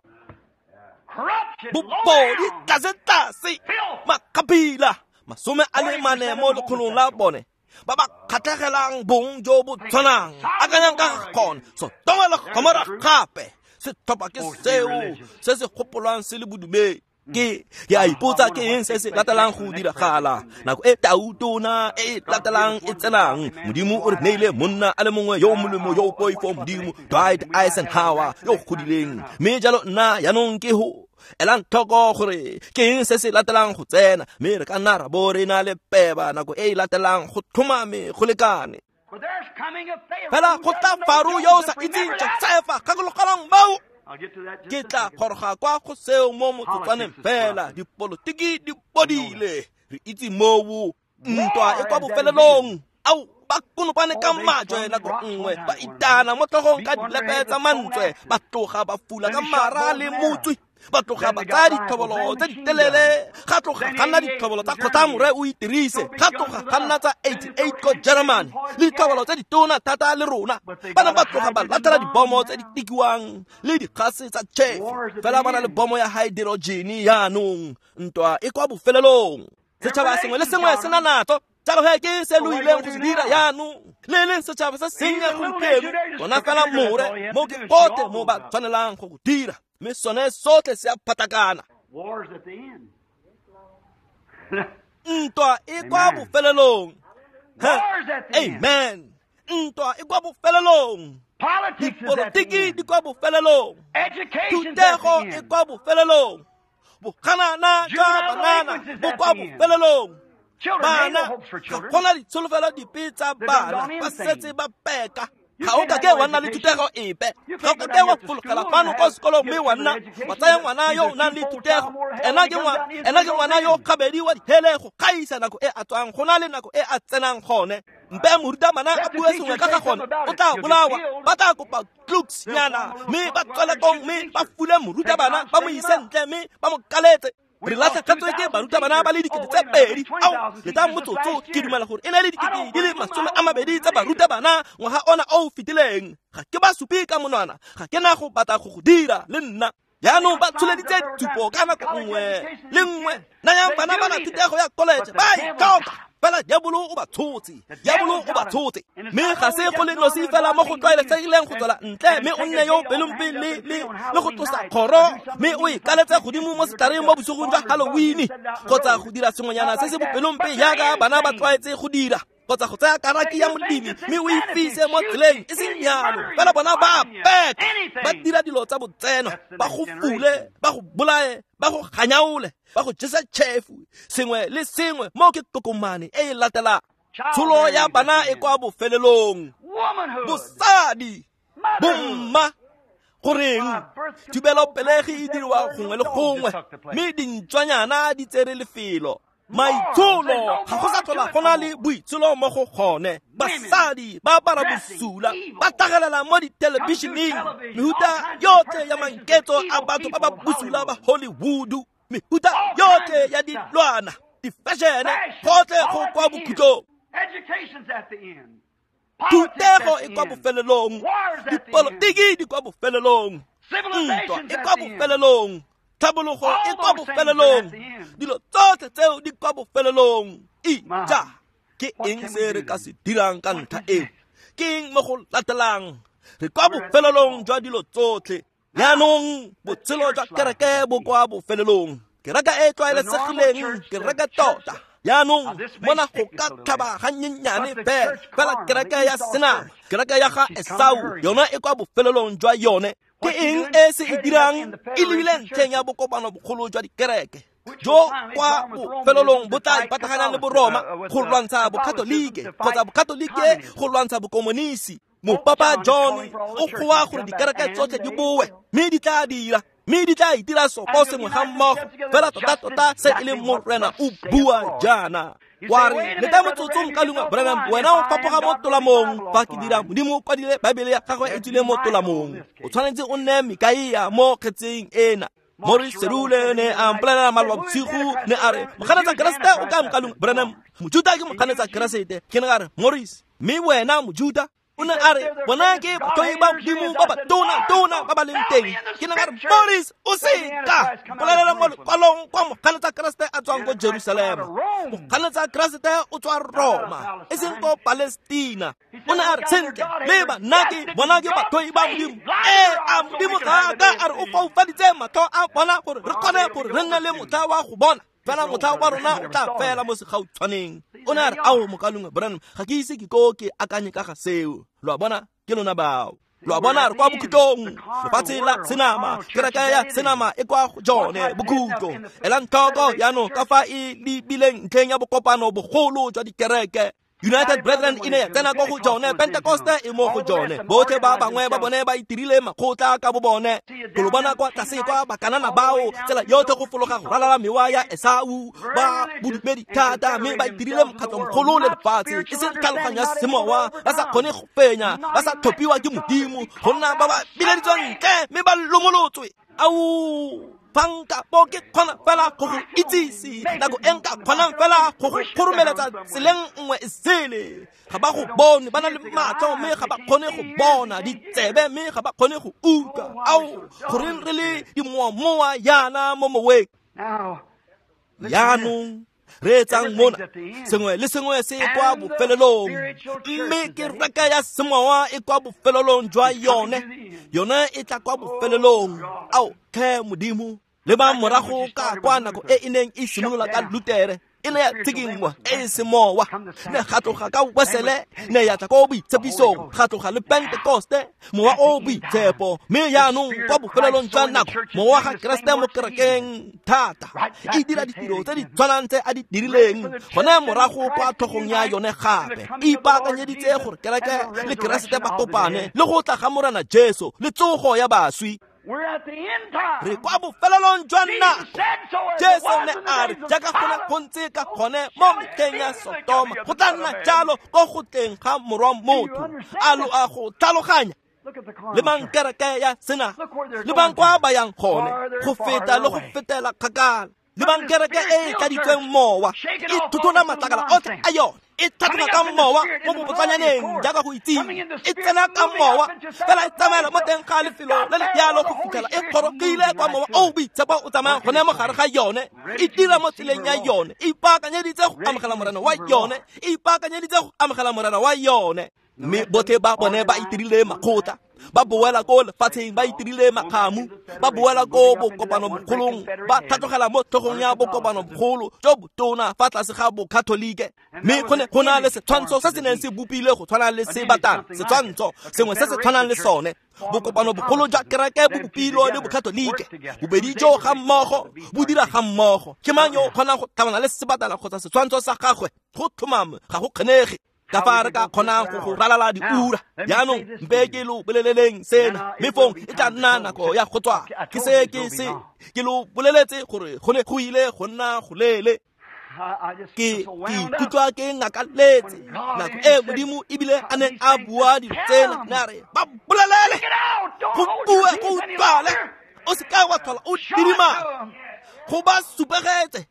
Bobodi tlase tlase makgabila masome a le mane mo lekgolong la bone ba ba kgatlhegelang bong jo bo tshwanang. Akanyang ka ga gone Sotoma le Gomora gape. Setlhopha ke seo se se gopolwang se le bodumedi. Ke ke a ipotsa ke eng se se latelang go diragala nako e tautona e e latelang e tsenang. Modimo o re neile monna a le mongwe yo o molemo yo o poifo Modimo, Dwight Eisenhower yo o godileng. Mme jalo nna jaanong ke ho elang tlhoko gore ke eng se se latelang go tsena, mme re ka nna ra bo re na le peba nako e e latelang go tlhomame go lekane. Fela go tla Faro yo o sa itseng Josefa, gakologelwang moo. Ke tla goroga kwa go seo mo motsotswaneng fela. Dipolotiki di bodile, re itse moo. Ntwa e kwa bofelelong. Ao ba konopane ka majwe nako nngwe, ba itana mo tlhogong ka dilepe tsa mantswe, ba tloga ba fula ka mara le motswi, ba tloga ba tsaya ditlhobolo tse di telele, ga tloga ga nna ditlhobolo tsa kgotlamore o itirise, ga tloga ga nna tsa eighty-eight ko Germany, le ditlhobolo tse ditona thata le rona. Ba ne ba tloga ba latlhela dibomo tse di tikiwang le dikgase tsa tšhefu, fela ba na le bomo ya hydrogen jaanong. Ntwa e kwa bofelelong. Setšhaba sengwe le sengwe se na natso. Jalo he ke se lo ileng go se dira jaanong. Le leng setšhaba se sennye gompieno, bona fela more mo ke gotlhe mo ba tshwanelang go go dira, mme sone sotlhe se a phatakana. Ntwa e kwa bofelelong. Amen. Ntwa e kwa bofelelong. Dipolotiki di kwa bofelelong. Thutego e kwa bofelelong. Boganana jwa banana bo kwa bofelelong. Bana ga gona ditsholofelo dipe tsa bana, ba setse ba peka. Ga o ka ke wa nna le thutego epe, ga o ka ke wa fologela fano kwa sekolong mme wa nna wa tsaya ngwana yo o nang le thutego. Ena ke ena ke ngwana yo gabedi wa dihele go gaisa nako e a tswang go na le nako e a tsenang gone. Mpe morutabana a bue sengwe ka ga gone, o tla bolawa. Ba tla kopa klooks nyana mme ba tswele kong mme ba fule morutabana, ba mo ise ntle mme ba mo kaletse. Re latlhegetswe ke barutabana ba le dikete tse pedi. Ao le tla motsotso ke dumela gore e ne le dikete di le masome a mabedi tsa barutabana ngwaga ona o o fetileng. Ga ke ba supe ka monwana, ga ke na go batla go go dira le nna. Jaanong ba tsholeditse dithupo ka nako nngwe le nngwe. Nayang bana ba na thutego ya college, ba e tlhoka. Fela diabolo o ba tshotse, diabolo o ba tshotse. Mme ga se go le nosi fela mo go tlwaelesegileng go tswela ntle mme o nne yo pelompe le le le go tlosa kgoro mme o e kaletse godimo mo setlhareng mo bosigong jwa Halloween, kgotsa go dira sengwenyana se se bopelompe jaaka bana ba tlwaetse go dira, kgotsa go tsaya karaki ya molemi mme o e fise mo tseleng. E seng jalo, fela bona ba peka, ba dira dilo tsa botseno, ba go fule, ba go bolaye, ba go ganyaole, ba go jesa tšhefu, sengwe le sengwe mo ke tokomane e e latelang. Tsholo ya bana e kwa bofelelong. Bosadi, bomma, goreng thibelopelegi e diriwa gongwe le gongwe, mme dintswanyana di tsere lefelo. Maitsholo ga go sa tlhola go na le boitsholo mo go gone. Basadi ba apara bosula, ba tlhagelela mo dithelebišeneng, mehuta yotlhe ya manketso a batho ba ba bosula ba Hollywood, mehuta yotlhe ya dilwana, di-fashion-e, gotlhe go kwa bokhutlong. Thutego e kwa bofelelong, dipolotiki di kwa bofelelong, ntwa e kwa bofelelong, tlhabologo e kwa bofelelong, dilo tsotlhe tseo di kwa bofelelong. Ija, ke eng se re ka se dirang ka ntlha eo? Ke eng mo go latelang? Re kwa bofelelong jwa dilo tsotlhe. Jaanong botshelo jwa kereke bo kwa bofelelong. Kereke e tlwaelesegileng, kereke tota. Jaanong mona go ka tlhaba gannyenyane fela, fela kereke ya senama, kereke ya ga Esau, yona e kwa bofelelong jwa yone. Ke eng e se e dirang? E lebile ntlheng ya bokopano bogolo jwa dikereke jo kwa bofelelong bo tla ipataganyang le Boroma go lwantsha bokatolike, kgotsa bokatolike go lwantsha bokomonisi. Mopapa John o goa gore dikereke tsotlhe di boe, mme di tla dira. Mme di tla itira sopo sengwe ga mmogo fela tota-tota se e leng Morena o bua jaana. Wa re leta motsotso mokalengwe Branham, wena o fapoga mo tolamong. Fa ke dira, Modimo o kwadile Baebele ya gagwe e tswile mo tolamong. O tshwanetse o nne Mikaia mo kgetseng ena. Morris Cerullo ne a mpolelela maloba bosigo, ne a re moganetsa Keresete o kae mokalengwe Branham? Mojuta ke moganetsa Keresete. Ke ne ka re, Morris, mme wena Mojuta? O ne a re bona ke batlhoi ba Modimo ba ba tona-tona ba ba leng teng. Ke ne ka re, Morris, o seka mpolelela mo lekwalong kwa moganetsa Keresete a tswang ko Jerusalema. Moganetsa Keresete o tswa Roma, e seng ko Palestina. O ne a re, sentle, leba nna ke bona ke batlhoi ba Modimo. Ee, a Modimo ga a ka a re o foufaditse matlho a bona gore re kgone gore re nne le motlha wa go bona. Fela motlha wa rona o tla fela mo segautshwaneng. O ne a re, ao mokalengwe Branham, ga ke ise ke ko ke akanye ka ga seo. Lo a bona, ke lona bao. Lo a bona, re kwa bokhutlong. Lefatshe la senama, kereke ya senama e kwa go jone bokhutlo. Elang tlhoko jaanong ka fa e lebileng ntlheng ya bokopano bogolo jwa dikereke. United Brethren e ne ya tsena ko go jone, Pentecoste e mo go jone. Botlhe ba bangwe ba bone ba itirile makgotla ka bo bone. Go lo bona kwa tlase kwa bakanana bao, tsela yotlhe go fologa go ralala mewa ya Esau, ba bodumedi thata, mme ba itirile mokgatlhomogolo le lefatshe. E seng tlhaloganyo ya semowa, ba sa kgone go fenya, ba sa tlhophiwa ke Modimo, go nna ba ba bileditsweng ntle mme ba lomolotswe. Ao, fa nka bo ke kgona fela go go itsise, nako e nka kgonang fela go go kgoromeletsa tseleng nngwe e sele. Ga ba go bone, ba na le matlho mme ga ba kgone go bona, ditsebe mme ga ba kgone go utlwa. Ao, goreng re le dimoamoa yana mo moweng? Jaanong re etsang mona, sengwe le sengwe se kwa bofelelong, mme kereke ya semowa e kwa bofelelong jwa yone. Yone e tla kwa bofelelong. Ao tlhe Modimo, leba morago ka kwa nako e e neng e simolola ka Lutere, e ne ya tshikinngwa e e semowa, ne ga tloga ka Wesele, ne ya tla ko boitshepisong, ga tloga le Pentekoste, mowa o boitshepo. Mme jaanong kwa bofelelong jwa nako, mowa ga Keresete mo kerekeng thata e dira ditiro tse di tshwanang tse a di dirileng gone morago kwa tlhogong ya yone gape. E ipaakanyeditse gore kereke le Keresete ba kopane le go tla ga Morena Jesu le tsogo ya baswi. Re kwa bofelelong jwa nako. Jesu ne a re jaaka go ne go ntse ka gone mo metlheng ya Sotoma, go tla nna jalo ko go tleng ga Morwa Motho. A lo a go tlhaloganya? Lebang kereke ya sena, lebang kwa ba yang gone, go feta le go fetela kgakala. Lebang kereke e e tladitsweng mowa, e thothola matlakala otlhe a yone, e tlhatloga ka mowa mo bobotlanyaneng jaaka go itseng, e tsena ka mowa fela e tsamaela mo teng ga lefelo le le jalo go fitlhela e kgorogile kwa mowa o boitshepo o tsamayang gone mo gare ga yone. E dira mo tseleng ya yone, e ipaakanyeditse go amogela Morena wa yone, e ipaakanyeditse go amogela Morena wa yone. Mme botlhe ba bone ba itirile makgotla, ba boela ko lefatsheng ba itirile makgamu, ba boela ko bokopanomogolong, ba tlhatlogela mo tlhogong ya bokopanomogolo jo botona fa tlase ga bokatholike. Mme go ne go na le setshwantsho se se neng se bopilwe go tshwana le sebatana, setshwantsho sengwe se se tshwanang le sone. Bokopano bogolo jwa kereke bo bopilwe le bokatholike, bobedi jo ga mmogo bo dira ga mmogo. Ke mang yo o kgonang go tlhabana le sebatana kgotsa setshwantsho sa gagwe? Go tlhomame ga go kgonege. Ka fa re ka kgonang go go ralala diura. Jaanong mpe ke lo boleleleng sena, mme fong e tla nna nako ya go tswa. Ke se ke se ke lo boleletse gore go ne go ile go nna go lele. Ke ke ikutlwa ke ngakaletse nako e Modimo ebile a ne a bua dilo tsena, ne a re ba bolelele, go bue go utlwale, o seka wa tlhola o didimala, go ba supegetse.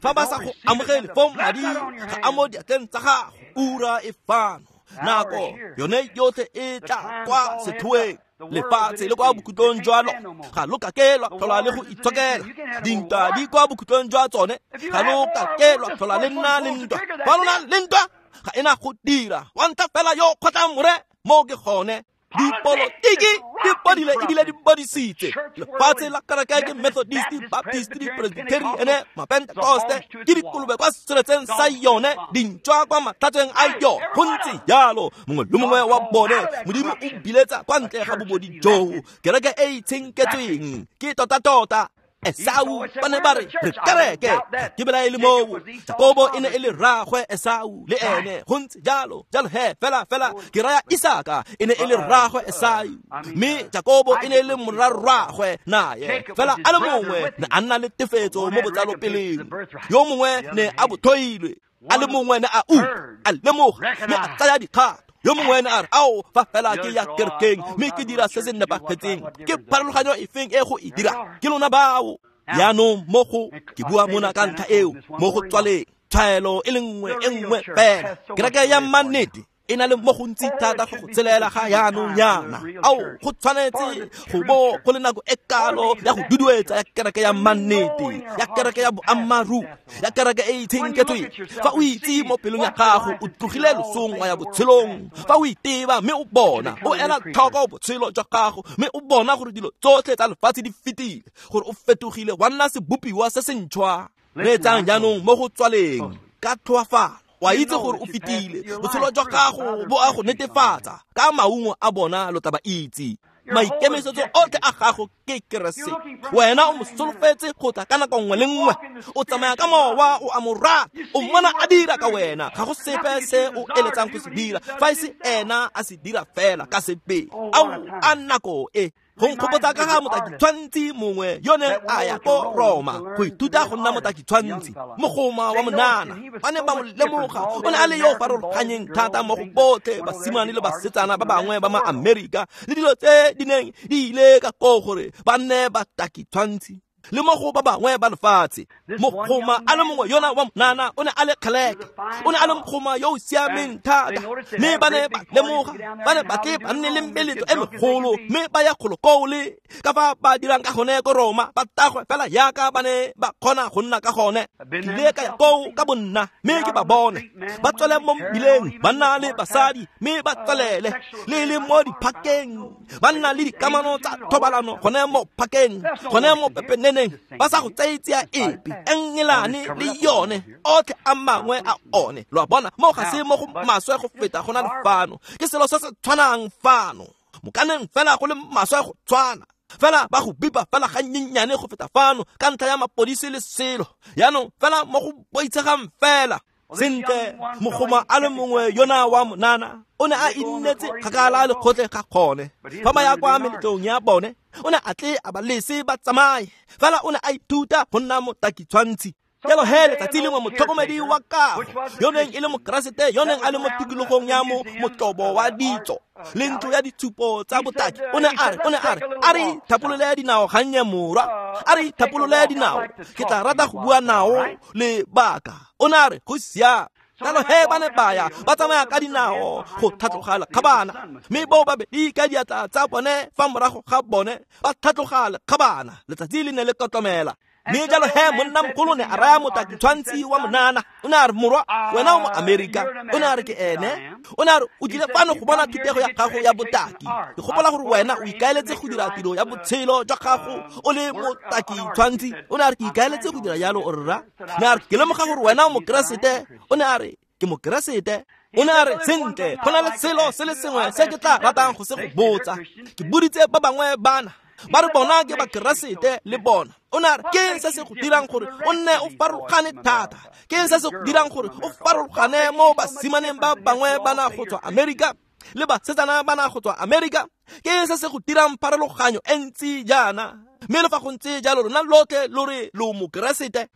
Fa ba sa go amogele fong madi ga a mo diatleng tsa gago. Ura e fano, nako yone yotlhe e tla kwa sethoeng. Lefatshe le kwa bokhutlong jwa lone ga lo ka ke lwa tlhola le go itshokela. Dintwa di kwa bokhutlong jwa tsone, ga lo ka ke lwa tlhola le nna le ntwa. Fa lo na le ntwa ga ena go dira, wa ntlha fela yo kgotlang more mo ke gone. Dipolotiki di bodile ebile di bodisitse. Lefatshe la kereke ke Methodist, Baptist, Presbyterian, Mapentecoste, ke dikolobe kwa seretseng sa yone, dintšwa kwa matlhatsweng a yone. Go ntse jalo mongwe le mongwe wa bone Modimo o biletsa kwa ntle ga bobodi joo. Kereke e e itshenketsweng ke tota-tota. Esau ba ne ba re re kereke ke belaele moo. Jakobo e ne e le rraagwe Esau le ene go ntse jalo. Jalo he fela fela ke raya Isaka e ne e le rraagwe Esau, mme Jakobo e ne e le morarraagwe naye. Fela a le mongwe ne a nna le tefetso mo botsalopeleng, yo mongwe ne a bothoilwe, a le mongwe ne a utlwa a lemoga mme a tsaya dikgato. Yo mongwe ne a re ao fa fela ke ya kerekeng mme ke dira se se nepagetseng, ke pharologanyo efeng e go e dira? Ke lona bao. Jaanong mo go ke bua mona ka ntlha eo mo go tswaleng tshwaelo e le nngwe e nngwe fela. Kereke ya mannete e na le mo gontsi thata go go tshelela ga jaanong yana. Ao go tshwanetse go bo go le nako e kalo ya go duduetsa ya kereke ya mannete, ya kereke ya boammaaruri, ya kereke e itshenketsweng. Fa o itse mo pelong ya gago o tlogile losong wa ya botshelong, fa o iteba mme o bona o ela tlhoko botshelo jwa gago mme o bona gore dilo tsotlhe tsa lefatshe di fetile, gore o fetogile wa nna sebopiwa se se ntšhwa. Reetsang jaanong mo go tswaleng ka tlhoafalo. Wa itse gore o fetile botshelo jwa gago bo a go netefatsa ka maungo a bona lo tla ba itse. Maikemisetso otlhe a gago ke Keresete. Wena o mo solofetse go tla ka nako nngwe le nngwe. O tsamaya ka mowa, o a mo rata, o mmona a dira ka wena. Ga go sepe se o eletsang go se dira fa e se ena a se dira fela ka sebele. Ao a nako e go nkgopotsa ka ga motakitshwantshi mongwe yo neng a ya ko Roma go ithuta go nna motakitshwantshi, mogoma wa monana. Ba ne ba mo lemoga, o ne a le yo farologanyeng thata mo go botlhe basimane le basetsana ba bangwe ba ma-Amerika le dilo tse di neng di ile ka koo gore ba nne batakitshwantshi le mo go ba bangwe ba lefatshe. Mogoma a le mongwe yona wa monana o ne a le kgeleke, o ne a le mogoma yo o siameng thata, mme ba ne ba lemoga ba ne ba tle ba nne le meletlo e megolo mme ba ya kgolokoo le ka fa ba dirang ka gone ko Roma, ba tagwe fela yaka ba ne ba kgona go nna ka gone. Ke ile ka ya koo ka bonna mme ke ba bone ba tswele mo mmileng, banna le basadi, mme ba tswelele le le mo diphakeng, ba nna le dikamano tsa thobalano gone mo phakeng, gone mo pepeneng, ba sa go tsaitsia epe Engelane le yone otlhe a mangwe a one. Lo a bona mo ga se mo go maswe go feta go na le fano, ke selo se se tshwanang fano, mokaneng fela go le maswe go tshwana fela ba go bipa fela ga nyenyane go feta fano ka ntlha ya mapodisi le selo. Jaanong fela mo go boitshegang fela. Sentle mogoma a le mongwe yona wa monana o ne a innetse kgakala le kgotlhe ga gone. Fa ba ya kwa meletlong ya bone o ne a tle a ba lese ba tsamaye, fela o ne a ithuta go nna motakitshwantshi. Jalo he letsatsi lengwe motlhokomedi wa kago yo neng e le mokeresete yo neng a le mo tikologong ya mo motlobo wa ditso le ntlo ya ditshupo tsa botaki o ne a re o ne a re a re thapolole dinao gannye morwa, a re thapolole dinao, ke tla rata go bua nao lebaka. O ne a re go siame. Jalo he ba ne ba ya ba tsamaya ka dinao go tlhatloga lekgabana, mme bao babedi ka diatla tsa bone fa morago ga bone ba tlhatloga lekgabana. Letsatsi le ne le kotlomela. Mme jalo he monna mogolo ne a raya motakitshwantshi wa monana, o ne a re morwa wena o mo Amerika. O ne a re ke ene. O ne a re o tlile fano go bona thutego ya gago ya botaki. Ke gopola gore wena o ikaeletse go dira tiro ya botshelo jwa gago o le motakitshwantshi. O ne a re ke ikaeletse go dira jalo o rra. Ne a re ke lemoga gore wena o mokeresete. O ne a re ke mokeresete. O ne a re sentle go na le selo se le sengwe se ke tla ratang go se go botsa. Ke boditse ba bangwe bana ba re bona ke bakeresete le bona. O ne a re ke se se go dirang gore o nne o farologane thata, ke se se go dirang gore o farologane mo basimaneng ba bangwe bana go tswa Amerika le basetsana bana go tswa Amerika, ke se se go dirang pharologanyo e ntsi jaana. Mme le fa go ntse jalo rona lotlhe lo re lo mokeresete.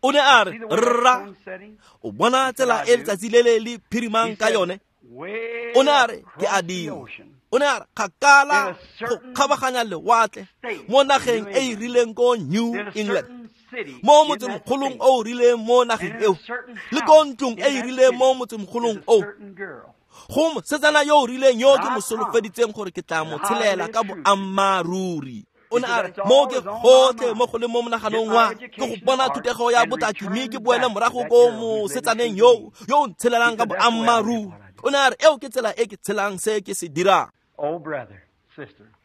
O ne a re rra o bona tsela e letsatsi le le le phirimang ka yone. O ne a re ke a dira. O ne a re kgakala go kgabaganya lewatle mo nageng e e rileng ko New England, mo motsemogolong o o rileng mo nageng eo, le ko ntlong e e rileng mo motsemogolong o, go mosetsana yo o rileng yo ke mo solofeditseng gore ke tla mo tshelela ka boammaaruri. O ne a re mo ke gotlhe mo go le mo monaganong wa ke go bona thutego ya botaki mme ke boele morago ko mosetsaneng yo yo o ntshelelang ka boammaaruri. O ne a re eo ke tsela e ke tshelang se ke se dirang.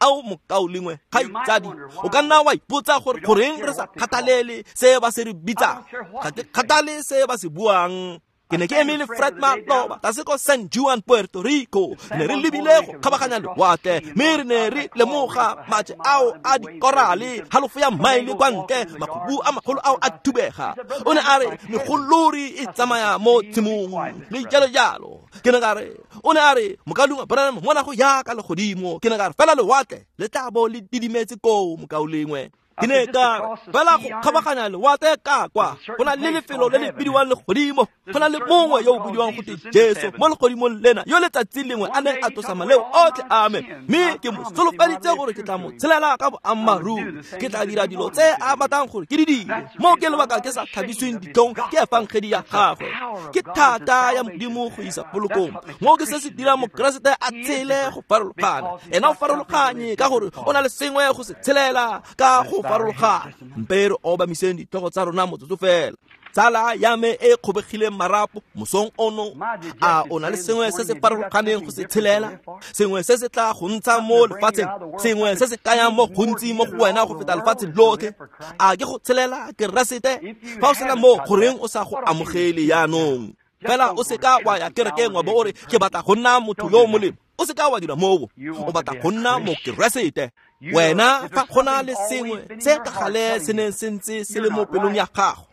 Ao mokaulengwe kgaitsadi, o ka nna wa ipotsa gore goreng re sa kgathalele se ba se re bitsang. Ga ke kgathale se ba se buang. Ke ne ke eme le Fred Maloba tlase ko San Juan, Puerto Rico. Ne re lebile go kgabaganya lewatle, mme re ne re lemoga maje ao a dikorale halofo ya maele kwa ntle, makhubu a magolo ao a thubega. O ne a re megolori e tsamaya mo tshimong le jalo jalo. Ke ne ka re, o ne a re mokaulengwe Branham ngwana go ya ka legodimo. Ke ne ka re fela lewatle le tla bo le didimetse koo mokaulengwe. Ke ne ka fela go kgabaganya lewatle ka kwa go na le lefelo le le bidiwang legodimo, go na le mongwe yo o bidiwang gote Jesu mo legodimong lena yo letsatsi lengwe a neng a tlosa maleo otlhe a me, mme ke mo solofeditse gore ke tla mo tshelela ka boammaaruri, ke tla dira dilo tse a batlang gore ke di dire. Mo ke lebaka ke sa thabisweng ditlhong ke efangedi ya gagwe, ke thata ya Modimo go isa polokong. Mo ke se se dirang Mokeresete a tshele go farologana. Ena o farologanye ka gore o na le sengwe go se tshelela ka go farologana. Mpe re obamiseng ditlhogo tsa rona motsotso fela. Tsala ya me e kgobegileng marapo mosong ono, a o na le sengwe se se farologaneng go se tshelela, sengwe se se tla go ntsha mo lefatsheng, sengwe se se kayang mo gontsi mo go wena go feta lefatshe lotlhe? A ke go tshelela Keresete? Fa o sena mo, goreng o sa go amogele jaanong? Fela o seka wa ya kerekeng wa bo o re ke batla go nna motho yo o molemo. O seka wa dira moo, o batla go nna Mokeresete. Wena fa go na le sengwe se ka gale se neng se ntse se le mo pelong ya gago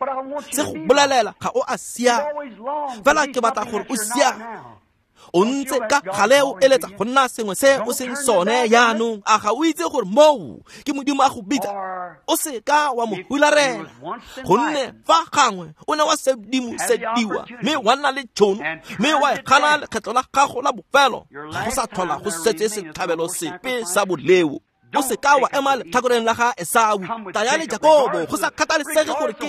se go bolelela ga o a siama, fela ke batla gore o siame. O ntse ka gale o eletsa go nna sengwe se o seng sone jaanong. A ga o itse gore moo ke Modimo a go bitsa? O seka wa mo hularela, gonne fa gangwe o ne wa sedimosediwa mme wa nna le tšhono, mme wa e gana lekgetlo la gago la bofelo, ga go sa tlhola go setse setlhabelo sepe sa boleo. O seka wa ema letlhakoreng la ga Esau, taya le Jakobo, go sa kgathalesege gore ke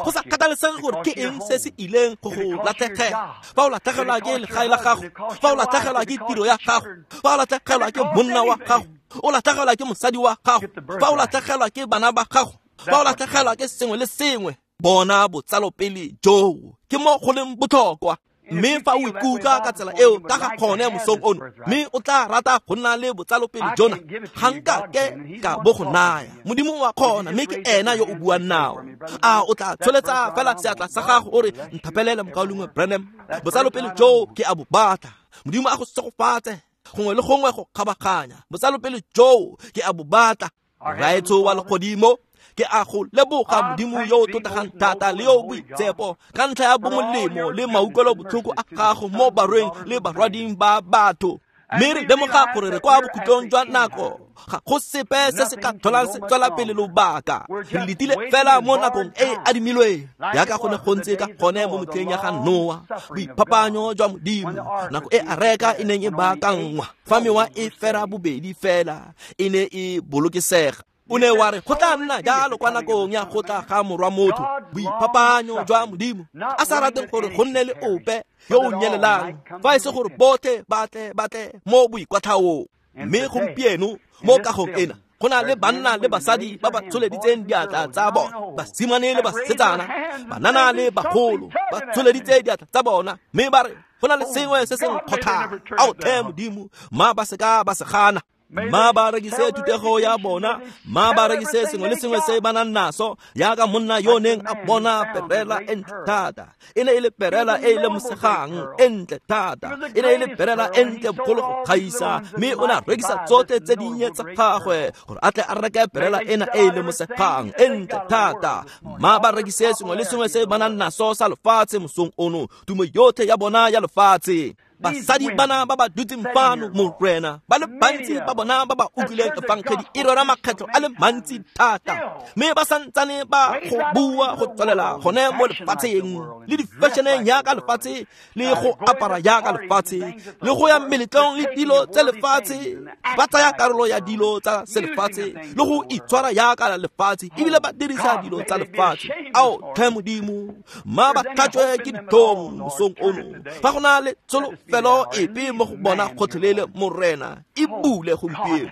go sa kgathalesege gore ke eng se se ileng go go latlhegela. Fa o latlhegelwa ke legae la gago, fa o latlhegelwa ke tiro ya gago, fa o latlhegelwa ke monna wa gago, o latlhegelwa ke mosadi wa gago, fa o latlhegelwa ke bana ba gago, fa o latlhegelwa ke sengwe le sengwe, bona botsalopele joo ke mo go leng botlhokwa. Mme fa o ikutlwa ka tsela eo ka ga kgone mosong ono, mme o tla rata go nna le botsalopele jona, ga nka ke ka bo go naya. Modimo wa kgona, mme ke ena yo o buang nao. A o tla tsholetsa fela seatla sa gago o re nthapelele mokaulengwe Branham, botsalopele joo ke a bo batla. Modimo a go segofatse gongwe le gongwe go kgabaganya. Botsalopele joo ke a bo batla. Raetsho wa legodimo, ke a go leboga Modimo yo o tlotlegang thata le yo o boitshepo ka ntlha ya bomolemo le mautlwelo botlhoko a gago mo barweng le barwading ba batho. Mme re lemoga gore re kwa bokhutlong jwa nako, ga go sepe se se ka tlholang se tswela pele lobaka. Re letile fela mo nakong e e adimilweng, jaaka go ne go ntse ka gone mo metlheng ya ga Noa, boiphapanyo jwa Modimo, nako e areka e neng e baakanngwa, fa mewa e fera bobedi fela e ne e bolokesega. O ne wa re go tla nna jalo kwa nakong ya go tla ga morwa motho, boiphapanyo jwa Modimo, a sa rateng gore go nne le ope yo o nyelelang, fa e se gore botlhe ba tle ba tle mo boikwatlhaong. Mme gompieno mo kagong ena go na le banna le basadi ba ba tsholeditseng diatla tsa bona, basimane le basetsana, banana le bagolo ba tsholeditse diatla tsa bona, mme ba re go na le sengwe se se nkgothang. Ao tlhe Modimo, mma ba seka ba se gana. Ma ba rekise thutego ya bona, ma ba rekise sengwe le sengwe se ba nang naso, jaaka monna yo neng a bona perela e ntle thata. E ne e le perela e e lemosegang e ntle thata, e ne e le perela e ntle bogolo go gaisa, mme o ne a rekisa tsotlhe tse dinnye tsa gagwe gore a tle a reke perela ena e e lemosegang e ntle thata. Ma ba rekise sengwe le sengwe se ba nang naso sa lefatshe mosong ono, tumo yotlhe ya bona ya lefatshe. Basadi bana ba ba dutseng fano Morena, ba le bantsi ba bona ba ba utlwileng efangedi e rera makgetlho a le mantsi thata, mme ba santsane ba go bua go tswelela gone mo lefatsheng le di-fashioneng jaaka lefatshe, le go apara jaaka lefatshe, le go ya meletlong le dilo tse lefatshe, ba tsaya karolo ya dilo tsa selefatshe le go itshwara jaaka lefatshe, ebile ba dirisa dilo tsa lefatshe. Ao tlhe Modimo, mma ba tlhatswe ke ditlhong mosong ono, fa go na le tsholofelo epe mo go bona gotlhelele Morena, e bule gompieno.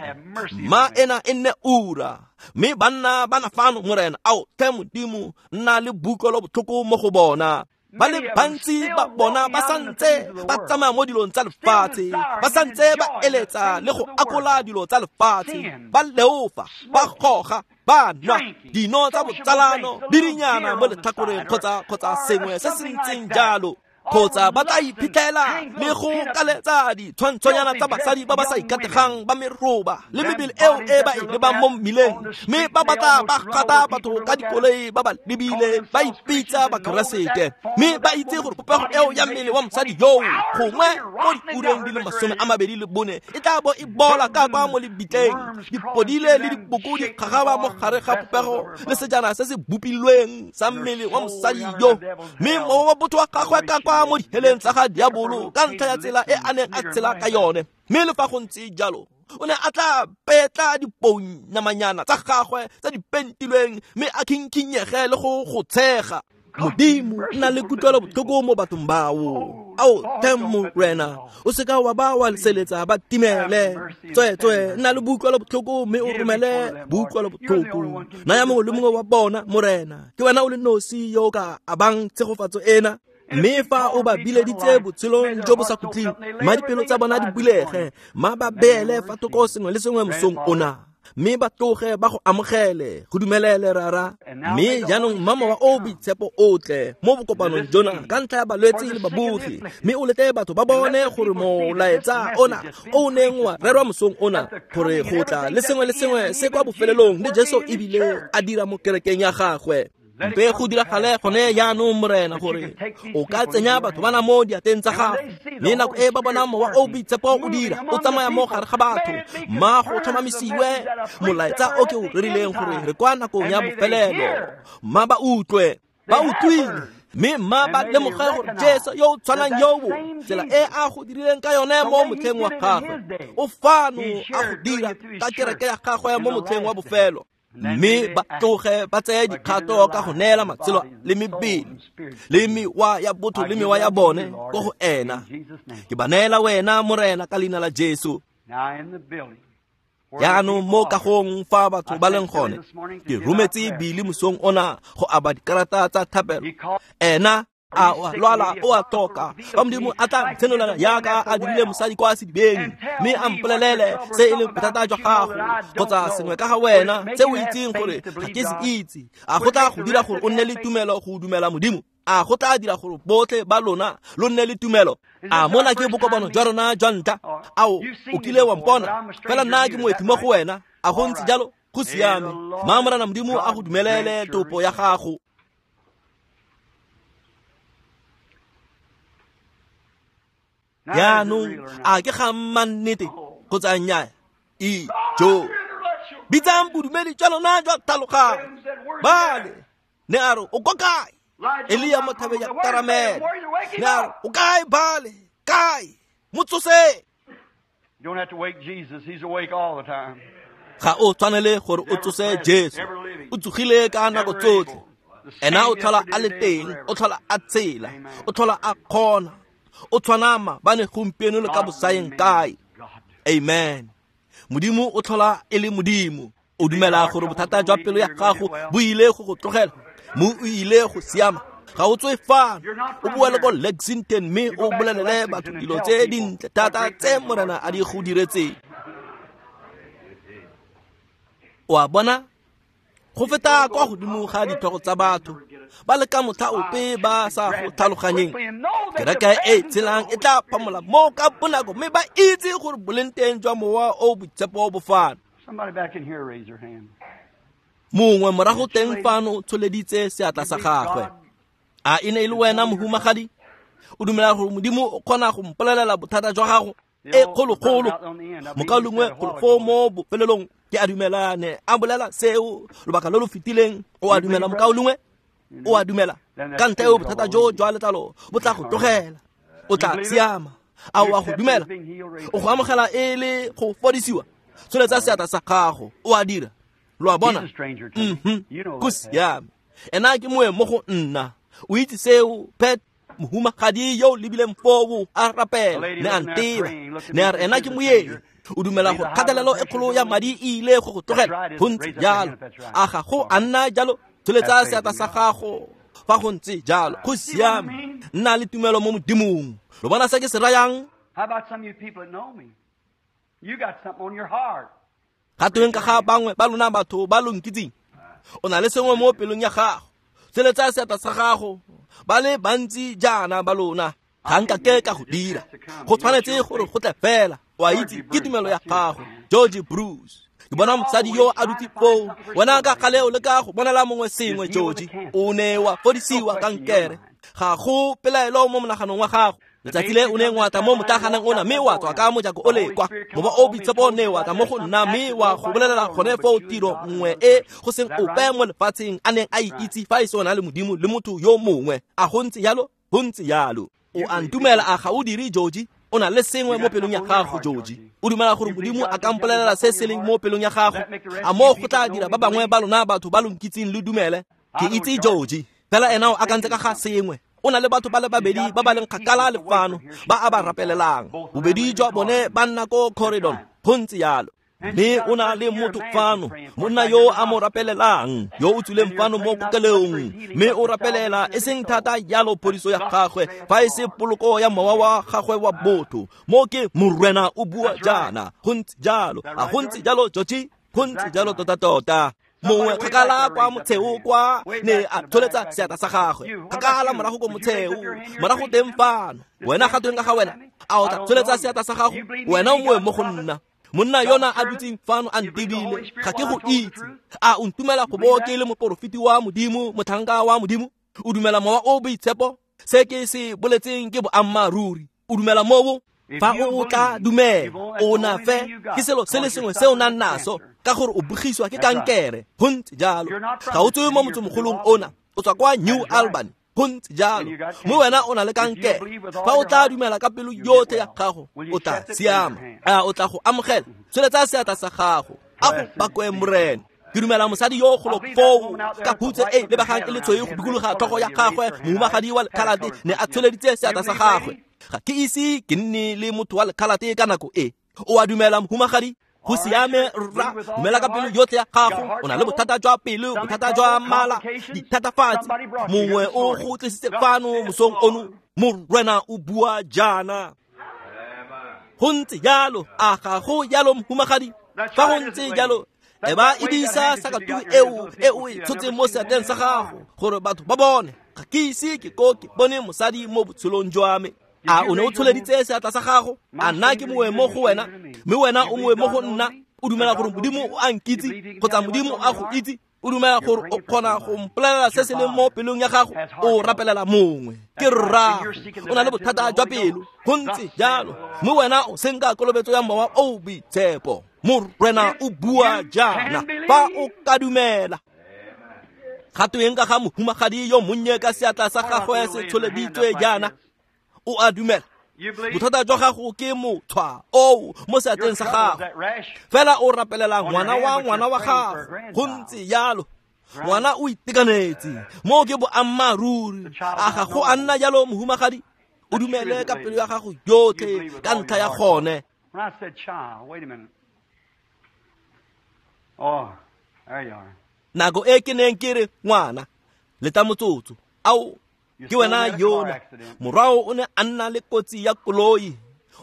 Ma ena e nne ura, mme banna ba na fano Morena, ao tlhe Modimo, nna le boutlwelo botlhoko mo go bona. Ba le bantsi ba bona ba santse ba tsamaya mo dilong tsa lefatshe, ba santse ba eletsa le go akola dilo tsa lefatshe, ba leofa, ba goga, ba nwa dino tsa botsalano le dinyana mo letlhakoreng kgotsa kgotsa sengwe se se ntseng jalo. Kgotsa ba tla iphitlhela le go kaletsa ditshwantshonyana tsa basadi ba ba sa ikategang ba meroba le mebele eo e ba e lebang mo mmileng, mme ba batla ba gata batho ka dikoloi ba ba lebile ba ipitsa Bakeresete, mme ba itse gore popego eo ya mmele wa mosadi yoo gongwe mo diureng di le masome a mabedi le bone e tla bo e bola ka kwa mo lebitleng, dipodile le diboko di kgagaba mo gare ga popego le sejana se se bopilweng sa mmele wa mosadi yo, mme mowa wa botho wa gagwe ka kwa mo diheleng tsa ga diabolo ka ntlha ya tsela e a neng a tshela ka yone. Mme le fa go ntse jalo o ne a tla petla dipounamanyana tsa gagwe tsa di pentilweng mme a khinkhinyege le go go tshega. Modimo nna le kutlwelo botlhoko mo bathong bao. Ao Morena, o seka wa ba wa leseletsa ba timele. Tsweetswe nna le boutlwelo botlhoko mme o romele boutlwelo botlhoko. Naya mongwe le mongwe wa bona, Morena, ke wena o le nosi yo o ka abang tshegofatso ena. Mme fa o ba bileditse botshelong jo bo sa khutleng, mma dipelo tsa bona di bulege, mma ba beele fa thoko sengwe le sengwe mosong ona, mme ba tloge ba go amogele, go dumelele Rara. Mme jaanong mma mowa o boitshepo o tle mo bokopanong jona ka ntlha ya balwetse le babogi, mme o lete batho ba bone gore molaetsa ona o neng wa rerwa mosong ona, gore go tla le sengwe le sengwe se kwa bofelelong le Jesu ebile a dira mo kerekeng ya gagwe. Mpe go diragale gone jaanong, Morena, gore o ka tsenya batho bana mo diateng tsa gago, mme nako e ba bona mowa o boitshepo o dira o tsamaya mo gare ga batho, mma go tlhomamisiwe molaetsa o ke o rerileng gore re kwa nakong ya bofelelo. Mma ba utlwe, ba utlwile, mme mma ba lemoge gore Jesu yo o tshwanang yoo, tsela e a go dirileng ka yone mo motlheng wa gagwe, o fano a go dira ka kereke ya gagwe mo motlheng wa bofelo. Mme ba tloge ba tseye dikgato ka go neela matshelo le mebele le mewa ya botho le mewa ya bone ko go ena. Ke ba neela wena, Morena, ka leina la Jesu. Jaanong mo kagong fa batho ba leng gone, ke rometse Bili mosong ona go aba dikarata tsa thapelo. Ena a o a lwala, o a toka. Fa Modimo a tla ntshenolela jaaka a dirile mosadi kwa sedibeng, mme a mpolelele se e leng bothata jwa gago kgotsa sengwe ka ga wena se o itseng gore ga ke se itse, a go tla go dira gore o nne le tumelo go dumela Modimo? A go tla dira gore botlhe ba lona lo nne le tumelo? A mona ke bokopano jwa rona jwa ntlha? Ao o kile wa mpona, fela nna ke moeti mo go wena. A go ntse jalo? Go siame. Mma Morena Modimo a go dumelele topo ya gago. Jaanong a ke ga mannete kgotsa nnyaa? Ijo bitsang bodumedi jwa lona jwa tlhaloganyo. Bale ne a re o ko kae? Elia mo thabeng ya Karamele. Ne a re o kae Bale? Kae? Mo tsose. Ga o tshwanele gore o tsose Jesu. O tsogile ka nako tsotlhe. Ena o tlhola a le teng, o tlhola a tshela, o tlhola a kgona. O tshwana maabane, gompieno le ka bosaeng kae. Amen. Modimo o tlhola e le Modimo. O dumela gore bothata jwa pelo ya gago bo ile go go tlogela, mo o ile go siama. Ga o tswe fano, o boele ko Lexington mme o bolelele batho dilo tse dintle thata tse Morena a di go diretseng. O a bona? Go feta kwa godimo ga ditlhogo tsa batho ba le ka motlha ope ba sa go tlhaloganyeng, kereke e tshelang e tla phamola mo ka bonako mme ba itse gore boleng teng jwa mowa o boitshepo bo fano. Mongwe morago teng fano tsholeditse seatla sa gagwe. A e ne e le wena, mohumagadi? O dumela gore Modimo o kgona go mpolelela bothata jwa gago? E kgologolo mokaulengwe kgolofo mo bofelelong ke a dumela ne a bolela seo lobaka lo lo fetileng. O a dumela, mokaulengwe? O a dumela? Ka ntlha eo bothata jo jwa letlalo bo tla go tlogela, o tla siama. A o a go dumela? O go amogela e le go fodisiwa? Tsholetsa seatla sa gago. O a dira? Lo a bona? Mhm, go siame. Ena ke moeng mo go nna. O itse seo, Pat? Mohumagadi yo o lebileng foo a rapela ne a nteba, ne a re ena ke moeng. O dumela gore kgatelelo e kgolo ya madi e ile go go tlogela? Go ntse jalo. A ga go a nna jalo? Tsholetsa seatla sa gago fa go ntse jalo. Go siame. Nna le tumelo mo Modimong. Lo bona se ke se rayang? Ga tweng ka ga bangwe ba lona batho ba lo nkitseng? O na le sengwe mo pelong ya gago. Tsholetsa seatla sa gago. Ba le bantsi jaana ba lona. Ga nka ke ka go dira. Go tshwanetse gore go tle fela. O a itse ke tumelo ya gago. George Bruce. Ke bona mosadi yo a dutse foo. Wena ka gale o leka go bonela mongwe sengwe, George. O ne wa fodisiwa kankere. Ga go pelaelo mo monaganong wa gago. Letsatsi le o neng wa tla mo motlaganeng ona mme wa tswa ka mojako o le kwa. Mowa o boitshepo ne wa tla mo go nna mme wa go bolelela gone foo tiro nngwe e go seng ope mo lefatsheng a neng a e itse fa e se ona le Modimo le motho yo mongwe. A go ntse jalo? Go ntse jalo. O a ntumela a ga o dire, George? O na le sengwe mo pelong ya gago, George. O dumela gore Modimo a ka mpolelela se se leng mo pelong ya gago? A mo go tla dira ba bangwe ba lona batho ba lo nkitseng le dumele? Ke itse George. Fela ena o akantse ka ga sengwe. O na le batho ba le babedi ba ba leng kgakala le fano ba a ba rapelelang. Bobedi jwa bone ba nna ko corridor. Go ntse jalo. Mme o na le motho fano, monna yo a mo rapelelang, yo o tswileng fano mo kokelong, mme o rapelela e seng thata jalo phodiso ya gagwe, fa e se poloko ya mowa wa gagwe wa botho. Mo ke Morena o bua jaana. Go ntse jalo. A go ntse jalo, George? Go ntse jalo tota-tota. Mongwe kgakala kwa motsheo kwa ne a tsholetsa seatla sa gagwe. Kgakala morago ko motsheo, morago teng fano. Wena ga tweng ka ga wena? A o tla tsholetsa seatla sa gago? Wena o mongwe mo go nna. Monna yona a dutseng fano a ntebile, ga ke go itse. A o ntumela go bo ke le moporofeti wa Modimo, motlhanka wa Modimo? O dumela mowa o boitshepo? Se ke se boletseng ke boammaaruri. O dumela moo? Fa o tla dumela, o na fe ke selo se le sengwe se o nang naso, ka gore o bogiswa ke kankere. Go ntse jalo. Ga o tswe mo motsemogolong ona, o tswa kwa New Albany. Go ntse jalo. Mme wena o na le kankere. Fa o tla dumela ka pelo yotlhe ya gago, o tla siama. A o tla go amogela? Tsholetsa seatla sa gago. A go bakwe Morena. Ke dumela mosadi yo golo foo ka phutse e lebegang e le tshweu go dikologa tlhogo ya gagwe, mohumagadi wa lekhalate ne a tsholeditse seatla sa gagwe. Ga ke ise ke nne le motho wa lekhalate ka nako e. O a dumela, mohumagadi? Go siame rra, dumela ka pelo yotlhe ya gago. O na le bothata jwa pelo, bothata jwa mala, dithatafatsi. Mongwe o go tlisitse fano mosong ono. Morena o bua jaana. Go ntse jalo. A ga go jalo, mohumagadi? Fa go ntse jalo, e ba edisa sakatuku eo e o e tshotseng mo seatleng sa gago gore batho ba bone. Ga ke ise ke ko ke bone mosadi mo botshelong jwa me. A o ne o tsholeditse seatla sa gago? A nna ke mongwe mo go wena, mme wena o mongwe mo go nna? O dumela gore Modimo o a nkitse kgotsa Modimo a go itse? O dumela gore o kgona go mpolelela se se leng mo pelong ya gago? O rapelela mongwe. Ke rrago. O na le bothata jwa pelo. Go ntse jalo. Mme wena o senka kolobetso ya mowa o boitshepo. Morena o bua jaana. Fa o ka dumela. Ga tweng ka ga mohumagadi yo monnye ka seatla sa gagwe se tsholeditswe jaana? O a dumela? Bothata jwa gago ke motshwa oo mo seatleng sa gago. Fela o rapelela ngwana wa ngwana wa gago. Go ntse jalo. Ngwana o itekanetse. Mo ke boammaaruri. A ga go a nna jalo, mohumagadi? O dumele ka pelo ya gago yotlhe ka ntlha ya gone. Nako e ke neng ke re ngwana, leta motsotso. Ao, ke wena yona. Morwao o ne a nna le kotsi ya koloi.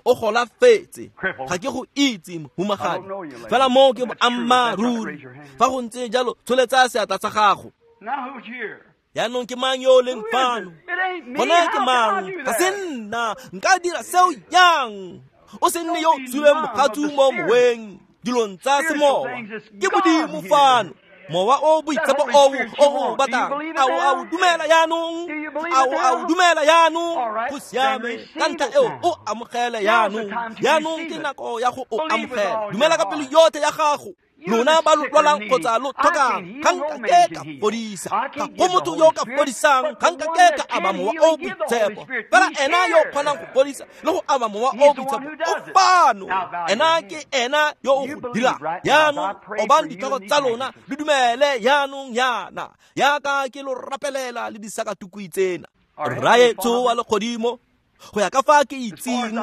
O golafetse. Ga ke go itse, mohumagadi. Fela mo ke boammaaruri. Fa go ntse jalo, tsholetsa seatla sa gago. Jaanong ke mang yo o leng fano? Gona ke mang? Ga se nna. Nka dira seo jang? O se nne yo o tswileng mogatsu mo moweng, dilong tsa semowa. Ke Modimo fano. Mowa o boitshepo oo o o batlang. A o a o dumela jaanong? A o a o dumela jaanong? Go siame. Ka ntlha eo o amogele jaanong. Jaanong ke nako ya go o amogela. Dumela ka pelo yotlhe ya gago. Lona ba lo lwalang kgotsa lo tlhokang, ga nka ke ka fodisa. Ga go motho yo o ka fodisang, ga nka ke ka aba mowa o boitshepo. Fela ena yo o kgonang go fodisa le go aba mowa o boitshepo o fano. Ena ke ena yo o go dirang. Jaanong obang ditlhogo tsa lona le dumele jaanong yana. Jaaka ke lo rapelela le disakatukwi tsena. Rraetsho wa legodimo, go ya ka fa ke itseng,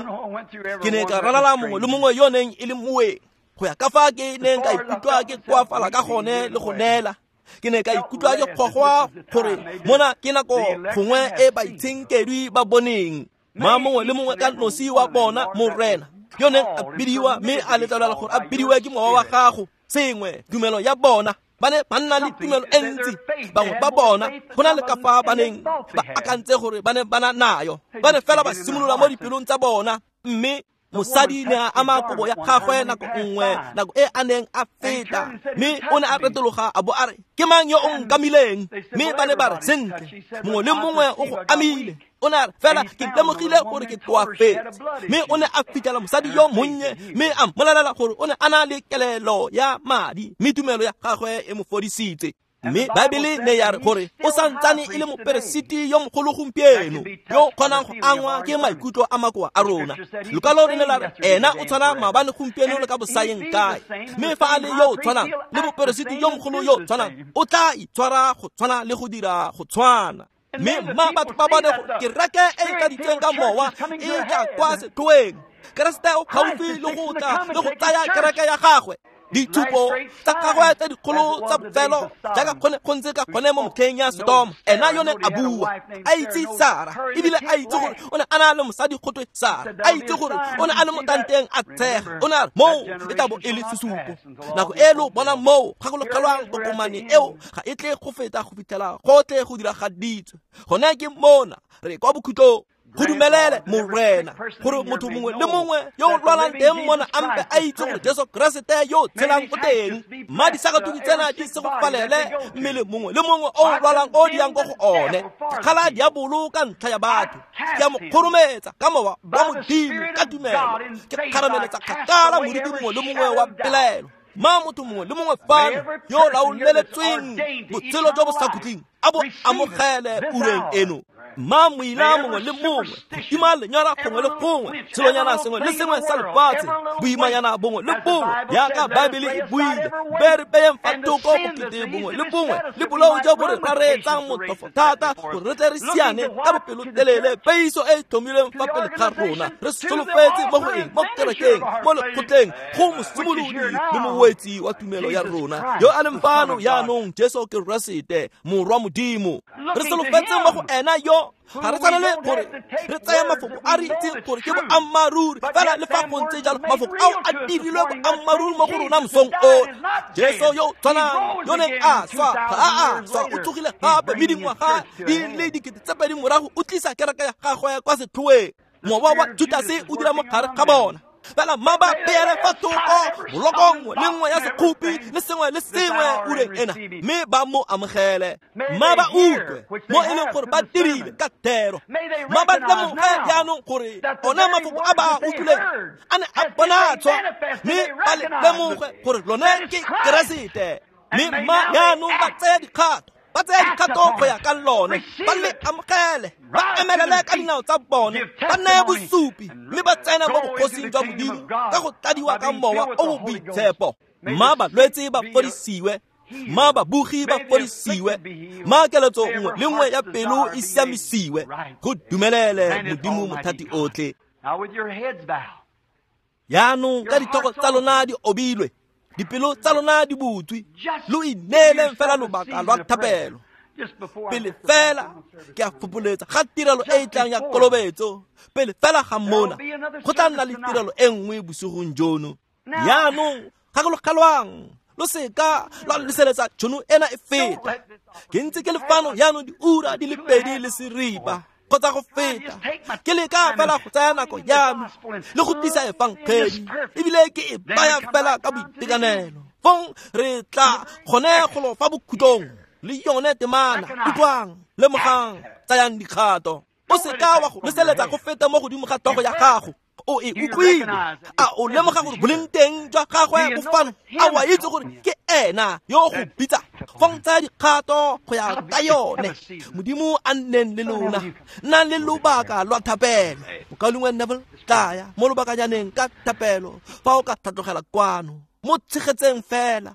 ke ne ka ralala mongwe le mongwe yo neng e le moeng. Go ya ka fa ke neng ka ikutlwa ke koafala ka gone le go neela. Ke ne ka ikutlwa ke gogwa gore mona ke nako gongwe e baitshenkedwi ba boneng. Ma mongwe le mongwe ka nosi wa bona, Morena, yo neng a bidiwa mme a letlelela gore a bidiwe ke mowa wa gago. Sengwe, tumelo ya bona. Ba ne ba nna le tumelo e ntsi, bangwe ba bona go na le ka fa ba neng ba akantse gore ba ne ba na nayo. Ba ne fela ba simolola mo dipelong tsa bona, mme mosadi ne a ama kobo ya gagwe nako nngwe, nako e a neng a feta, mme o ne a retologa a bo a re, ke mang yo o nkamileng? Mme ba ne ba re, sentle, mongwe le mongwe o go amile. O ne a re, fela ke lemogile gore ke koafetse. Mme o ne a fitlhela mosadi yo monnye, mme a mmolelela gore o ne a na le kelelo ya madi, mme tumelo ya gagwe e mo fodisitse. Mme Baebele ne ya re gore o santsane e le moperesiti yo mogolo gompieno, yo o kgonang go angwa ke maikutlo a makoa a rona. Lokwalo le ne la re ena o tshwana maabane gompieno le ka bosayeng kae. Mme fa a le yo o tshwanang le moperesiti yo mogolo yo o tshwanang, o tla itshwara go tshwana le go dira go tshwana. Mme mma batho ba bone gore kereke e e tladitsweng ka mowa e tla kwa setlhoeng. Keresete o gaufi le go tla le go tsaya kereke ya gagwe. Ditshupo tsa gagwe tse dikgolo tsa bofelo jaaka gone go ntse ka gone mo motlheng ya Sodoma, ena yo ne a bua a itse Sara, ebile a itse gore o ne a na le mosadi gotwe Sara, a itse gore o ne a le mo tanteng a tshega. O ne a re moo e tla bo e le sesupo. Nako e lo bona moo gakologelwang tokomane eo ga e tle go feta go fitlhela gotlhe go diragaditswe. Gone ke mona re kwa bokhutlong. Go dumelele Morena gore motho mongwe le mongwe yo o lwalang teng mona a mpe a itse gore Jesu Keresete yo o tshelang o teng. Mma disakatuku tsena di se go falele mmele mongwe le mongwe o o lwalang o di yang ko go one. Kgala diabolo ka ntlha ya batho, ke a mo kgorometsa ka mowa wa Modimo ka tumelo, ke kgarameletsa kgakala moriti mongwe le mongwe wa pelaelo. Ma motho mongwe le mongwe fano yo o laoleletsweng botshelo jo bo sa khutleng a bo amogele ureng eno. Ma moila mongwe le mongwe, tima lenyora gongwe le gongwe, selonyana sengwe le sengwe sa lefatshe, boimanyana bongwe le bongwe, jaaka Baebele e buile, be re beyeng fa thoko bokete bongwe le bongwe le bolou jo bo re rareetsang motlhofo thata gore re tle re siane ka bopelotelele peiso e e tlhomilweng fa pele ga rona. Re solofetse mo go eng? Mo kerekeng, mo lekgotleng, go mosimolodi le mowetsi wa tumelo ya rona yo a leng fano jaanong, Jesu Keresete Morwa Modimo. Re solofetse mo go ena yo ga re tshwanele gore re tseye mafoko a re itseng gore ke boammaaruri, fela le fa go ntse jalo mafoko ao a dirilwe boammaaruri mo go rona mosong o. Jesu yo o tshwanang yo neng a swa ga a a swa, o tsogile gape, mme dingwaga di le dikete tse pedi morago o tlisa kereke ya gagwe kwa setlhoeng. Mowa wa Judase o dira mo gare ga bona. Fela mma ba beele fa thoko boloko nngwe le nngwe ya sekgopi le sengwe le sengwe ureng ena, mme ba mo amogele. Mma ba utlwe mo e leng gore ba dirile ka thero. Mma ba lemoge jaanong gore ona mafoko a ba a utlwileng a ne a bonatswa, mme ba le lemoge gore lone ke Keresete. Mme mma jaanong ba tseye dikgato, ba tseye dikgato go ya ka lone, ba le amogele, ba emelele ka dinao tsa bone, ba neye bosupi, mme ba tsena mo bogosing jwa Modimo ka go tladiwa ka mowa o o boitshepo. Mma balwetse ba fodisiwe, mma babugi ba fodisiwe, mma keletso nngwe le nngwe ya pelo e siamisiwe. Go dumelele Modimo mothati otlhe. Jaanong ka ditlhogo tsa lona di obilwe, dipelo tsa lona di butswe, lo ineeleng fela lobaka lwa thapelo. Pele fela ke a fopholetsa ga tirelo e e tlang ya kolobetso, pele fela ga mona go tla nna le tirelo e nngwe bosigong jono. Jaanong gakologelwang, lo seka lwa leseletsa tšhono ena e feta. Ke ntse ke le fano jaanong diura di le pedi le seripa kgotsa go feta, ke leka fela go tsaya nako ya me le go tlisa efangedi, ebile ke e baya fela ka boitekanelo. Fong re tla gone golo fa bokhutlong le yone temana. Utlwang, lemogang, tsayang dikgato. O seka wa go leseletsa go feta mo godimo ga tlhogo ya gago. O e utlwile? A o lemoga gore boleng teng jwa gagwe bo fano? A o a itse gore ke ena yo go bitsa? Fong tsaya dikgato go ya ka yone. Modimo a nneng le lona. Nnang le lobaka lwa thapelo. Mokaulengwe Neville, tlaya mo lobakanyaneng ka thapelo fa o ka tlhatlogela kwano. Mo tshegetseng fela.